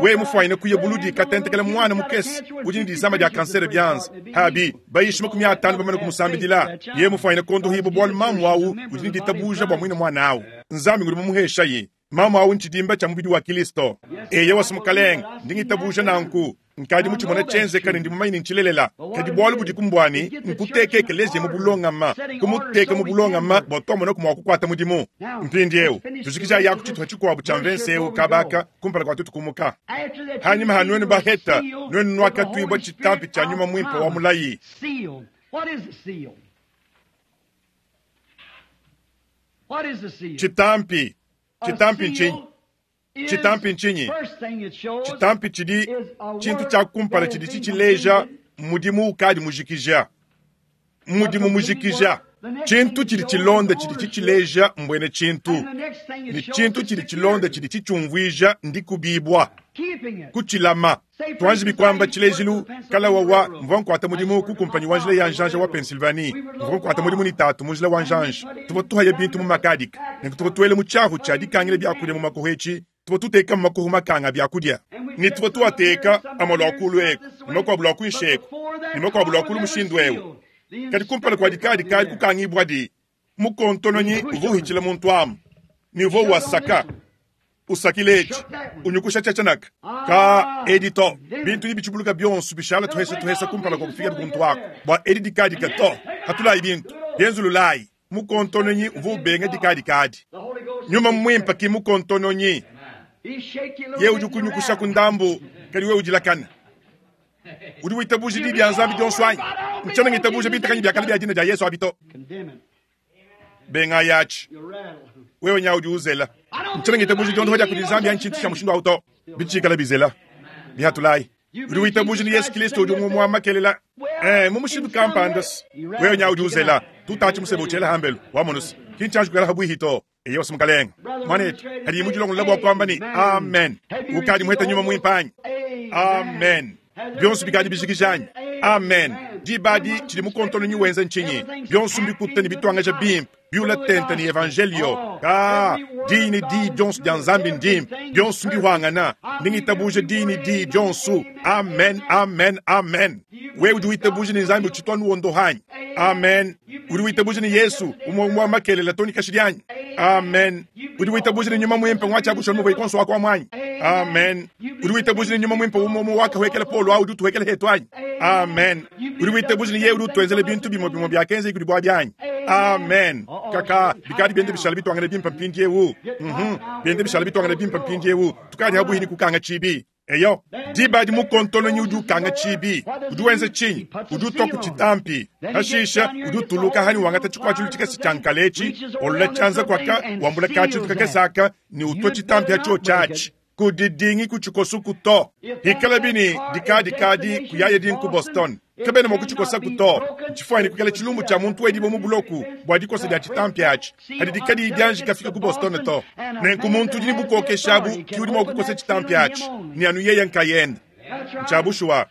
wewe mufwanyine kuya buludi katentekela mwana mukese udi ne disama dia kansere bianza. Abi bayishi 50 bamane kumusambidila, yeye mufwanyine kondohibwa bwalu mamu awu udi ne ditabuja bwa mwine mwana awu. Nzambi ngudi mumuheshaye. Mamu awu ntshidimba tshia mubidi wa Kilisto. Eya wasi mukalenge, ndi ngitabuja nanku. Nkadi mutshimona tshenzeka ne ndi mumanye ne ntshilelela. Kadi bualu budi kumbuani nkuteka ekeleziya mu bulongama, kumuteka mu bulongama bua tuamonaku mua kukuata mudimu. Mpindieu tujikijayi aku tshituha tshikuabu tshia mvense eu kabaka kumpala kua tuetu kumuka. Hanyima ha nuenu baheta, nuenu nuakatuibua tshitampi tshia nyuma muimpe wa mulayi. Tshitampi, tshitampi ntshinyi? Tshitampi ntshinyi? Tshitampi tshidi tshintu tshia kumpala tshidi tshitshileja mudimu ukadi mujikija. Mudimu mujikija. Tshintu tshidi tshilonda tshidi tshitshileja mbuena tshintu, ne tshintu tshidi tshilonda tshidi tshitshiumvuija ndikubibua, kutshilama. Tuanji bikuamba tshilejilu, kalawa wa mvua nkuata mudimu ku kumpanyi wa njila ya njanja wa Pennsylvanie. Mvua nkuata mudimu ne tatu mu njila wa njanja. Tuvua tuhaya bintu mu makadika, nenku tuvua tuela mu tshiahu tshia dikangila biakudia mu makoho etshi. Tuvua tuteka mu makoho makanga a biakudia, ne tuvua tuateka amue lua kulu eku ne makuabu lua kuinshi eku ne makuabu lua kulu mushindu eu. Kadi kumpala kua dikadikadi kukangibuadi, mukontononyi uvua uhitshila muntu amu ne uvua wasaka usakila etshi unyukusha tshiatshanaka ka edi to. Bintu ibi bitshibuluka bionso bishala tuhesa tuhesa kumpala kua kufika kuntu aku bua edi dikadika to. Hatulayi bintu bienzululayi. Mukontononyi uvua ubenga dikadikadi. Nyuma muimpe ki mukontononyi. Ye udi kunyukusha ku ndambu, kadi we udilakana. Udi witabuja di dia Nzambi dionso anyi? Ntshiena ngitabuja bitakanyi bia kale bia dina dia Yesu abi to. Bengayi atshi. Wewe nya udi uzela. Ntshiena ngitabuja diondopa dia kudi Nzambi anyi tshintu tshia mushindu awu to. Bitshikala bizela. Bihatulayi. Udi witabuja ne Yesu Kristo udi umue wa makelela. Eh, mu mushindu kampanda wewe nya udi uzela. Tutatshi musebe utshela hambelu wa monusi. Kintshanji kukala habuihi to. Eyo wasi mukalenge. Mwanetu, hadi mudilongolola bua kuamba ne amen. Ukadi muheta nyuma muimpe anyi? Amen. Bionso bikadi bijikija anyi? Amen. Diba adi tshidi mukontononyi wenza ntshinyi? Bionso mbikuta ne bituangaja bimpe, biula tente ne evangelio. Ka diyi ne diyi dionso dia Nzambi ndimpe, bionso mbihwangana. Ndi ngitabuja diyi ne diyi dionso. Amen, amen, amen. Wewe udi witabuja ne Nzambi utshitwa nuondoha anyi? Amen. Udi witabuja ne Yesu umue umue wa makelela toni kashidi anyi? Amen. Udi witabuja ne nyuma muimpe ngwatshiakusha muvua ikonso wako amu anyi? Amen. Udi witabuja ne nyuma muimpe umue umue wakahwekela Paulo au udi utuhwekela hetu anyi? Amen. Udi witabuja ne yeye udi utuenzela bintu bimue bimue biakenza kudi bua bianyi? Amen. Kaka bikadi biende bishala bituangane bimpe mpindieu. Biende bishala bituangane bimpe mpindieu. Tukadi habuhi ni kukanga tshibi. Eyo, diba adi mukontononyi udi ukanga tshibi. Udi wenza tshinyi? Udi utua ku tshitampi. Hashisha udi utuluka hani wangata tshikuatshilu tshikese tshia nkala etshi, olola tshianza kuaka, wambula katshintu kakese aka ne utua tshitampi atshio tshiatshi. Kudidingi ku tshikosuku to. Hikala bini dikadikadi kuyaya dinku ku Boston. Kabena mua kutshikosaku to. Ntshifuanyine kuikala tshilumbu tshia muntu wedibua mu buloku bua dikosa dia tshitampi atshi, hadi dikadiyi dianji kafika ku Boston to. Nenku muntu udi ne bukokeshi abu ki udi mua kukosa tshitampi atshi, ne anu yeye nkayende. Ntshia bushuwa.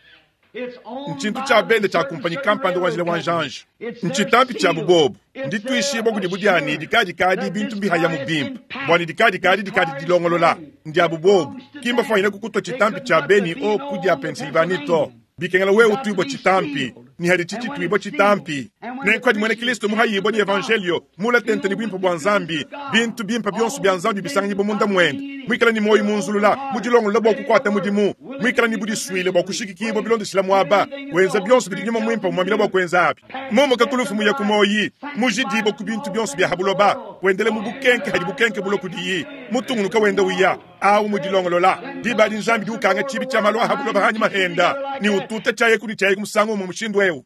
Ntshintu tshia bende tshia kumpanyi kampanda wa njila wa njanja. Ntshitampi tshiabu bobu. Ndituishibua kudibu dia ne dikadikadi bintu mbihayamu bimpe, bua ne dikadikadi dikadi dilongolola. Ndiabu bobu. Ki mbafuanyine kukutua tshitampi tshia beni o ku dia Pennsylvanie to. Bikengela wewe utuibua tshitampi, ne hadi tshitshituibua tshitampi. Nenku hadi muena Kristo muhayibua ne evangelio, mula tente ne buimpe bua Nzambi, bintu bimpe bionso bia Nzambi bisanganyibua munda muende, muikala ne muoyo munzulula, mudilongolola bua kukuata mudimu, muikala ne budisuile bua kushikikibua bilondeshila muaba, wenza bionso bidi nyuma muimpe umuambila bua kuenza abi. Mumuka ku lufu muya ku muoyi, mujidibua ku bintu bionso bia ha buloba, wendela mu bukenke hadi bukenke bulua kudiyi, mutungunuka wenda uya awu mudilongolola. Diba adi Nzambi di ukanga tshibi tshia malu a ha buloba hanyima henda, ne ututa tshiayeku ne tshiayeku musangu umue mushindu eu,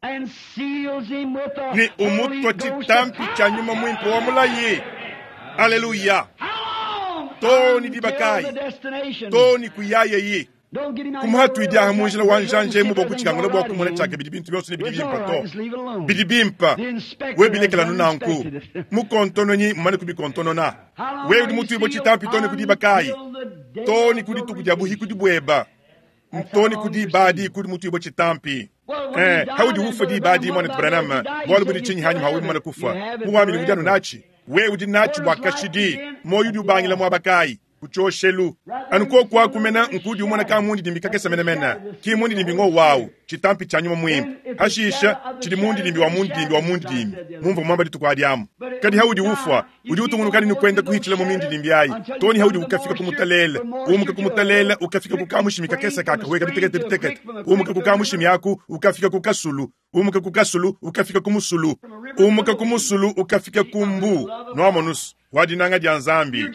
ne umutua tshitampi tshia nyuma muimpe wa mulayi. Aleluya! To ne diba kayi? To ne kuyayeyi. Kumuhatuidi aha mu njila wa njanja emu bua kutshikangula bua kumona tshiakabidi bintu bionso ne bidi bimpe to. Bidi bimpe. We bilekela nu nanku. Mukontononyi mumane kubikontonona. We udi mutuibue tshitampi to ne ku diba kayi? To ne ku dituku dia buhikudi bueba. Nto ne ku diba adi kudi mutuibue tshitampi. Eh, haudi ufua diba adi, muanetu Branham, bualu budi tshinyi hanyima hawe mumane kufua? Muwamini udi anu natshi. We udi natshi bua kashidi. Muoyo udi ubangila muaba kayi? Ku tshioshelu. Anu koku aku mena nkudi umona ka mundidimbi kakese menemene, ki mundidimbi ngowu awu, tshitampi tshia Nyuma Muimpe. Hashisha, tshidi mundidimbi wa mundidimbi wa mundidimbi, mumvua muamba dituku adi amu. Kadi haudi ufua, udi utungunuka ne kuenda kuhitshila mu mindidimbi ayi, too ne haudi ukafika ku mutalele, umuka ku mutalele ukafika ku kamushimi kakese kakahueka bitekete bitekete, umuka ku kamushimi aku ukafika ku kasulu, umuka ku kasulu ukafika ku musulu, umuka ku musulu ukafika ku mbu. Nuamonus wa dinanga dia Nzambi,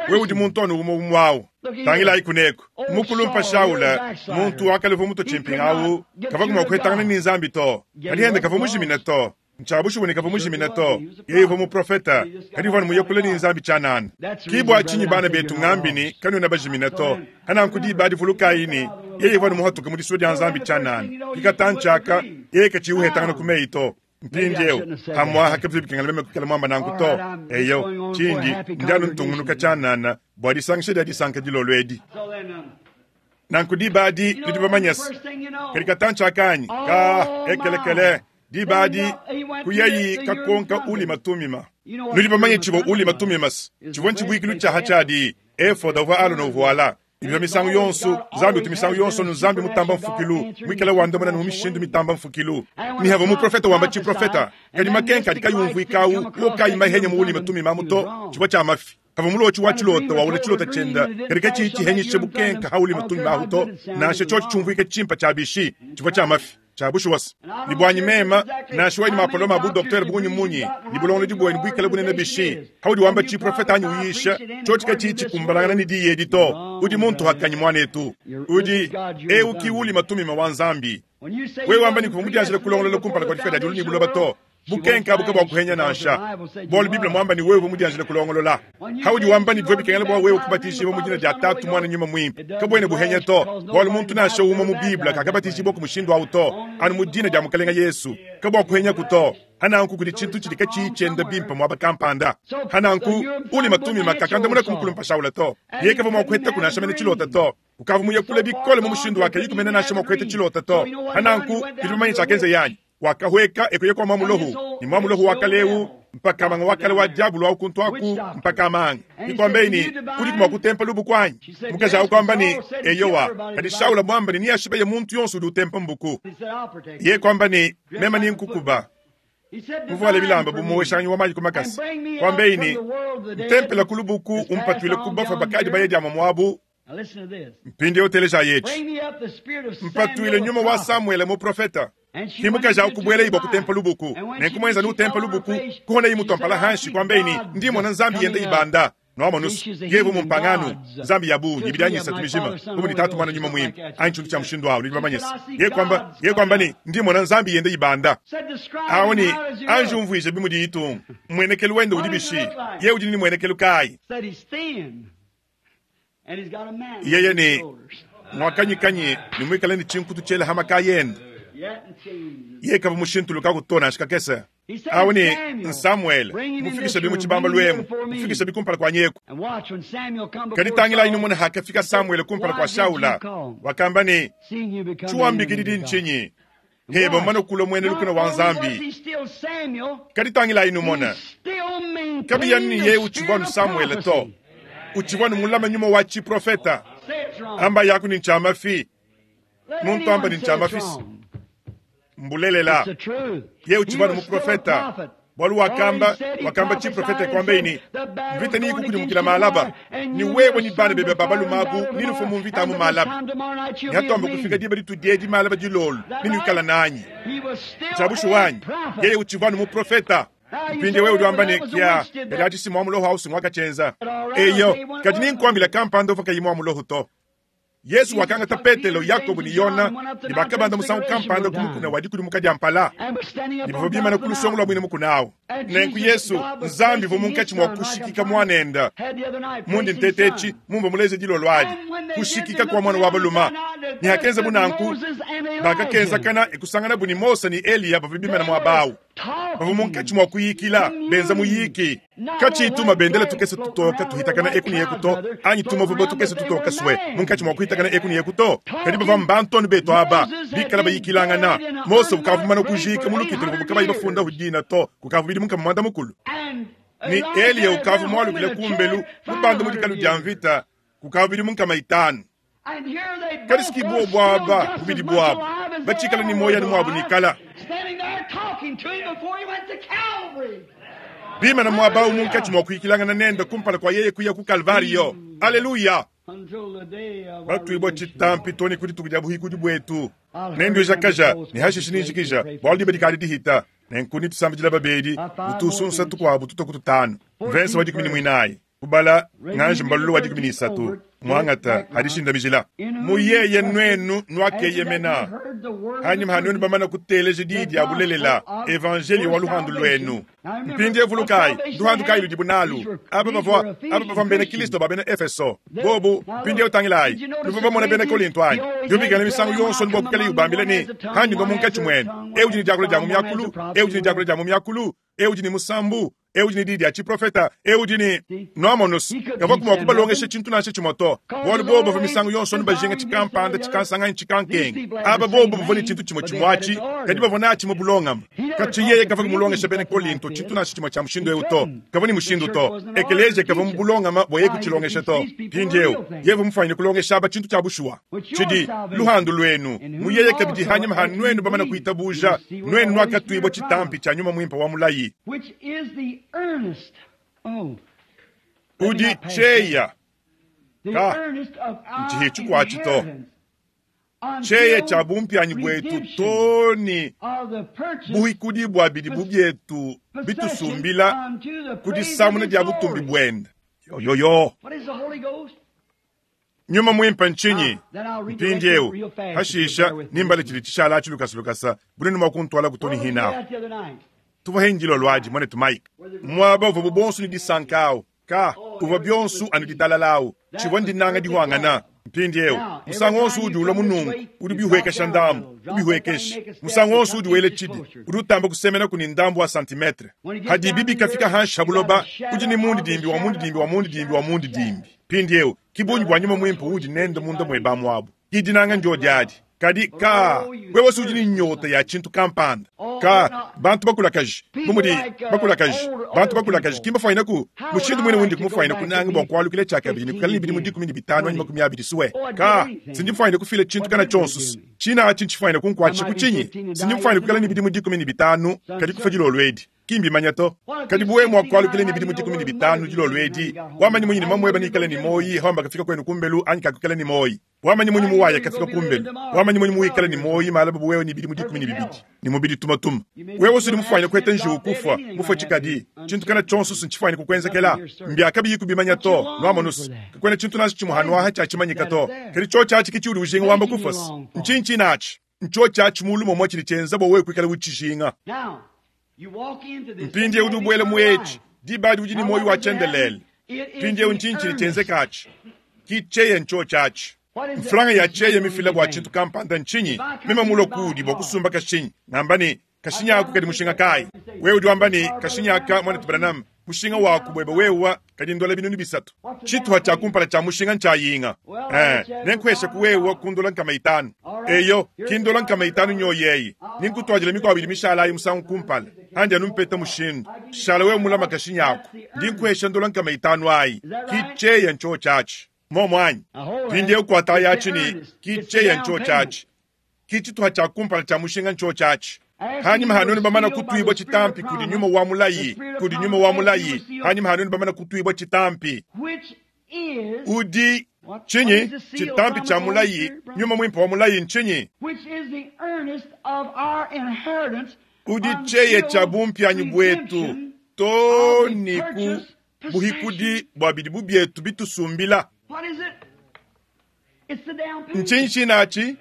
wewe udi muntu anu umue umue awu. Tangilayi kuneku, mukulumpa Shaula, muntu wa kale uvua mutue tshimpinga awu, kavua mua kuhetangana ne Nzambi to, kadi ende kavua mujimine to. Ntshia bushuwa ne kavua mujimine to. Yeye uvua muprofete, kadi uvua anu muye kule ne Nzambi tshianana. Ki bua tshinyi bana betu ngambi ne, kanuena bajimine to. Hananku diba adi vulukayi ne, yeye uvua anu muhatuke mu disua dia Nzambi tshianana. Ki katantshi aka, yeye katshiyi uhetangana ku meyi to. Mpindieu, pamu'apa kabivua bikengela meme kuikala muamba nanku to. Eyo, tshindi ndi anu ntungunuka tshianana bua disangisha dia disanka dilolo edi. Nanku diba adi nudi bamanye se, kadi katantshi aka anyi? Ka, ekelekele, diba adi kuyayi kakonka Ulima Tumima. Nudi bamanye tshivua Ulima Tumima se, tshivua ntshibuikilu tshia ha tshiadi, efoda uvua Alona uvuala. Bivua misangu yonso, Nzambi utu misangu yonso anu Nzambi mutamba mfukilu, muikale wandamuna ne mu mishindu mitamba mfukilu. Ne havua muprofete wamba tshiprofeta, kadi makenka adi kayi umvuika awu wo kayi mahenya mu Ulima Tumima amu to, tshivua tshia mafi. Kavua mulotshi wa tshilota waula tshilota tshienda, kadi katshiyi tshihenyisha bukenka ha Ulima Tumima ahu to, nansha tshiotshi tshiumvuika tshimpa tshia bishi, tshivua tshia mafi. Tshia bushuwa se, ne buanyi mema, nansha wewe ne mapolome a bu-doktere bungi munyi, ne bulongolodi buenu buikale bunene bishi, paudi wamba tshiprofete anyi uyisha, tshiotshi katshiyi tshikumbanangana ne diyi edi to, udi muntu-hakanyi, muanetu. Udi, eu ki Ulima Tumima wa Nzambi. Wewe wamba ne kuvua mudianjile kulongolola kumpala kua difika dia diulu ne buloba to, Bukenke abu kabuakuhenya nansha, bualu Bible muamba ne wewe uvua mudianjile kulongolola. Haudi wamba ne bivua bikengela bua wewe kubatijibua mu dina dia Tatu, Muana, Nyuma Muimpe, kabuena buhenya to, bualu muntu nansha umue mu Bible kakabatijibua ku mushindu au to, anu mu dina dia Mukalenge Yesu. Kabuakuhenyaku to. Hananku kudi tshintu tshidi katshiyi tshienda bimpe muaba kampanda. Hananku Ulima Tumima kakandamuna ku mukulumpa Shaula to. Yeye kavua mua kuhetaku nansha mene tshilota to. Ukavua muye kule bikole mu mushindu wa kayi kumena nansha mua kuheta tshilota to. Hananku tudi bamanye tshiakenza yanyi. Wakahueka e kuya kua muamulohu, ne muamulohu wa kale eu mpakamanga wa kale wa diabolo au kuntu aku mpakamanga. Ikuambei ne, Udiku mua kutempa lubuku anyi? Mukaji au kuamba ne, Eyowa. Kadi Shaula muamba ne, neashibeye muntu yonso udi utempa mbuku. Yeye kuamba ne, Meme nenkukuba. Muvuale bilamba bu muoweshanganyi wa mayi ku makasa. Kuambei ne, Ntempela ku lubuku, umpatuile ku bafue bakadi baya diamua muabu. Mpindieu telejayi etshi. Mpatuile nyuma wa Samuele muprofeta. Ki mukaji au kubuelayi bua kutempa lubuku. Nenku muenza nutempa lubuku, kuhonayi mutua mpala hanshi, kuambayi ne, Ndi mmona nzambi yenda ibanda. Nuamonus, yeye uvua mumpangano, nzambi ya bungi, ibidi anyi isatu mijima, bu mudi Tatu, Muana, Nyuma Muimpe, anyi tshintu tshia mushindu au, nudi bamanye se. Yeye kuamba, yeye kuamba ne, Ndi mmona nzambi yenda ibanda. Awu ne, anji umvuija bi mudiyi itunga. Mmuenekelu wende udi bishi? Yeye udi ne muenekelu kayi? Yeye ne muakanyikanyi ne muikale ne tshinkutu tshiela ha makaya ende. Yeye kavua mushintulukaku to nansha kakese. Awu ne Samuele, mufikishabi mu tshibambalu emu, mufikishabi kumpala kuanyi eku. Kadi tangilayi numone hakafika Samuele kumpala kua Shaula, wakamba ne, Tshiwambikididi ntshinyi? Heba mumane kulua muena lukuna wa Nzambi. Kadi tangilayi numone, kabiyi anu ne yeye utshivua anu Samuele to, utshivua anu mulame nyuma wa tshiprofeta. Amba yaku ne ntshia mafi, muntu amba ne ntshia mafi, mbulelela. Yeye utshivua anu muprofeta. Bualu wakamba, wakamba tshiprofete kuambaye ne, Mvita neyikukudimukila malaba, ne wewe ne bana bebe ba balume abu nenufue mu mvita amu malaba. Neatuambe kufika diba ditudi edi malaba dilolo, nenuikala nanyi. Ntshia bushuwa anyi? Yeye utshivua anu muprofeta. Mpindieu wewe udi wamba ne, Kia, kadi atshi si mua muloho au si nguakatshienza. Eyo, kadi nenkuambile kampanda uvua kayi mua muloho to. Yezu wakangata Petelo, Yakobo ne Yona ne bakabanda musangu kampanda ku mukuna wa dikudimuka dia mpala, ne bavua bimana ku lusongo lua muine mukuna au. Nenku Yezu, Nzambi uvua munkatshi mua kushikika Muanende. Mundi nteta etshi mumvua muleje dilolo adi, kushikika kua muana wa balume. Ne hakenzabu nanku, bakakenzakana e kusanganabu ne Mose ne Eliya bavua bimana muaba au. Bavua munkatshi mua kuyikila, benza muyiki. Katshiyi tuma bendela tukese tutoka tuhitakana eku ne eku to, anyi tumavuba tukese tutoka sue munkatshi mua kuhitakana eku ne eku to. Kadi bavua mbantu anu betu aba, bikala bayikilangana. Mose ukavua mumane kujiika mu lukita luvuabu kabayi bafundahu dina to kukavua bidimu nkama muanda mukulu. Ne Eliya ukavua mualukile kumbelu mubande mu dikalu dia mvita kukavua bidimu nkama itanu. Kadi si ki buobu aba bubidi buabu batshikale ne muoyo anu muabu nikala. Bimana muaba au munkatshi mua kuyikilangana nende kumpala kua yeye kuya ku Kalvariyo. Aleluya! Batuibua tshitampi too ne ku dituku dia buhikudi buetu. Nenduijakaja ne hashishe ninjikija, bualu diba dikadi dihita. Nenku netusambidila babedi utusunsa tukuabu tutua ku tutanu. Mvese wa dikumi ne muinayi kubala nganji mbalulu wa 13 muangata adishindamijila mu yeye nuenu nuakeyemena hanyima ha nuenu bamana kuteleja diyi dia bulelela evanjeliyo wa luhandu luenu. Mpindieu vulukayi, nduhandu kayi ludibu nalu? Aba bavua aba bavua mbena Kristo ba bena Efeso bobu. Mpindieu tangilayi, nuvua bamona bena Kolinto anyi? Yubikila misangu yonso ne bua kuikala yubambila ne, Handi ndua munkatshi muenu, eu udi ne diakula dia mu miakulu, eu udi ne diakula dia mu miakulu, eu udi ne musambu, eu udi ne diyi dia tshiprofeta, eu udi ne. Nuamonus, kavuaku mua kubalongesha tshintu nansha tshimue to, bualu bobu bavua misangu yonso anu bajinga tshikampanda, tshikansanga anyi tshikankenge. Aba bobu bavua ne tshintu tshimue tshimue atshi, kadi bavua natshi mu bulongame. Katshia yeye kavua mulongesha bena Kolinto tshintu nansha tshimue tshia mushindu eu to. Kavua ne mushindu to. Ekeleziya kavua mu bulongame bua yeye kutshilongesha to. Mpindieu, yeye uvua mufuanyine kulongesha aba tshintu tshia bushuwa, tshidi luhandu luenu mu yeye kabidi hanyima ha nuenu bamane kuitabuja, nuenu nuakatuibua tshitampi tshia Nyuma Muimpe wa mulayi. Udi tshieya ka ntshihi tshikuatshi to. Tshieya tshia bumpianyi buetu to ne buhikudi bua bidi bu bietu bitusumbila ku disamuna dia butumbi buende. Yoyoyo. Nyuma Muimpe ntshinyi? Mpindieu, hashisha, nimbale tshidi tshishala atshi lukasa lukasa, bunene mua kuntuala ku Tony Hinaho. Tuvua hindilo luadi, muanetu Mike. Muaba uvuabu bonso ne disanka au, ka uvua bionso anu ditalala au, tshivua ndinanga dihuangana. Mpindieu, musangu wonso udi ulua munungu, udi ubihuekesha ndambu, ubihuekesha. Musangu wonso udi wela tshidi, udi utamba kusemenaku ne ndambu wa santimetre. Hadibi bikafika hanshi ha buloba, udi ne mundidimbi wa mundidimbi wa mundidimbi wa mundidimbi. Mpindieu, ki bungi bua Nyuma Muimpe uudi nende munda muebe amu abu. Ki dinanga ndiodi adi. Kadi, kaa, wewe si udi ne nyota ya tshintu kampanda. Kaa, bantu bakulakaji, bu mudi bakulakaji, bantu bakulakaji ki mbafuanyine mushindu muine undi kumufuanyine kunanga bua kualukila tshiakabidi ne kuikala ne bidimu 15 anyi 20 sue. Kaa, sindi mfuanyine kufila tshintu kana tshionso. Tshina atshi ntshifuanyine kunkuatshisha ku tshinyi? Sindi mfuanyine kuikala ne bidimu 15 kadi kufua dilolo edi. Ki mbimanya to. Kadi bu wewe mua kualukila ne bidimu 15 dilolo edi, wamanyi munyi ne mamueba neikale ne muoyi hawamba kafika kuenu kumbelu anyi kakuikala ne muoyi? Wamanyi munyi muwaya kafika kumbelu? Wamanyi munyi muwikala ne muoyi malaba bu wewe ne bidimu 12 ne mubidi tumatuma? Wewe usudi mufuanyine kuheta njiwu kufua, mufue tshikadi, tshintu kana tshionso ntshifwanyine kukuenzekela. Mbia kabiyi kubimanya to, nuamonus, kakuena tshintu nansha tshimue hanuaha tshiatshimanyika to. Kadi tshiotshi atshi ke tshiudi ujinga wamba kufua. Ntshinyi tshine atshi? Ntshiotshi atshi mulu momua tshidi tshienza bua wewe kuikala utshijinga. Mpindieu udi ubuela mu etshi, diba adi udi ne muoyo wa tshiendelele. Mpindieu ntshinyi tshidi tshienzeka atshi? Ki tshieya ntshiotshi atshi. Mfranga ya tshieya mifila bua tshintu kampanda ntshinyi? Meme mulue kuudi bua kusumba kashinyi, ngamba ne, kashinyi aku kadi mushinga kayi? Wewe udi wamba ne, kashinyi aka, muanetu Branham, mushinga waku buebe wewe kadi ndola 3000. Tshituha tshia kumpala tshia mushinga ntshia yinga. Eh, nenkuheshaku wewe ku ndola 500. Eyo, ki ndola 500 nyoyi eyi. Ninkutuadila mikuabu idi mishala ayi musangu kumpala. Andi anu mpeta mushindu. Shala wewe mulama kashinyi aku. Ndi nkuhesha ndola 500 ayi. Ki tshieya ntshiotshi atshi. Momo anyi? Mpindieu kuatayi atshi ne, ki tshieya ntshiotshi atshi. Ki tshituha tshia kumpala tshia mushinga ntshiotshi atshi. Hanyima ha nuenu bamana kutuibua tshitampi kudi Nyuma wa mulayi, kudi Nyuma wa mulayi, hanyima ha nuenu bamana kutuibua tshitampi, udi tshinyi? Tshitampi tshia mulayi, Nyuma Muimpe wa mulayi ntshinyi? Udi tshieya tshia bumpianyi buetu too ne ku buhikudi bua bidi bu bietu bitusumbila. Ntshinyi tshine atshi?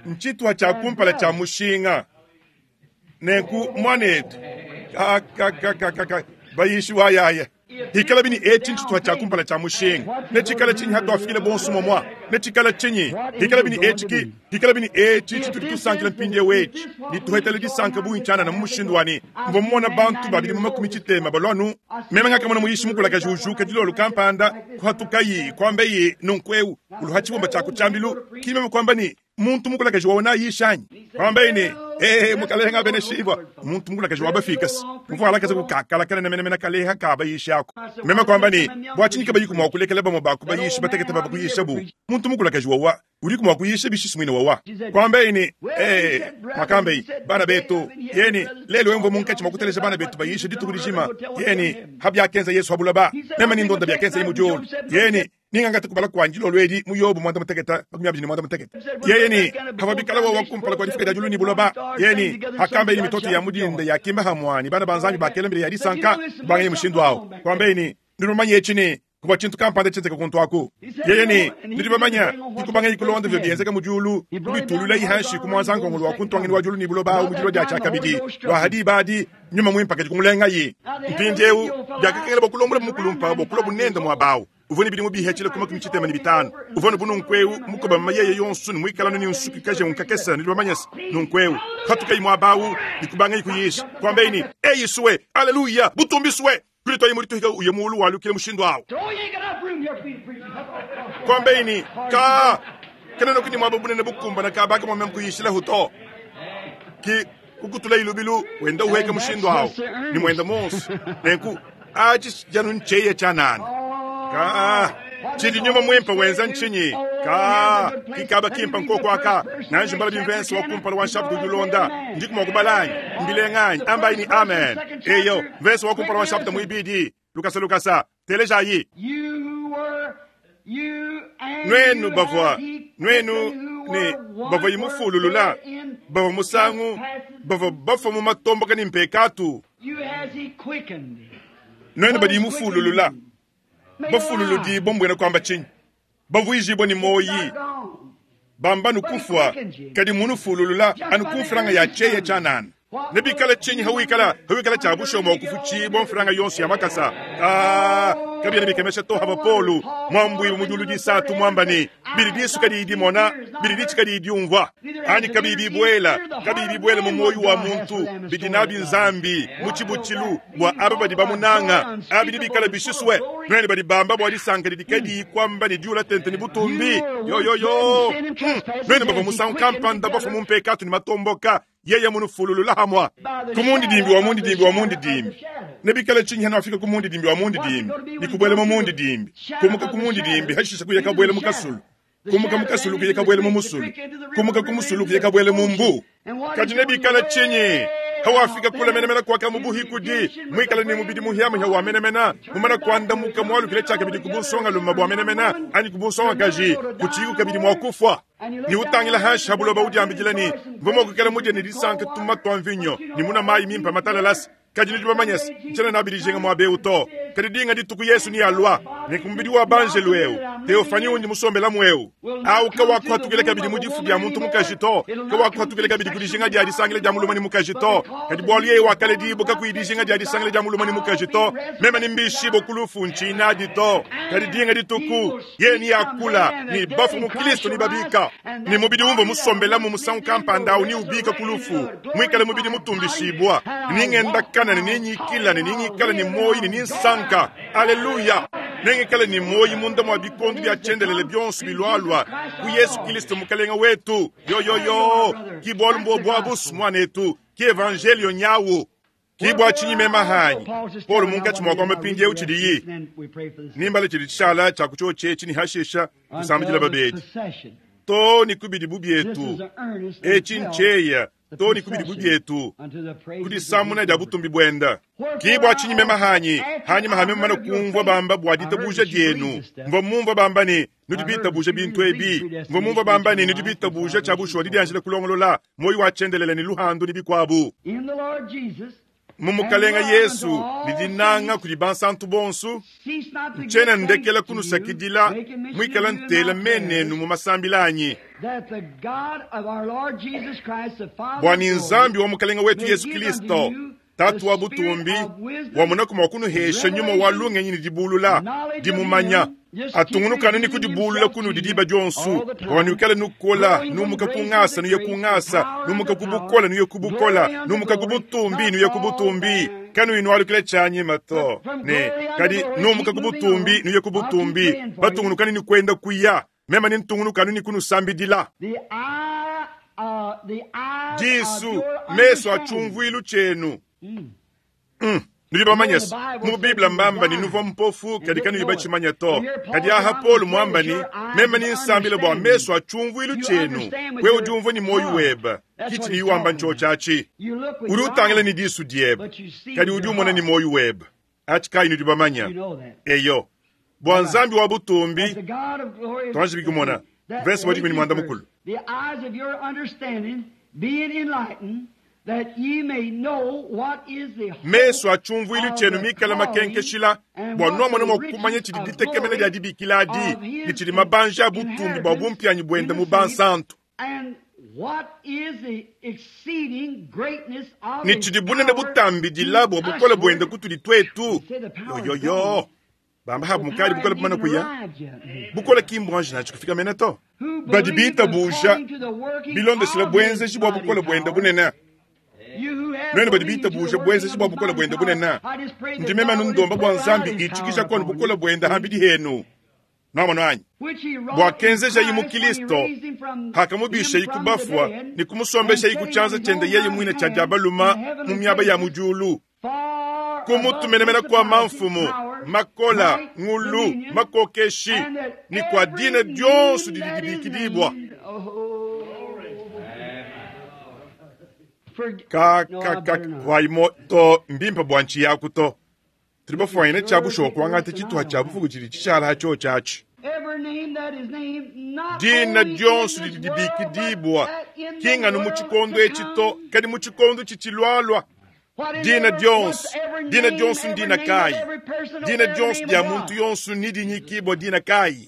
Ntshituha tshia kumpala tshia mushinga. Nenku, muanetu, kakakakaka, bayishi wayaya, hikalabi ne etshi ntshituha tshia kumpala tshia mushinga, netshikale tshinyi hatuafikile bonso momua? Netshikale tshinyi hikalabi ne etshi ki hikalabi ne etshi tshitudi tusankila mpindieu etshi, nituhetele disanka bungi tshianana mu mushindu wa ne mvua mumona bantu ba bidimu 60 balua anu meme ngakamona muyishi mukulakaji ujuka dilolo kampanda kuhatukayi kuambeyi nunku eu uluha tshibumba tshia ku tshiambilu ki meme kuamba ne muntu mukulakaji waona ayisha anyi? Kuambeyi ne, Ee, Mukalenga abeneshibwa. Muntu mukulakaji wa bafikasi muvua alakaza kukakala kanene menemene kaleha ka bayishi ako. Meme kuamba ne, Bua tshinyi kabayiku mua kulekela bamue ba ku bayishi batekete baba kuyishabu? Muntu mukulakaji wawa udiku mua kuyisha bishi muine wawa? Kuambaye ne, Ee, muakambaye, bana betu, yeni lelu eu mvua munkatshi mua kuteleja bana betu bayisha dituku dijima, yeni ha biakenza Yesu ha buloba, meme ni ndonda biakenzaye mu diulu, yeni ningangata kubala kuanyi dilolo edi mu Yobo 18 28. Yeye ne havua bikala wawa kumpala kua difuka dia diulu ne buloba, yeye ne hakamba ne mitoto ya mu dinda yakimba hamua ne bana ba Nzambi bakela mbila ya disanka, kubangeye mushindu awu. Kuambaye ne, Nudi bamanye etshi ne, kuvua tshintu kampanda tshienzeka kuntu aku. Yeye ne, Nudi bamanya, dikubanga kulonda bivua bienzeka mu diulu, kubitululayi hanshi ku muanza-nkongolo wa ku ntuangeni wa diulu ne buloba awu mu dilua dia tshiakabidi lua ha diba adi, Nyuma Muimpe kadi kumulengayi. Mpindiewu biakakengela bua kulombola mukulumpa bua kulua bunende muaba awu. Uvua ne bidimu bihetshile ku 65. Uvua ne bununkuewu mukobamama yeye yonso ne muikalanu ne nsuki kajengu kakese, nudi bamanye se, nunkuewu. Patukayi muaba awu ne kubangayi kuyisha, kuambayi ne, Eyi sue! Aleluya! Butumbi sue! Kulituaye mu dituhika uye muulu walukile mushindu awu. Kuambayi ne, Kaa, kena ne muaba bunene bukumbana kaba ka mua meme kuyishilahu to. Ki kukutulayi lubilu wenda uhueka mushindu awu ne muenda monso. Nenku atshi janu ntsheya tshianana. Kaa, tshidi nyuma muimpe wenza ntshinyi? Kaa, kikaba kimpa nkoko aka. Nanji mbala bimvense wa kumpala wa nshapita udi ulonda. Ndiku mua kubala anyi? Mbilenga anyi? Ambayi ne amen. Eyo, mvense wa kumpala wa nshapita muibidi. Lukasa lukasa, telejayi. Nuenu bavua, nuenu ne bavua imufululula, bavua musangu, bavua bafua mu matomboka ne mpekatu. Nuenu badi imufululula, bafululudibua mbuena kuamba tshinyi? Bavuijibua ne muoyi, bamba nukufua, kadi munufululula anu ku mfranga ya tshieya tshianana. Nebikale tshinyi hawikala hawikala tshia bushuwa mua kufutshibua mfranga yonso ya makasa? Aa, kabiena bikemesha to hava Paulo muambuibue mu diulu disatu muamba ne, bidi disu kadiyi dimona, bidi ditshi kadiyi diumvua, anyi kabiyi bibuela, kabiyi bibuela mu muoyo wa muntu, bidi nabi Nzambi mu tshibutshilu bua aba badi bamunanga. Abi nebikale bishisue nuenu badi bamba bua disanka didi kadiyi kuamba ne diula tente ne butumbi. Yoyoyo! Nuenu bavua musangu kampanda bafua mu mpekatu ne matomboka, yeye munufululula hamua ku mundidimbi wa mundidimbi wa mundidimbi. Nebikale tshinyi hanuafika ku mundidimbi wa mundidimbi ne kubuela mu mundidimbi, kumuka ku mundidimbi hashisha kuya kabuela mu kasulu, kumuka mu kasulu kuya kabuela mu musulu, kumuka ku musulu kuya kabuela mu mbu? Kadi nebikale tshinyi hawafika kule menemene kuaka mu buhikudi, muikale ne mubidi muhiamuhia wa menemene, mumana kuandamuka mualukile tshiakabidi ku bunsongalume bua menemene anyi ku bunsongakaji, kutshiyiku kabidi mua kufua? Ne utangila hanshi ha buloba udiambidila ne, Mvua mua kuikala mudie ne disanka tumuma tua mvinyo ne munua mayi mimpe matalalase, kadi nudi bamanye se, ntshiena nabi dijinga muaba eu to. Kadi dinga dituku Yesu nealua, ne ku mubidi wa banjelu eu, teofani undi musombelamu eu, au kawakuhatukila kabidi mu difu dia muntu mukaji to, kawakuhatukila kabidi ku dijinga dia disangila dia mulume ne mukaji to, kadi bualu yeye wakaledibua kakuyi dijinga dia disangila dia mulume ne mukaji to, meme nembishibue ku lufu ntshiyi nadi to. Kadi dinga dituku Yeye neakula ne bafue mu Kristo nebabika, ne mubidi umvua musombelamu musangu kampanda au neubika ku lufu, muikale mubidi mutumbishibua, ne nengendakana ne nenyikila ne nengikale ne muoyo ne nensanka. Aleluya! Nengikale ne muoyo munda mua bikondo bia tshiendelele bionso bilualua ku Yesu Kristo Mukalenge wetu. Yoyoyo! Ki bualu mbuobu abu, muanetu, ki evanjeliyo nyawu. Ki bua tshinyi mema hanyi Paulo munkatshi mua kuamba mpindieu tshidiyi nimbala tshidi tshishala tshia ku tshiotshi etshi ne hashisha kusambidila babedi to ne ku bidibu bietu. Etshi ntshieya to ne ku bidibu bietu ku disamuna dia butumbi buenda. Ki bua tshinyi mema hanyi hanyima ha mema mane kumvua bamba bua ditabuja dienu, mvua mumvua bamba ne nudi bitabuja bintu ebi, mvua mumvua bamba ne nudi bitabuja tshia bushuwa didianjila kulongolola muoyo wa tshiendelele ne luhandu ne bikuabu mu Mukalenga Yesu ne dinanga kudi bansantu bonsu. Ntshiena ndekela kunusakidila muikala ntela menenu mu masambila anyi, bua ne Nzambi wa Mukalenga wetu Yesu Kilisto, Tatu wa butumbi, wamonaku mua kunuhesha nyuma wa lungenyi ne dibulula, dimumanya. Atungunukanu ne kudibulula kunudi diba dionso, bua nuikale nukola, numuka ku ngasa nuye ku ngasa, numuka ku bukola nuye ku bukola, numuka ku butumbi nuye ku butumbi, kanuyi nualukila tshianyima to ne kadi numuka ku butumbi nuye ku butumbi, batungunukanu ne kuenda kuya. Meme nentungunukanu ne kunusambidila. Disu, mesu a tshiumvuilu tshienu. Nudi bamanye se, mu Bible mbamba ne nuvua mpofu kadi kanuyi batshimanya to. Kadi aha Paulo muamba ne, meme ni nsambila bua mesu a tshiumvuilu tshienu, wewe udi umvua ne muoyo webe. Ki tshidiye wamba ntshiotshi atshi. Udi utangila ne disu diebe, kadi udi umona ne muoyo webe. Atshi kayi nudi bamanya? Eyo. Bua Nzambi wa butumbi, tuanji kumona verse wa 14. The eyes of your understanding being enlightened, that ye may know what is the hope Mesu a tshiumvuilu tshienu of the mikale calling makenkeshila and bua what nuamona the mua riches kumanya tshidi of ditekemena glory dia dibikila adi of his ne tshidi mabanja a butumbi bua bumpianyi buende in mu the saints, bansantu and what is the exceeding greatness of ne his tshidi bunene power butambidila to bua bukole buende usward. kutudi twetu. Say the power is Yoyoyo gone. bamba habu The mukali power bukole hasn't bumana even kuya arrived yet. bukole ki mbwanji nachi kufika mene to Who badi believe bitabuja according to the working bilondeshela of his bwenzeji bua mighty bukole buende power. bunene. You who have Nuenu badi believed to the bitabuja working bwenzeji of bua his bukole mighty buende power, bunene. I just pray that Ndi meme God will ndomba just bua pour out Nzambi his itshikisha power kwanu upon bukole you. buende hambidi henu. Nwamona anyi? Which he wrought Bua in kenzeja mu Christ when he Kristo, raised him from hakamubisha him from the ikubafwa dead, ni kumusombesha and set him on ikuchanza his chende own yeye right mwine cha hand jabaluma in heavenly mu miaba ya places, mujulu. far above Kumutumenemena kwa principalities, mamfumu, powers, makola, might, ngulu, dominion, makokeshi, and that ni kwa every dina dyonso name didi that is dibikidibwa. named, oh, forg- Ka no, ka I ka better not. waimo to mbimpa bua nchi yaku to. Tuli bafuanyine cha bushuwa kuangata chituha cha bufuku chili chishala hacho chachi. Every name that is named, not Dina only in dyonso this didi world, but dibikidibwa that in the kingano mu world chikondo to echi to come. kadi mu chikondo chichilwalwa. What is Dina every, dyonso what's every dina name, dyonso every ndina name of kayi every person, dina every dyonso name dia of muntu God. yonso nidinyikibwa dina kayi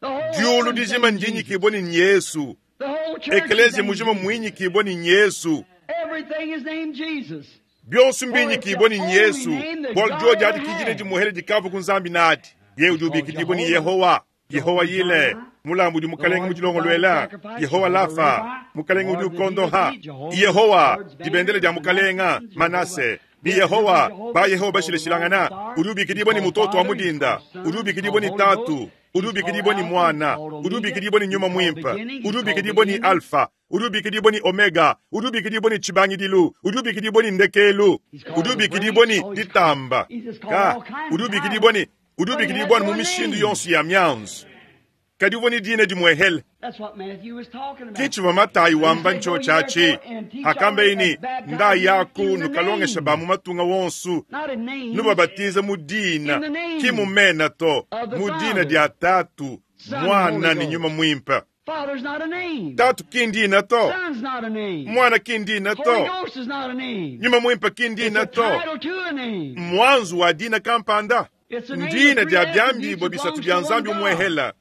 The whole diulu heaven's dijima named Jesus. ndinyikibwa ni Yesu The whole church is ekelezia named mujima Jesus. mwinyikibwa ni Yesu Everything is named Jesus. byonso For it's mbinyikibwa the ni only Yesu name that bwalo God dyoji ever adi kijine had. dimuhele dikava ku nzambi nadi ye udi It's called ubikidibwa ni Jehovah, Yehowa Yehowa Jehovah yile Jireh, mulambu udi the mukalenge Lord provided mudilongolwela sacrifice, Yehowa Jehovah lafa Rapha, the mukalenge udi Lord that healeth ukondoha thee, Jehovah, Yehowa Lord's dibendele banner, dia mukalenga Manasseh, Jehovah, Manase ni the different Yehowa ba Jehovahs, he's Yehowa called the Lord bashileshilangana Star, udi he's ubikidibwa ni called mutoto wa Father, he's mudinda called udi Son, he's ubikidibwa called ni Holy tatu Ghost, udi he's called ubikidibwa ni Alpha, he's mwana called udi Omega, ubikidibwa ni he's nyuma called mwimpa beginning, udi he's called the ubikidibwa ni ending. alfa udi ubikidibwa ni omega udi ubikidibwa ni chibangidilu udi ubikidibwa ni ndekelu He's called udi the ubikidibwa branch. ni Oh, he's called, ditamba he's just called ka all kinds udi of ubikidibwa titles. ni udi But he had ubikidibwa ni mu one mishindu name. yonso ya myanzu kadi uvua ni dina dimwehele That's what Matthew was talking about. kichiva matayi And he wamba said, Go ncho ye chachi therefore and teach all hakambeini and baptize nda them yaku in the nukalongesha name, ba mu matunga wonsu not in names, nubabatiza mu in dina the ki name mumena to of the mu dina Father, dia tatu Son, and Holy mwana ni nyuma Ghost. mwimpa Father's not a name. tatu kindina to Son's not a name. mwana kindina Holy to Ghost is not a name. nyuma mwimpa It's kindina a to title to a name. mwanzu wa dina kampanda It's a name of ndina three dia attributes byambibwa that bisatu belongs bya to one nzambi God. umwehela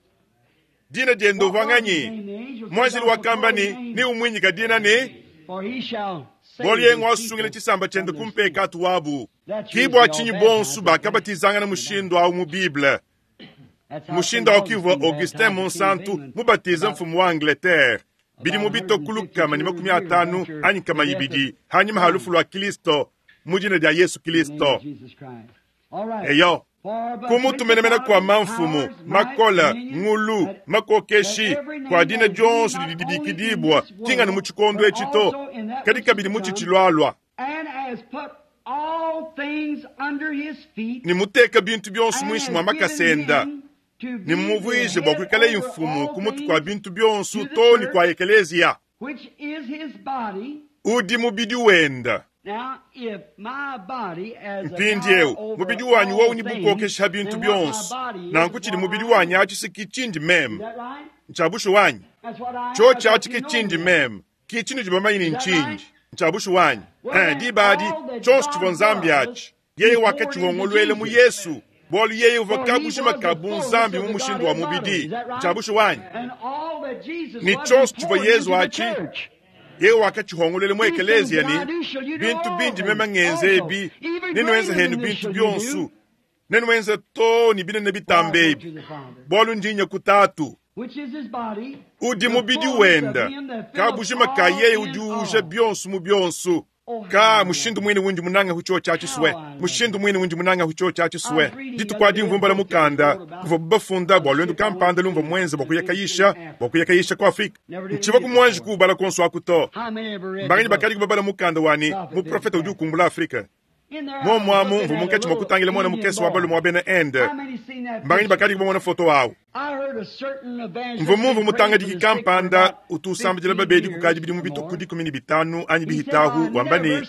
dina diende What was his uvwanganyi name? The angel said, mwanjili Thou shalt wakamba call his ni name, ni umwinyika dina ni for he shall save bolu yengo his asungile people chisamba chende from their sins. kumpekatu wabu That's usually kibwa all chinyi baptized bonsu at that. bakabatizangana mushindu awu mu Bible That's how St. mushindu awu kivwa Augustine Augustin baptized the King of Monsanto England mubatiza about mfumu wa Angleterre bili about mu bitokulukama ni 150 makumi years atanu after anyi kama the death of ibidi hanyuma ha lufu Christ lwa Kristo mu jina lya Yesu in the name Kristo of Jesus Christ. All right. eyo For but kumutumenemena kwa principalities, mamfumu powers, might, makola dominion, ngulu that that makokeshi every kwa name dina that is named dyonso not lidi only in dibikidibwa this tingani mu world, chikondo but echito also in that kadi which is kabili to mu come, chichilwalwa and has put all things under his feet, ni muteka bintu byonso and mwinshi has mwa given makasenda him to ni be the mumuvwije bwa head kwikala over imfumu all kumutu kwa things bintu byonso to the toni church, kwa ekeleziya which is his body. udi mubidi wenda Now, if my body as a power mpindiewu over mubidi wanyu all wowuni things, bukokesha bintu then what my byonso body is is nanku chili what mubidi I wanyu am. achisiki chindi Is meme that right? nchabushu wanyu That's what I am. cho That's what chachike you know chindi me as. meme kichinu chibamanyini Is that right? nchinji nchabushu wanyu Well, then, dibadi all that chonse God chivwa nzambi does, achi He yeye poured into wakachihongolwele mu Jesus. Yesu bolu yeye uva For he kabushima was the kabu fullness nzambi of mu the mushindu wa Godhead bodily. mubidi Is that right? nchabushu wanyu And all that Jesus ni was, he chonse chivwa poured into Yesu the achi church. yeye wakachihongolwele mu These things ekeleziya that I ni do shall you do bintu bindi also. mema ngenze Also, ebi even nenwenza greater henu than this bintu shall you byonsu do, nenwenza to ni binene for I bitambe go ebi to the Father, bolu ndinya kutatu which is his body, udi the mubidi fullness of wenda him that filleth kabushima ka all yeye in udi uja all. byonsu mu byonsu. Kaa, mushindu mwine wundi munange ku cyoci aci swe, mushindu mwine wundi munange ku cyoci aci swe. Dituku adi mvwa mbala mukanda uvwabu bafunda bwa lwendu kampanda lumvwa mwenze bwa kuya kayisha, bwa kuya kayisha ku Afrika. Ncivwa mwanji kuubala konso aku to. Mbanganyi bakadi kubabala mukanda wa ne, Muprofeta Udi Ukumbula Afrika. Momu amu mvwa munkatshi mwa kutangila mwana mukese wa balume wa bena Inde. Mbanganyi bakadi kubamona foto awu. Mvwa mumvwe mutangadiki kampanda utu usambidila babedi kukadi bidimu bitwe ku 15 anyi bihitahu wamba ne,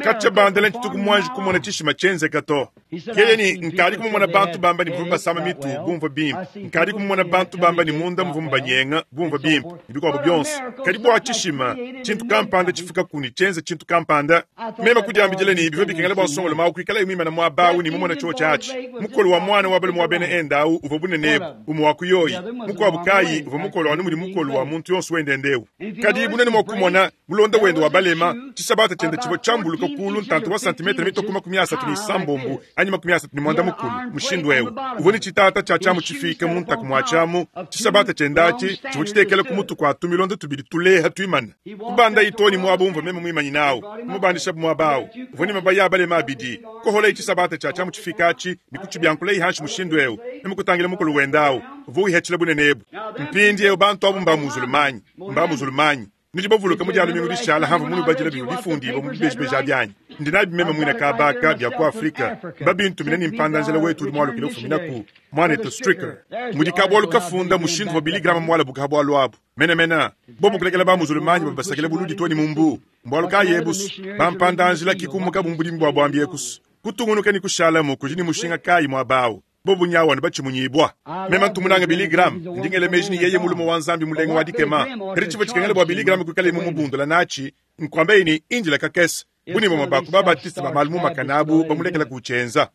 Katshia bandela ntshituku muanji kumona tshishima tshienzeka to. Yeye ne, Nkadi kumumona bantu bamba ne bavua basama mitu bumvua bimpe. Nkadi kumumona bantu bamba ne munda muvua mubanyenga bumvua bimpe, ne bikuabu bionso. Kadi bua tshishima, tshintu kampanda tshifukaku ne tshienza tshintu kampanda. Meme kudiambidila ne, bivua bikengela bua nsongolume au kuikalaye muimane muaba au ne mumone tshiotshi atshi. Mukolo wa muana wa balume wa bena Inde au uvua bunene ebu, umue wa ku yoyi, mukuabu kayi uvua mukolo anu mudi mukolo wa muntu yonso wendende eu. Kadi bunene mua kumona mulonda wende wa balema, tshisabata tshiende tshivua tshiambuluka kuulu ntanta wa santimetre mitue ku 36 anyi 34 mushindu eu. Uvua ne tshitata tshia tshiamu tshifiike mu ntaku mua tshiamu, tshisabata tshiende atshi tshivua tshitekela ku mutu kua tumilonda tubidi tuleha tuimane. Kubandayi too ne muaba umvua meme muimanyine au, kumubandishabu muaba au. Uvua ne mabaya a balema abidi. Koholayi tshisabata tshia tshiamu tshifiike atshi ne kutshibiankulayi hanshi mushindu eu, meme kutangila mukolo wende au uvua wihatshila bunene ebu. Mpindieu bantu abu mbamuzulumanyi, mbamuzulumanyi. Nudi bavuluka mu Dia lumingu dishala hamvua munubadila bivua bifundibua mu bibejibeji abi anyi? Ndi nabi meme muine kaba aka bia ku Afrika. Mbabintumine ne mpanda-njila wetu udi mualukile ufuminaku, Muanetu Stricker. Mudi kabualu kafunda mushindu uvua Billy Graham mualabuke ha bualu abu. Menemene, bobu kulekela bamuzulumanyi bavua basakila buludi too ne mu mbu. Mbualu kayi ebu's? Bampanda-njila ki kumukabu mu budimi bua buambi eku's. Kutungunuka ne kushalamu kudi ne mushinga kayi muaba au? Bobu nyawu anu batshimunyibua. Meme ntu munange Billy Graham. Ndi ngela meji ne yeye mulume wa Nzambi mulenga wa dikema. Kadi tshivua tshikengela bua Billy Graham kuikalaye mumubundula natshi, nkuambaye ne, Indila kakese. Bu ne bamue ba ku ba-Baptiste ba malu mumakane abu bamulekela kutshienza.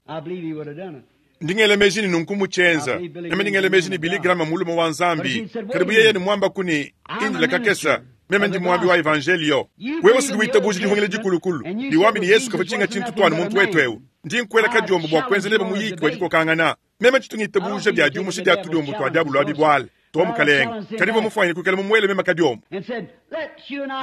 Ndi ngela meji ne nunku mmutshienza. Meme ndi ngela meji ne Billy Graham mmulume wa Nzambi. Kadi bu yeye ne muambaku ne, Indila kakese, meme ndi muambi wa Evanjeliyo. Wewe usudi witabuja Dihungila Dikulukulu, ne wambi ne Yesu kavua tshinga tshintu to anu muntu wetu eu. Ndi nkuela kadiombo bua kuenza nebe muyiki wa dikokangana. Meme tshitu ngitabuja bia diumusha dia tudiombo tua diabolo abi buala to, Mukalenge. Kadi mvua mufuanyine kuikala mumuele meme kadiombo.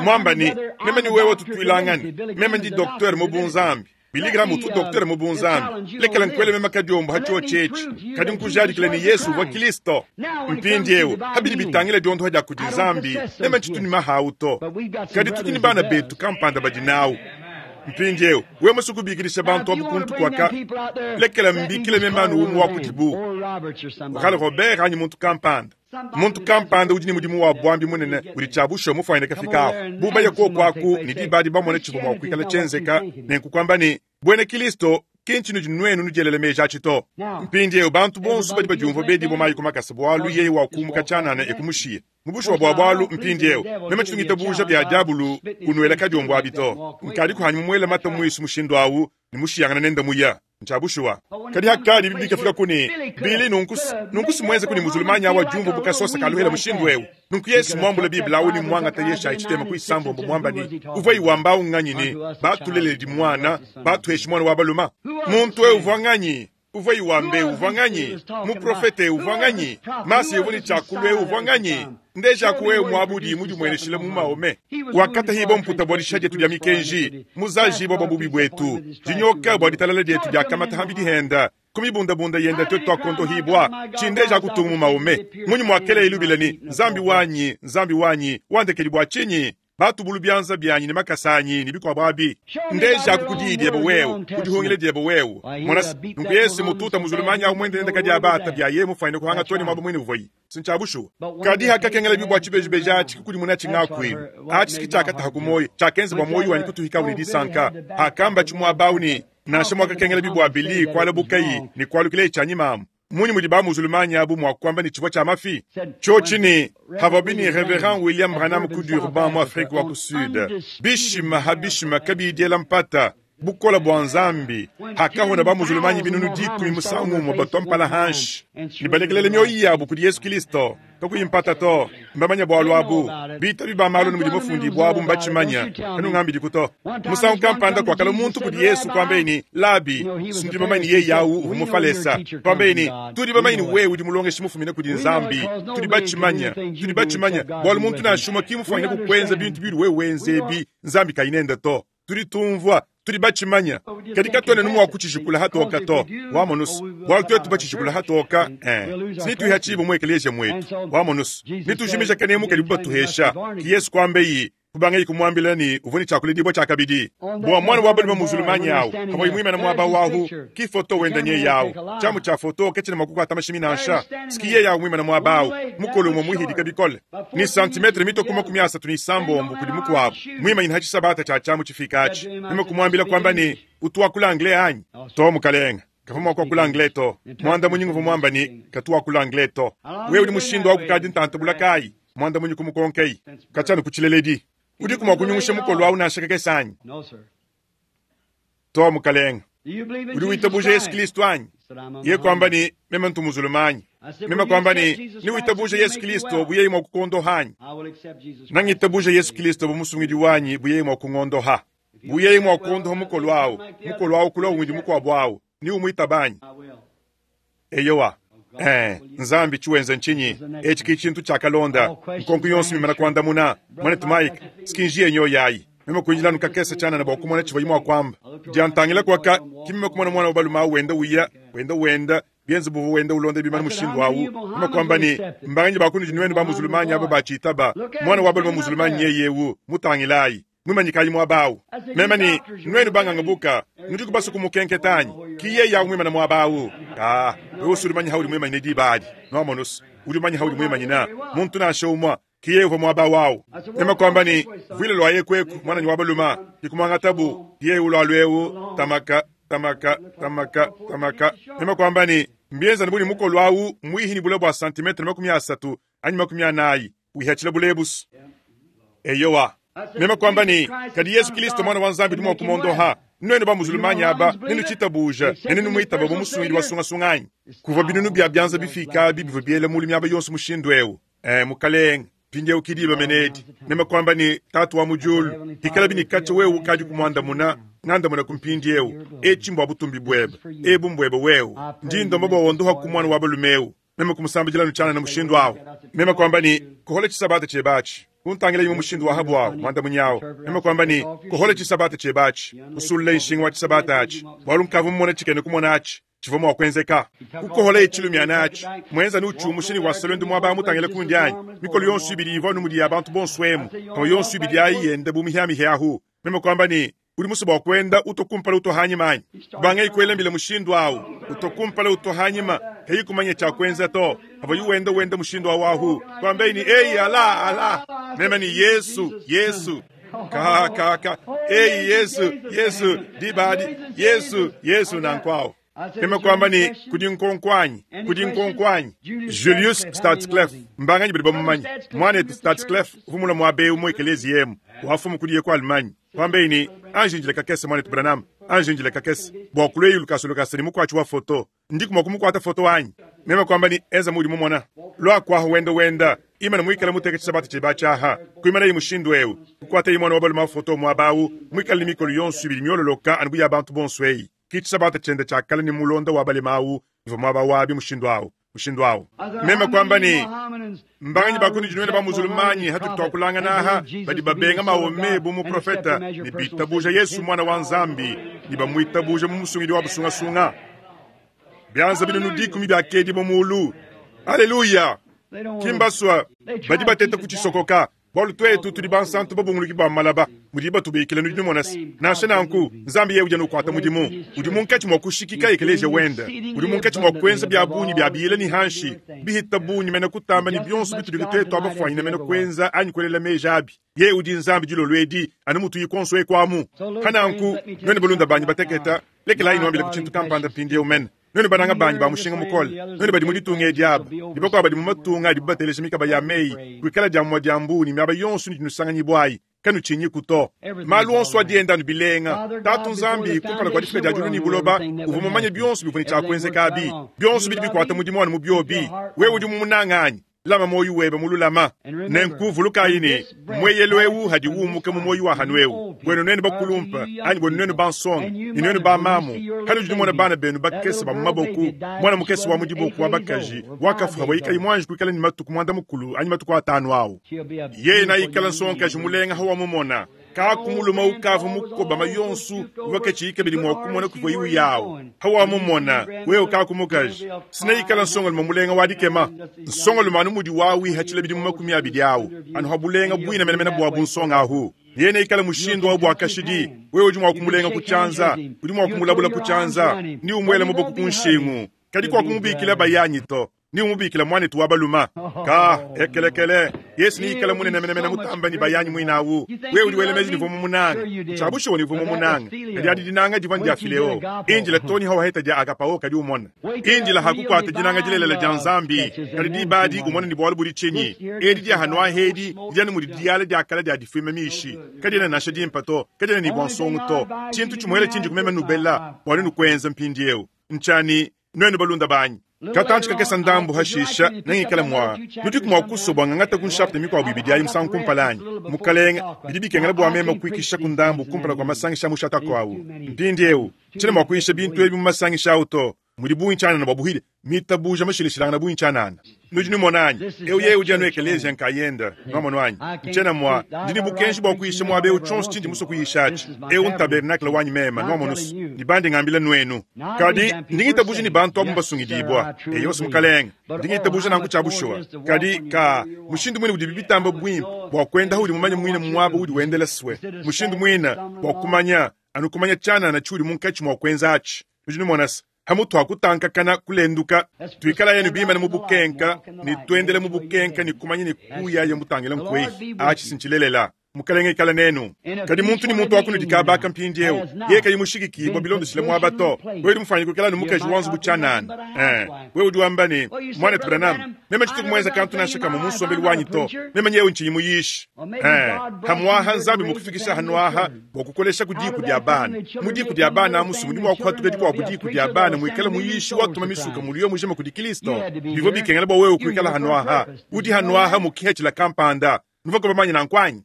Muamba ne, Meme ne wewe tutuilangane. Meme ndi doktere mu bunzambi. Billy Graham utu doktere mu bunzambi. Lekela nkuele meme kadiombo ha tshiotshi etshi. Kadi nkujadikile ne Yesu uvua Kilisto. Mpindiewu, ha bidi bitangila diondoha dia kudi Nzambi, meme tshitu ne mahawu to. Kadi tudi ne bana betu kampanda badi nawu. Mpindiewu, wewe musue kubikidisha bantu abu kuntu kuaka, lekela mbikile meme anu umue wa kudibu, Oral Robert anyi muntu kampanda. Muntu kampanda udi ne mudimu wa buambi munene udi tshia bushuwa mufuanyine kafika apu. Bu baya kuoku aku ne diba adi bamone tshivua mua kuikala tshienzeka, nenku kuamba ne, Buena Kilisto ki ntshinudi nuenu nudielela meji atshi to. Mpindiewu, bantu bonso badi badiumvua bedibua mayi ku makasa bualu yeye wakuumuka tshianana e kumushiya. Mu bushuwa bua bualu, mpindiewu, meme tshitu ngitabuja bia diabulu kunuela kadiombo abi to. Nkadi kuhanyi mumuele mata muisu mushindu awu ne mushiyangana nende muya. Ntshia bushuwa. Kadi hakadi bibi bikafika ku ne, Billy, nunku, nunku si muenze ku ne muzulumanyi awu adiumvua bu kasosa ka luhela mushindu ewu. Nunku Yesu muambula Bible awu ne muangata Yeshayi tshitema ku isambombo muamba ne, Uvua iwamba awu nganyi ne, Batuleledi muana, batuheshi muana wa baluma? Muntu ewu uvua nganyi? Uvua iwamba eu uvua nganyi? Muprofete eu uvua nganyi? Masiya uvua ne tshiakulu eu uvua nganyi? Ndejaku eu muaba udi mudimueneshile mu Mahomet. Wakatahibua mputa bua dishiha dietu dia mikenji, muzajibua bua bubi buetu, dinyoka bua ditalala dietu diakamata ham'bidi henda, ku mibundabunda yenda tuetu tuakondohibua. Tshindejaku tungu mu Mahomet. Munyi muakeleye lubila ne, Nzambi wanyi, Nzambi wanyi, wandekedi bua tshinyi? Batubulu bianza bianyi ne makasa anyi ne bikuabo abi. Ndejaku ku diyi diebe wewe, ku dihungila diebe wewe. Mona se, nunku Yesu mututa muzulumanyi awu muende nende kadi abata bia yeye mufuanyine kuhanga too ne muaba muine uvuayi. Si ntshia bushuwa. Kadi hakakengela bibi bua tshibejibeji atshi kukudimunatshi ngakuilu atshi si tshiakataha ku muoyo, tshiakenza bua muoyo wanyi kutuhikawu ne disanka. Hakambatshi muaba awu ne, Nansha muakakengela bibi bua Billy kualabukayi ne kualukilaye tshianyima amu, Mmunyi mudi ba-muzulumanyi abu mua kuamba ne, tshivua tshia mafi? Tshiotshi ne, Havuabi ne Reverend William Branham ku Durban, mu Afrike wa ku Sud, bishima ha bishima kabiyi diela mpata, bukole bua Nzambi, hakahona ba-muzulumanyi binunu dikumi musangu umue batua mpala hanshi ne balekelele mioyo yabu kudi Yesu Kilisto. Kakuyi mpata to, mbamanye bualu abu. Bitabi ba malu ne mudi mufundibue abu mbatshimanye. Kanungambidiku to. Musangu kampanda kuakalua muntu kudi Yesu, kuambaye ne, Labi, si nudi bamanye ne yeye au uvua Mufalesa. Kuambaye ne, Tudi bamanye ne wewe udi mulongeshi mufumine kudi Nzambi. Tudi batshimanye. Tudi batshimanye, bualu muntu nansha umue ki mufwanyine kukuenza bintu biudi wewe wenza ebi, Nzambi kayi nende to. Tudi tumvua, tudi batshimanya, kadi katuena anu mua kutshijikula hatoka to. Wamonu's, bualu tuetu batshijikula hatoka, eh, sinituihatshibue mu ekeleziya muetu. Wamonu's, netujimija kanemu kadibu batuhesha. Ki Yesu kuambeyi, kubangaye kumuambila ne uvua ne tshia kuledibua tshiakabidi. Bua muana wa balume muzulumanyi au, pavuaye muimane muaba wahu, ki foto wenda nyeye au. Tshiamu tshia foto katshiena mua kukuata mashimi nansha. Ski yeye au muimane muaba au, mukolo umue muhidika bikole, ne santimetre mitue ku 36 kudi mukuabu, muimanyine ha tshisabata tshia tshiamu tshifika atshi. Meme kumuambila kuamba ne, Utu wakula anglais anyi? To, mukalenge. Kavua mua kuakula anglais to. Muandamunyi nguvua muamba ne, Katu wakula anglais to. Wewe udi mushindu au kukadi ntanta bula kayi? Muandamunyi kumukonkayi. Katshia anu ku tshileledi. Udiku mua kunyungusha mukolo au nansha kakese anyi? To, mukalenge. Udi witabuja Yesu Kristo anyi? Yeye kuamba ne, Meme ntu muzulumanyi. Meme kuamba ne, Newitabuja Yesu Kristo bu yeye mua kukuondoha anyi? Nangitabuja Yesu Kristo bu musungidi wanyi bu yeye mua kungondoha. Bu yeye mua kuondoha mukolo au, mukolo au kulua umudi mukuabu au, neumuitaba anyi? Eyowa. Ee, Nzambi, tshiwenza ntshinyi? Etshi ki tshintu tshiakalonda. Nkonko yonso mimana kuandamuna, Muanetu Mike, skinji nyoyi ayi. Meme kuindila anu kakese tshianana bua kumona tshivuaye mua kuamba. Diantangila kuaka, ki meme kumona muana wa balume au wenda uya, wenda wenda, bienze buvua wenda ulonda bimana mushindu au. Meme kuamba ne, Mbanganyi ba kunudi nuenu ba muzulumanyi aba batshitaba? Muana wa balume muzulumanyi nyeye eu, mutangilayi. Muimanyikayi muaba au. Meme ne, Nuenu banganga buka, nudiku basue kumukenketa anyi? Ki yeye au muimane muaba au. Kaa, wewe udi umanya haudi muimanyine diba adi. Nwamonu's, udi umanya haudi muimanyina. Muntu nansha umue, ki yeye uvua muaba au. Meme kuamba ne, Vuila lua eku eku, muananyi wa balume. Ke kumuangatabu, ki yeye ulua eu, tamaka, tamaka, tamaka, tamaka. Meme kuamba ne, Mbienza anu bu ne mukolo au muihi ne bule bua santimetre 30 anyi 40, wihatshila bulebusu. Eyowa. Meme kuamba ne, Kadi Yesu Kilisto Mwana wa Nzambi udi mua kumondoha. Nuenu ba-muzulumanyi aba, nenutshitabuja ne nenumuitaba bu musungidi wa sungasunga anyi? Kuvua binunu bia bianza bifika abi bivua biela mulu miaba yonso mushindu eu. Ee, Mukalenge, mpindieu ki diba mene edi. Meme kuamba ne, Tatu wa mu Diulu, pikalabi ne katshia wewe ukadi kumuandamuna, ngandamuna ku mpindieu. Etshi mbua butumbi buebe. Ebu mbuebe wewe. Ndi ndomba bua wondohaku muana wa balume eu. Meme kumusambidila anu tshianana mushindu au. Meme kuamba ne, Kohola tshisabata tshiebe atshi. Kuntangila imue mushindu wa habu au, muandamunyi au. Meme kuamba ne, Kohola tshisabata tshiebe atshi. Kusulula nshinga wa tshisabata atshi, bualu nkavua mumone tshikena kumona atshi tshivua mua kuenzeka. Kukoholaye tshilumiana atshi, muenza anu utshiumusha ne wasa luendu muaba mutangila kundi anyi. Mikolo yonso ibidi ivua anu mudi ya bantu bonso emu, pavua yonso ibidi ayi yenda bu mihiamihia ahu. Meme kuamba ne, Udi musue bua kuenda utua kumpala utua hanyima anyi? Kubangayi kuela mbila mushindu au, utua kumpala utua hanyima, kayi kumanya tshia kuenza to. Pavuaye wenda wenda mushindu au ahu, kuambaye ne, Eyi Allah, Allah! Meme ne, Yesu, Yesu! Ka, ka, ka! Eyi Yesu, Yesu! Diba adi, Yesu, Yesu! Nanku au. Meme kuamba ne, Kudi nkonko anyi? Kudi nkonko anyi? Julius Stadsklev, mbanganyi badi bamumanye? Muanetu Stadsklev uvua mulue muaba eu mu ekeleziya emu, wafumu kudiye ku Allemagne. Kuambaye ne, Anji indila kakese, muanetu Branham, anji indila kakese, bua kulueyi lukasa lukasa ne mukuatshi wa foto. Ndiku mua kumukuata foto anyi? Meme kuamba ne, Enza muudi mumona. Lua kuaha wenda wenda, imana muikale muteke tshisabata tshiebe atshi aha. Kuimanaye mushindu eu, kukuataye muana wa balume wa foto muaba au, muikale ne mikolo yonso ibidi miololoka anu bu ya bantu bonso eyi. Ki tshisabata tshiende tshia kale ne mulonda wa balema au uvua muaba wabi mushindu au, mushindu au. Meme kuamba ne, Mbanganyi ba kunudi nuenu ba-muzulumanyi hatudi tuakulangana aha badi babenga Mahomet bu muprofete ne bitabuja Yesu Muana wa Nzambi ne bamuitabuja mu musungidi wa busungasunga? Bianza binunu dikumi biakedibua mulu. Aleluya! Ki mbasua, badi bateta kutshisokoka. Bualu tuetu tudi bansantu babunguluki ba malaba, mudibu batubikila, nudi numona se, nansha nanku, Nzambi yeye udi anu ukuata mudimu. Udi munkatshi mua kushikika ekeleziya wende. Udi munkatshi mua kuenza bia bungi bia biyila ne hanshi, bihita bungi mene kutamba ne bionso bitudi tuetu abafuanyine mene kuenza anyi kuelela meji abi. Yeye udi Nzambi dilolo edi, anu mutuyi kuonso eku amu. Pa nanku, nuenu balunda banyi bateketa, lekelayi nuambileku tshintu kampanda mpindieu mene. Nuenu bananga banyi ba mushinga mukole, nuenu badi mu ditunga edi aba, ne bakuabu badi mu matunga adibu bateleja mikaba ya meyi, kuikala dia mumue dia mbuu ne miaba yonso inudi nusanganyibua ayi, kanutshinyiku to. Malu onso adi enda anu bilenga. Tatu Nzambi, kumpala kua difika dia diulu ne buloba, uvua mumanye bionso bivua ne tshia kuenzeka abi. Bionso bidi bikuata mudimu anu mu biobi. Wewe udi mumunange anyi? Lama muoyo webe mululama. Nenku vulukayi ne, mueyelu eu hadi umuka mu muoyo wa hanu eu, buenu nuenu bakulumpe anyi buenu nuenu bansonga ne nuenu bamamu, hanudi numona bana benu bakese ba mu maboku, muana mukese wa mu diboku wa bakaji wakafua havuaye kayi muanji kuikala ne matuku muanda mukulu anyi matuku atanu au, yeye naikala nsongakaji mulenga hawamumona. Kaku mulume ukavua mukobama yonsu uvua katshiyi kabidi mua kumona kuvua iwu yawu. Hawamumona wewe kaku mukaji sina ikala nsongalume mulenga wa dikema. Nsongalume anu mudi wawihatshila bidimu 20 awu anu ha bulenga bwina menemene bwa bunsonga ahu. Yene ikala mushindu wa bwa kashidi. Wewe udi mua kumulenga ku tshianza, udi mua kumulabula ku tshianza, ni umwela muboko ku nshingu. Kadi kwa kumubikila bayanyi to, ni umubikila mwanetu wa baluma. Ka ekelekele Yesu ni ikala munene menemene mutamba ni bayanyi mwinawu. Wewe udi wela meji ni vumu munanga. Chabusho ni vumu munanga. Kadi adi dinanga diva ndia fileo. Injila toni hawa heta dia agapao kadi umona. Injila hakukwata dinanga dilelela dia Nzambi. Kadi dibadi umona ni bwalu budi chinyi. Edi dia hanwa hedi dia ni mudi diala dia kala dia difima mishi. Kadi na nasha dimpa to. Kadi ni bwansongo to. Chintu chimwele chinji kumema nubela. Bwali nukwenza mpindi eu. Nchani nwenu balunda banyi. Katanchi kakesa ndambu hashisha nengikala mwa nudiku mwa kusobwa ngangata kunshapte mikwabu ibidi ayi musangu kumpalanyi mukalenga bidi bikengela bwa mema kuikisha ku ndambu kumpala kwa masangisha mushata kwawu mpindi eu tshile mwa kuisha bintu ebi mu masangisha awu to mudi bungi tshanana bwa buhile mitabuja mashilishilangana bungi tshanana nudi numonanyi eu yeye udi anu ekelezia nkayenda nwamonwanyi ntshiena mwa ndi ni bukenji bwa kuisha mwabe eu tshonso tshindi muso kuyishatshi eu ntabernakle wanyi mema nwamonusu ni bandi ngambila nwenu kadi ndingitabuja ni bantu abu mbasungidibwa eyosi mukalenga ndingitabuja nanku tshia bushuwa kadi ka mushindu mwine udi bibitamba bwimpe bwa kwenda udi mumanye mwine mwaba udi wendela swe mushindu mwine bwa kumanya anu kumanya tshanana tshiudi munkatshi mwa kwenza atshi nudi numonasa hamutu hakutankakana kulenduka twikala yenu bimana mu bukenka ni twendele mu bukenka ni kumanya ni kuya ya mutangila nkwei achi sinchilelela mukalenge ikala nenu kadi muntu ni muntu wakunu dikabaka mpindi eu ye kadi mushikiki bwa bilondeshile mwaba to wewe udi mufanye kukela ni mukaji wanzu buchanana wewe udi wamba ni mwana Branham meme chitu kumwenza kantu nasha kama musombeli wanyi to meme nyewe nchi muyishi hamwaha nzambi mukufikisha hanwaha bwa kukolesha kudiku dia bana mudiku dia bana musumu ni mwakuhatuka dikwa kudiku dia bana mwikala muyishi watuma misuka muliyo mujema kudi Kristo bivyo bikengela bwa wewe kuikala hanwaha udi hanwaha mukihechila kampanda nuva manya na nkwanyi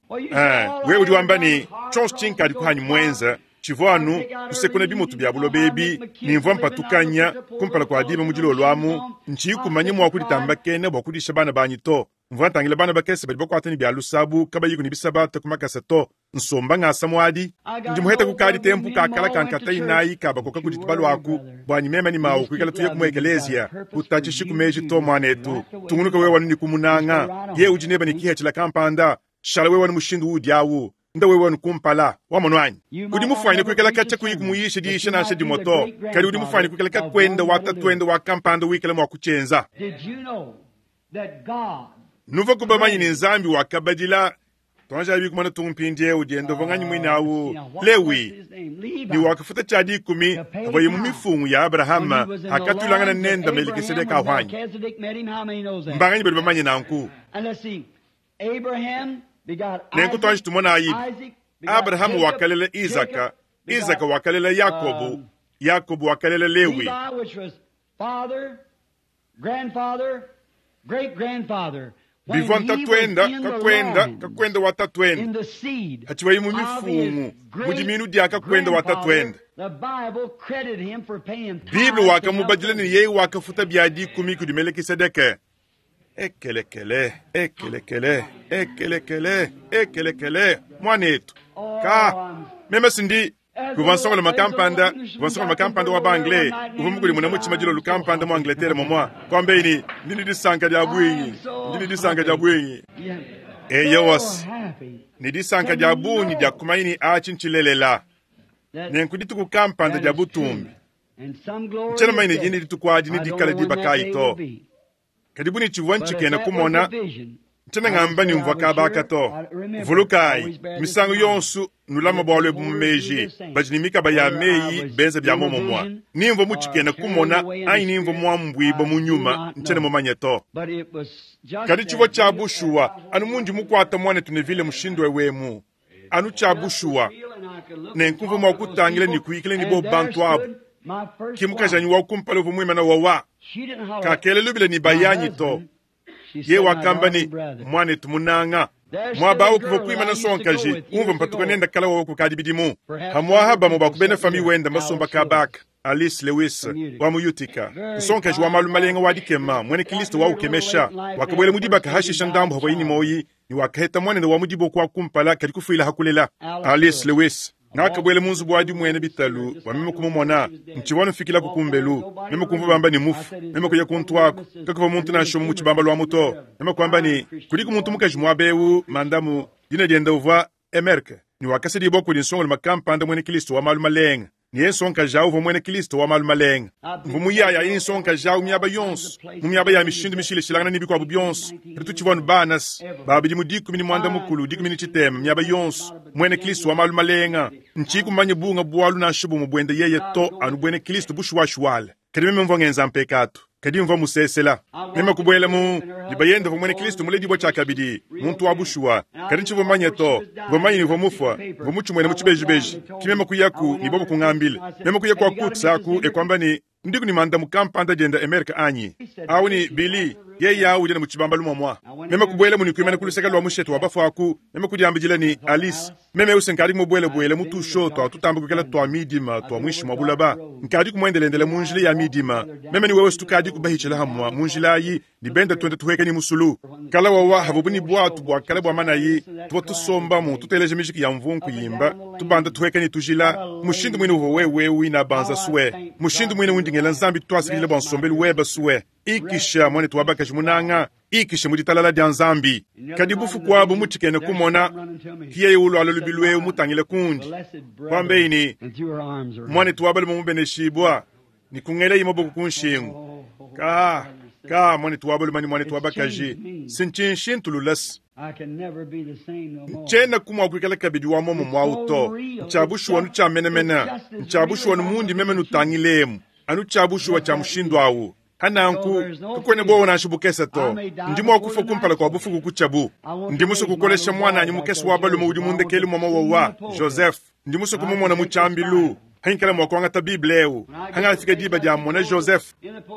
wewe udi wamba ni chonso chinkadi kuhanyi mwenza chivwanu kusekuna bimutu bya bulo bebi nimvwa mpatukanya kumpala kwa dima mujilo lwamu nchi kumanye mwa kulitamba kene bwa kudisha bana banyi to mvwa ntangila bana bakese badi bakwata ni bya lusabu kabayiku ni bisabata kumakasa to nsomba ngasa mwadi ndi muheta kukadi tempu kakala kankata inayi kabakoka kudituba lwaku bwanyi mema ni mawu kuikala tuye kumwekelezia kutachishi kumeji to mwanetu tungunuka wewe wanu ni kumunanga ye udi neba ni kihechila kampanda shala wewe wanu mushindu udi awu nda wewe wanu kumpala wamonwanyi udi mufwanyine kuikala kacha kuyi kumuyisha diisha nasha dimoto kadi udi mufwanyine kuikala kakwenda watatwenda wa kampanda wikala mwa kuchenza nuva kubamanyi ni nzambi wakabadila twanja bikumana tumpindi eu diendo vanganyi mwina awu Lewi ni wakafuta cha dikumi avoye mu mifungu ya Abrahama akatulangana nenda Melkisedeka ahwanyi mbanganyi bali bamanye nanku nenku twanja tumona ayibi Abrahamu wakalela Isaka, Isaka wakalela Yakobu, Yakobu wakalela Lewi. Bivwa ntatwenda kakwenda kakwenda watatwenda hachiwayi mu mifungu mudiminu dia kakwenda watatwenda Biblia wakamubadila ni yeye wakafuta bya dikumi kudi Melkisedeke. Ekelekele ekelekele ekelekele ekelekele mwanetu ka meme sindi kuva makampanda kuva makampanda wa bangle uva mukuli muna muchima jilo lukampanda mu Angleterre momwa kwambeini ndini disanka dia bwinyi ndini disanka dia bwinyi eyewos ni disanka dia bunyi dia kumaini achi nchilelela nenkudituku kampanda dia butumbi nchena maini jini ditukwadi ni dikala dibakayi to kadibu ni chivwa nchikena kumona nchena ngamba ni mvwa kabaka to vulukayi misango yonsu nulama bwalwe bumumeji badi ni mikaba ya meyi benza bya momomwa nimvwa muchikena kumona ayi nimvwa mwambwiba munyuma nchena mumanye to kadi chivwa cha bushuwa anu mundi mukwata mwana tunevile mushindu wewemu anu cha bushuwa nenkumva mwakutangila ni kuikila ni bo bantu abu kimukajanyi wakumpala uvu mwimana wawa kakele lubile ni bayanyi to ye wakamba ni mwanetu munanga mwabawo kuva kuimana sonkaji umva mpatuka nenda kala wawo kukadi bidimu hamwaha bamo bakubena fami wenda masomba kabaka Alice Lewis wa muyutika nsonkaji wa malu malenga wa dikema mwene Kristo wa ukemesha wakabwele mudibaka hashisha ndambu hapo yini moyi Ne wakaheta muanende wa mu diboko wa kumpala, kadi kufuila ha kulela. Alice Lewis. Ngakabuela mu nzubu wa dimuena bitalu bua meme kumumona. Ntshivua nufikilaku kumbelu, meme kumvua bamba ne, Mmufu. Meme kuya kuntu aku, kakuvua muntu nansha umue mu tshibambalu amu to. Meme kuamba ne, Kudiku muntu mukaji muaba eu, mandamu. Dina diende uvua Emerke, ne wakasedibua kudi nsongalume kampanda muena Kristo wa malu malenga. Ne yeye nsongakaji au uvua muena Kristo wa malu malenga. Mvua muyaya yeye nsongakaji au miaba yonso, mu miaba ya mishindu mishilashilangane ne bikuabu bionso. Kadi tutshivua anu bana, ba bidimu 13, 13, miaba yonso, muena Kristo wa malu malenga. Ntshiyiku mumanye bunga bualu nansha bumue buende yeye to, anu buena Kristo bushuwashuwale. Kadi meme mvua ngenza mpekatu, kadi mvua musesela. Meme kubuela mu ne bayende uvua muena Kristo muledibue tshiakabidi, muntu wa bushuwa. Kadi ntshivua mumanye to. Mvua mumanye ne uvua mufue. Mvua mutshimuene mu tshibejibeji. Ke meme kuyaku ne bobu kungambila. Meme kuya kua Cooks aku e kuamba ne, Ndiku ne mandamu kampanda diende Emerke anyi? Awu ne, Billy, yeye awu udi anu mu tshibambalu muamua. Meme kubuelamu ne kuimana ku luseke lua mushete wa bafue aku. Meme kudiambidila ne, Alice, Meme eu se nkadi mubuelabuela mu tusho tua tutamba kuikala tua midima tua muinshi mua bulaba. Nkadiku muendelendela mu njila ya midima. Meme ne wewe se tukadiku bahitshila hamua mu njila ayi ne benda tuenda tuhueka ne musulu. Kala wawa havubu ne buatu bua kale bua manayi, tuvua tusombamu tuteleja mijiki ya mvunku yimba, tubanda tuhueka ne tujila. Mushindu muine uvua wewe eu inabanza sue. Mushindu muine undi ngela Nzambi tuasakidila bua nsombelu weba sue. Ikisha, muanetu wa bakaji munanga, ikisha mu ditalala dia Nzambi. Kadi bufuku abu mu tshikena kumona, ki yeye ulualua lubilu eu mutangile kundi, kuambeyi ne, Muanetu wa balume mubeneshibua, ne kungelayi maboko ku nshingu. Ka, ka, muanetu wa balume ne muanetu wa bakaji, si ntshinshintulula-s. Ntshenaku mua kuikala kabidi wa muomumue au to. Ntshia bushuwa anu tshia menemene. Ntshia bushuwa anu mundi meme nutangilemu, anu tshia bushuwa tshia mushindu au. Pa nanku, kakuena buowa nansha bukese to. Ndi mua kufua kumpala kua bufuku kutshiabu. Ndi musue kukolesha muananyi mukese wa balume udi mu ndekelu mua mawowa, Joseph. Ndi musue kumumona mu tshiambilu. Hangikala mua kuangata Bible eu, hangafika diba dia mmona Joseph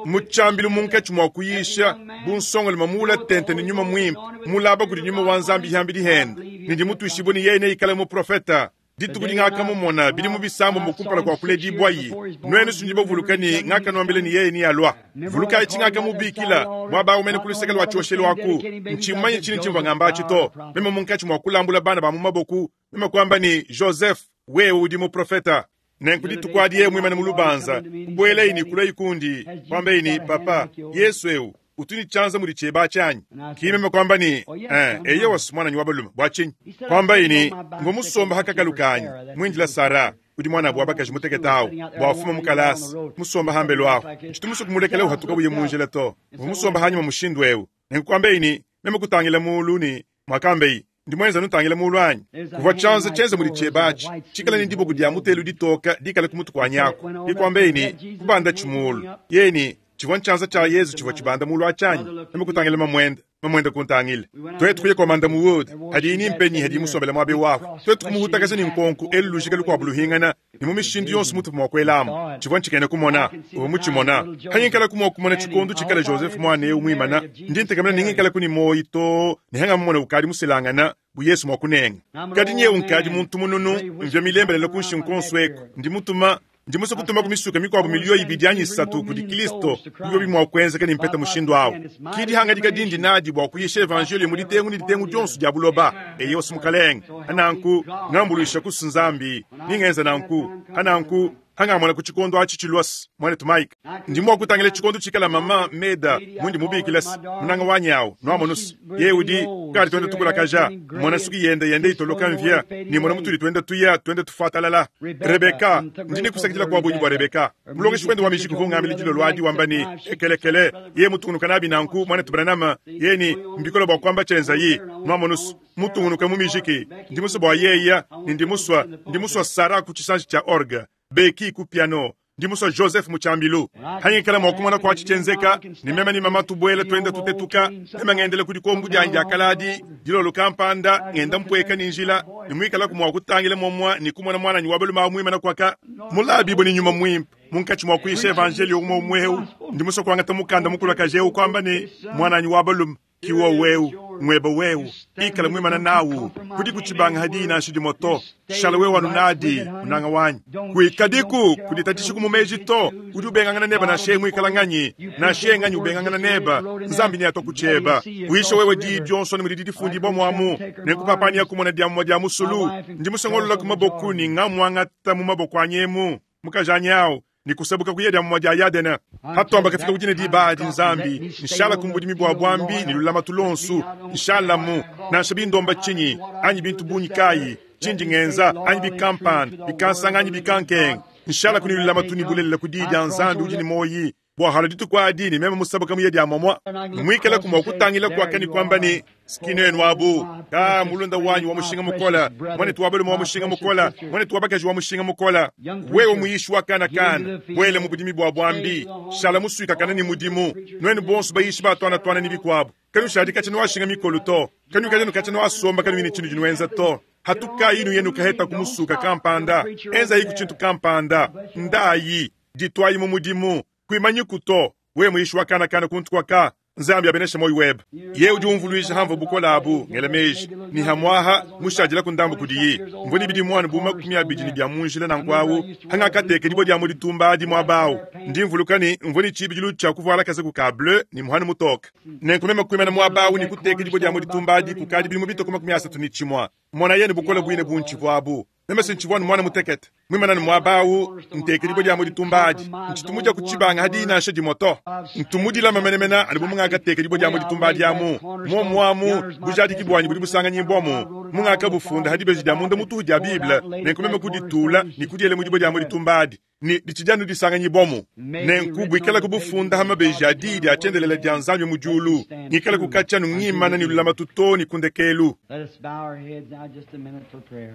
mu tshiambilu munkatshi mua kuyisha, bu nsongalume muula tente ne Nyuma Muimpe, mulaba kudi Nyuma wa Nzambi hiambidi hende, ne ndi mutuishibue ne yeye neikale muprofeta. Dituku dingakamumona bidimu bisambombo kumpala kua kuledibuayi, nuenu si nudi bavuluka ne ngakanuambila ne yeye nealua. Vulukayi tshingakamubikila muaba au mene ku luseke lua tshioshelu aku. Ntshimumanye tshinyi tshimvua ngamba atshi to. Meme munkatshi mua kulambula bana ba mu maboku, meme kuamba ne, Joseph, wewe udi muprofeta. Nenku dituku adi yeye muimane mu lubanza, kubuelaye ne kuluaye kundi, kuambaye ne, Papa, Yesu eu utu ne tshianza mudi tshiebe atshi anyi? Ki meme kuamba ne, Ee, eyowa, muananyi wa balume. Bua tshinyi? Kuambaye ne, Mvua musomba ha kakalu kanyi, muindila Sara, udi muanabu wa bakaji mutekete au, bua afume mu kalasa, musomba hambelu ahu. Ntshitu musue kumulekela uhatuka uya mu njila to. Mvua musomba hanyima mushindu eu. Nenku kuambaye ne, Meme kutangila mulu ne, muakambaye, Ndi muenza nutangila mulu anyi? Kuvua tshianza tshienza mudi tshiebe atshi, tshikale ne diboko dia mutelu ditoka dikale ku mutu kuanyi aku. Ke kuambaye ne, Kubandatshi mulu. Yeye ne, Tshivua ntshianza tshia Yezu tshivua tshibanda mulu atshi anyi? Meme kutangila mamuende, mamuende kuntangila. Tuetu kuya kua Manda Wood, hadiyi ni mpenyi hadiyi musombele muaba eu apu. Tuetu kumuhutakaja ne nkonku, elu lujika lukuabu luhingana, ne mu mishindu yonso mutuvua mua kuelamu. Tshivua ntshikena kumona. Uvua mutshimona. Hangikalaku mua kumona tshikondo tshikala Joseph muana eu muimana, ndi ntekemena ne ngikalaku ne muoyi too ne hangamumona ukadi muselangana, bu Yesu mua kunenga. Kadi nyeu nkadi muntu mununu, mvia milembelela ku nshingu kuonso eku. Ndi mutuma, ndi musue kutumaku misuka mikuabu miliyo ibidi anyi isatu kudi Kilisto, bu biobi mua kuenzeka ne mpeta mushindu au. Ki dihangadika dindi nadi bua kuyisha evanjeliyo mu ditengu ne ditengu dionso dia buloba. Eyo Mukalenge. Hananku, ngambuluishaku Nzambi, ni ngenza nanku. Hananku, hangamona ku tshikondo atshi tshilua, muanetu Mike. Ndi mua kutangila tshikondo tshikala mama Meda mundi mubikila, munanga wanyi au, nuamonus, yeye udi kadi tuenda tukulakaja, mona suki yende yende itoloka mvia, ne mona mutudi tuenda tuya tuenda tufuatalala. Rebeka, ndi ne kusakidila kua bungi bua Rebeka. Mulongeshi wende wa mijiki uvua ungambila dilolo adi wamba ne, Ekelekele, yeye mutungunuka nabi nanku, muanetu Branham, yeye ne, mbikole bua kuamba tshienzayi, nuamonus, mutungunuka mu mijiki. Ndi musue bua yeya, ne ndi musua, ndi musua Sarah ku tshisanji tshia orgue, Becky ku piano, ndi musua Joseph mu tshiambilu. Hangikala mua kumona kuatshi tshienzeka, ne meme ne mama tubuela tuenda tutetuka, meme ngendela ku dikombu dianyi dia kaladi, dilolo kampanda, ngenda mpueka ne njila, ne muikalaku mua kutangila muamua ne kumona muananyi wa balume au muimana kuaka, mulabibue ne Nyuma Muimpe, munkatshi mua kuyisha evanjeliyo umue umue eu. Ndi musue kuangata mukanda mukulakaje eu kuamba ne, Muananyi wa balume, ki wowu eu. Ngweba wewe, ikala mwimana nawu, kudikutshibanga hadiyi nansha dimue to. Shala wewe anu nadi, munanga wanyi. Kuikadiku kuditatshisha mu meji to. Udi ubengangana neba nansha yeye muikala nganyi, nansha yeye nganyi ubengangana neba. Nzambi neatua ku tshieba. Uyisha wewe diyi dionso ne mudidi difundibua muamu. Nenku papani yakumona dia mumue dia musulu, ndi musongolola ku maboku ne ngamuangata mu maboko anyi emu. Mukajanyi awu, ne kusabuka kuya dia mumue dia Yadene. Hatuamba kafika ku dina diba adi, Nzambi, nshala ku budimi bua buambi ne lulamatu luonso, nshalamu, nansha bindomba tshinyi, anyi bintu bungi kayi, tshindi ngenza, anyi bikampanda, bikansanga anyi bikankenga, nshalaku ne lulamatu ne bulelela ku diyi dia Nzambi udi ne muoyi, bua halua dituku adi ne meme musabuka muye dia muamua, muikalaku mua kutangila kuaka ne kuamba ne, Skinenu abu, ka mulunda wanyi wa mushinga mukola, muanetu wa balume wa mushinga mukola, muanetu wa bakaji wa mushinga mukola, wewe muyishi wa kana kana, buele mu budimi bua buambi, shala musuikakana ne mudimu, nuenu bonso bayishi ba tuana tuana ne bikuabu, kanushadi katshia nuashinga mikolo to, kanuikadi nukatshia nuasomba kanuyi ne tshinudi nuenza to. Hatukayi nuye nukaheta ku musuka kampanda, enzayiku tshintu kampanda, ndayi, dituayi mu mudimu, kuimanyiku to, wewe muyishi wa kana kana kuntu kuaka. Nzambi abeneshe moyo webe. Yeye udi umvuluija hamvua bukole abu, ngela meji ne hamuaha mushadilaku ndambu kudiyi. Mvua ne bidimu anu bu 20 ne bia mu njila nanku awu, hangakateka dibue dia mu ditumba adi muaba awu. Ndi mvuluka ne mvua ne tshibidilu tshia kuvuala kazaku ka bleu ne muhanu mutoke. Nenku meme kuimana muaba awu ne kuteka dibue dia mu ditumba adi kukadi bidimu bitue ku 31. Monaye ne bukole buine buntshivua abu. Meme se ntshivua anu muana mutekete, muimane anu muaba awu, nteka dibue dia mu ditumba adi, ntshitu mudia ku tshibanga hadiyi nansha dimue to. Ntu mudilame menemene anu bu mungakateka dibue dia mu ditumba adi amu. Muomu amu, bujadiki buanyi budi busanganyibua-mu, mungakabufunda ha dibeji dia munda mutuhu dia Bible, nenku meme kuditula ne kudiela mu dibue dia mu ditumba adi, ne ditshidi anu disanganyibua-mu. Nenku buikalaku bufunda ha mabeji a Diyi dia tshiendelele dia Nzambi mu diulu, ngikalaku katshia anu ngimana ne lulamatu too ne ku ndekelu. Let us bow our heads now just a minute for prayer.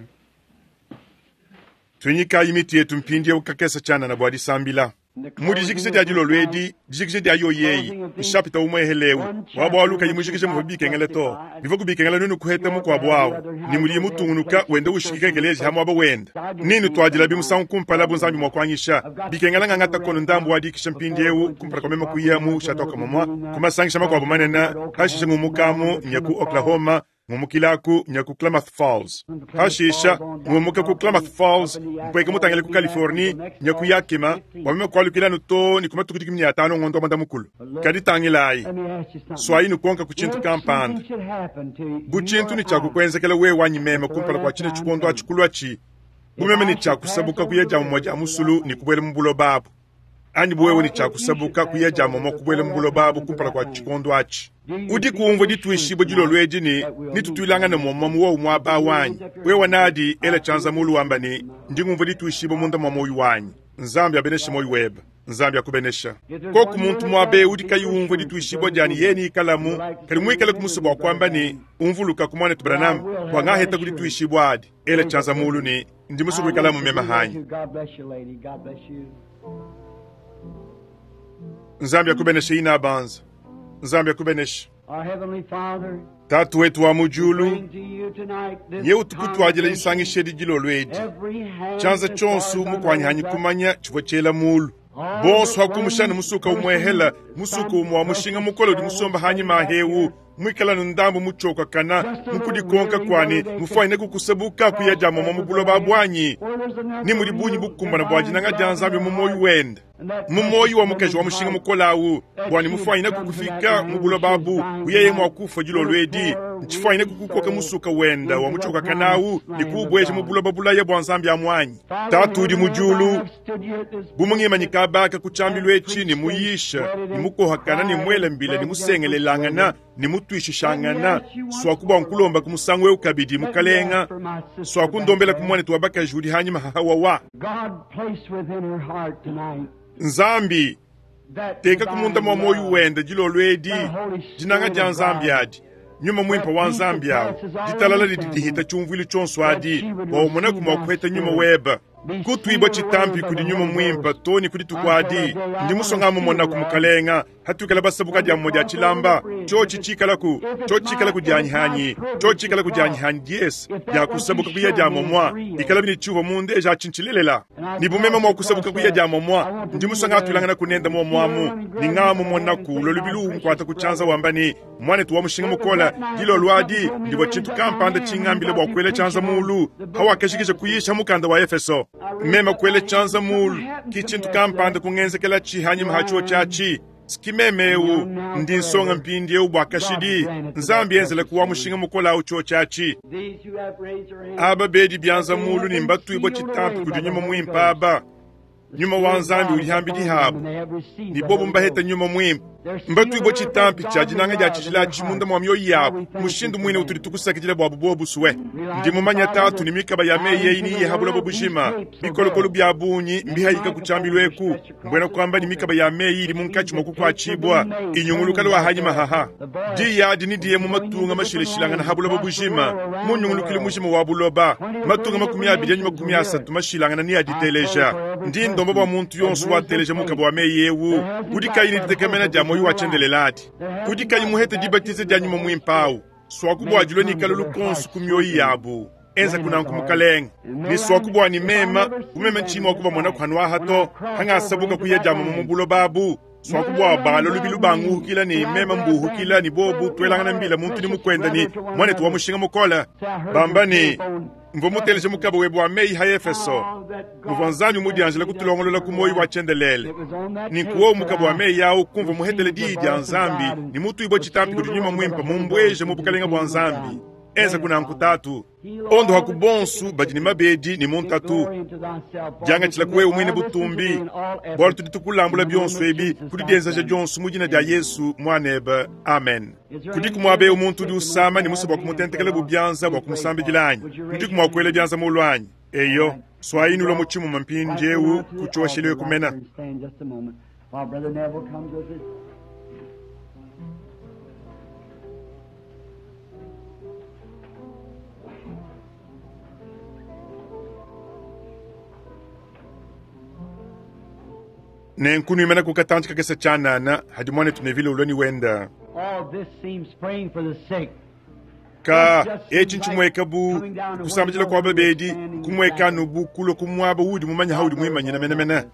Tuinyikayi mitu yetu mpindieu kakese tshianana bua disambila. Mu dijikija dia dilolo edi, dijikija dia yoyi eyi, nshapita umue eu wa bualu kayi mujikije muvua bikengela to. Bivua kubikengela nuenu kuheta mukuabu awu, ne mudiye mutungunuka wenda ushikika ekeleziya ha muaba wenda. Ne nutuadilabi musangu kumpala bu Nzambi mua kuanyisha. Bikengela ngangata kono ndambu wa dikisha mpindieu kumpala kua meme kuya mu Chautauqua momua ku masangisha makuabu manene, pashishe ngumukamu nya ku Oklahoma, ngumukilaku nya ku Klamath Falls. Pashisha ngumuka ku Klamath Falls mpueka mutangile ku Californie nya ku Yakima bua meme kualukila anu too ne ku matuku 15 ngondo wa muanda mukulu. Kadi tangilayi, Let me ask you something. suayi nukonka ku tshintu If kampanda. something should happen to Bu you tshintu or ne tshia I, kukuenzekela wewe anyi meme kumpala kua tshine tshikondo atshi kuluatshi, bu meme ne tshia kusabuka kuya dia mumue dia musulu ne kubuela mu buloba abu, anyi bu wewe ne tshia kusabuka kuya dia mumue kubuela mu buloba abu kumpala kua tshikondo atshi. Udiku umvua dituishibua dilolo edi ne netutuilangane muomumue mu wowu muaba awu anyi? Wewe nadi, ela tshianza mulu wamba ne, Ndi ngumvua dituishibua munda mua muoyo wanyi. Nzambi abeneshe muoyo webe. Nzambi akubenesha. Koku muntu muaba eu udi kayi umvua dituishibua dia ne yeye neikalamu, kadi muikale ku musue bua kuamba ne, Umvulukaku muanetu Branham, bua ngaheta ku dituishibua adi. Ela tshianza mulu ne, Ndi musue kuikalamu meme hanyi. God bless you, lady. God bless you. Nzambi akubeneshe ina banza. Nzambi akubeneshe. Our Heavenly Father, Tatu wetu wa mu diulu, bring to you tonight this nye utukutuadila congregation, disangisha edi dilolo edi. every hand Tshianza as far tshionso as I know mukuanyihanyi is up. kumanya tshivua tshiela mulu. Bonso hakumushana musuka umwehela, musuka umue wa mushinga mukole udi musomba hanyima ahewu, muikala nu ndambu mutshiokakana, mukudikonka kuani, mufuanyine kukusabuka kuya dia muamua mu buloba buanyi, ne mudi bungi bukumbana bua dinanga dia Nzambi mu muoyo wende, mu muoyo wa mukaji wa mushinga mukole awu, bua ne mufuanyine kukufika mu buloba abu, buyeye mua kufua dilolo edi, ntshifuanyine kukukoka musuka wenda wa mutshiokakana awu ne kuubueja mu buloba bulaya bua Nzambi amuanyi. Tatu udi mu diulu, bu mungimanyi kabaka ku tshiambilu etshi ne muyisha ne mukohakana ne muela mbila ne musengelelangana ne mutuishishangana, suaku bua nkulomba ku musangu eu kabidi, mukalenga, suaku ndombela ku muanetu wa bakaji udi hanyima hahawawa. God placed within her heart tonight Nzambi, that teka ku munda mua divine muoyo love, wende dilolo edi, dinanga dia Nzambi adi, nyuma muimpe wa Nzambi awu, ditalala didi dihita tshiumvuilu tshionso adi, bua umonaku mua kuheta nyuma webe. Kutuibua tshitampi kudi nyuma muimpe too ne ku dituku adi. Ndi musue ngamumonaku, Mukalenga, hatuikala basabuka dia mumue dia tshilamba, tshiotshi tshikalaku, tshiotshi tshikalaku dianyi hanyi, tshiotshi tshikalaku dianyi hanyi diese dia kusabuka kuya dia momua, ikalabi ne tshiuvua mundeja atshi ntshilelela. Ne bu meme mua kusabuka kuya dia momua, ndi musue ngatuilangana ku nende muomuamu, ne ngamumonaku ulua lubilu unkuata ku tshianza wamba ne, Muanetu wa mushinga mukole, dilolo adi ndivua tshintu kampanda tshingambile bua kuela tshianza muulu hawakajikija kuyisha mukanda wa Efeso. Meme kuela tshianza muulu, ki tshintu kampanda kungenzekelatshi hanyima ha tshiotshi atshi. Ski meme eu, ndi nsonga mpindieu bua kashidi. Nzambi enzelaku wa mushinga mukole au tshiotshi atshi. Aba bedi bianza muulu ne mbatuibua tshitampi kudi nyuma muimpe aba. Nyuma wa Nzambi udi hambidi habu, ne bobu mbaheta nyuma muimpe. Mbatuibue tshitampi tshia dinanga dia tshijila atshi munda mua mioyo yabu, mushindu muine utudi tukusakidila buabu bobu sue. Ndi mumanya Tatu ne mikaba ya meyi eyi niyiye ha buloba bujima. Bikolokolo bia bungi mbihayika ku tshiambilu eku, mbuena kuamba ne mikaba ya meyi idi munkatshi mua kukuatshibua, inyunguluka lua hanyima haha. Diyi adi nidiye mu matunga mashilashilangana ha buloba bujima, mu nyungulukilu mujima wa buloba, matunga 20 anyi 30 mashilangana neaditeleja. Ndi ndomba bua muntu yonso wateleja mukaba wa meyi eu, udi kayi ne ditekemena dia muoyo wa tshiendelele adi, udi kayi muhete dibatiza dia nyuma muimpe au, suaku bua dilua ne kalolu konso ku mioyo yabu. Enza kunanku Mukalenge, ne suaku bua ne mema, bu meme ntshiyi mua kubamona kuanuaha to, hangasabuka kuya dia mama mu buloba abu, suaku bua bala lubilu banguhukila ne meme mbuhukila ne bobu tuelangana mbila muntu ne mukuenda ne muanetu wa mushinga mukole, bamba ne, mvua muteleje mukaba webe wa meyi ha Efeso, muvua Nzambi mudianjila kutulongolola ku muoyo wa tshiendelele. Ninkuwo mukaba wa meyi au kumvua muhetele diyi dia Nzambi ne mutuibua tshitampi kudi nyuma muimpe mumbueje mu bukalenga bua Nzambi. Enza kunanku Tatu. Ondoha ku bonsu badi ne mabedi ne mu ntatu. Diangatshila ku wewe muine butumbi, bualu tudi tukulambula bionso ebi ku didienzeja dionso mu dina dia Yesu muanebe. Amen. Kudiku muaba eu muntu udi usama ne musue bua kumutentekela bu bianza bua kumusambidila anyi? Nudiku mua kuela bianza muulu anyi? Eyo, suayi nulua mu tshimuma mpindieu ku tshioshelu ekumena. Nenku nuimana ku katantshi kakese tshianana hadi muanetu Neville ulua ne wenda. All this seems praying for the sick. Ka etshi ntshimueka bu kusambidila kua babedi, kumueka anu bu kulua ku muaba udi mumanye haudi muimanyina menemene.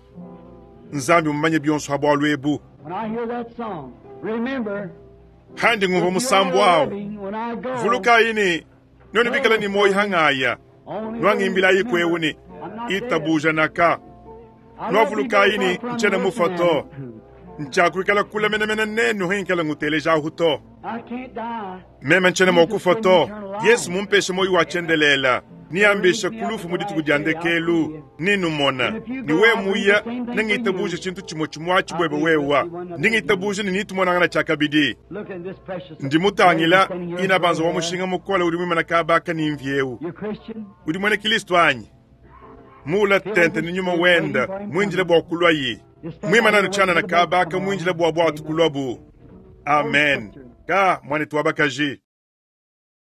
Nzambi mumanye bionso ha bualu ebu. When I hear that song, remember, Handi ngumvua musambu awu, vulukayi ne nuenu bikala ne muoyo hangaya, nuangimbilayi kwewu ne itabuja naka. Nuavulukayi ne ntshiena mufua to, ntshiakuikala kula menemene nenu hinkala ngutelejahu to. I can't die. Meme ntshiena mua kufua to, Yesu mumpeshe muoyo wa tshiendelela, niambishe ku lufu mu dituku dia ndekelu, ninumona. Ne wewe muya, nengitabuje tshintu tshimue tshimue atshi buebe wewa. Ndi ngitabuje ne nitumonangana tshiakabidi. Look at this precious. Ndi mutangila ina banza wa mushinga mukole udi muimana kabaka ne mvi eu. You Christian? Udi muena Kristo anyi? Mula tente ne nyuma wenda muindile bua kulua yi. Muimana anu tshianana kabaka muindile bua buatu kulua bu. Amen. Ka muanetu wa bakaji.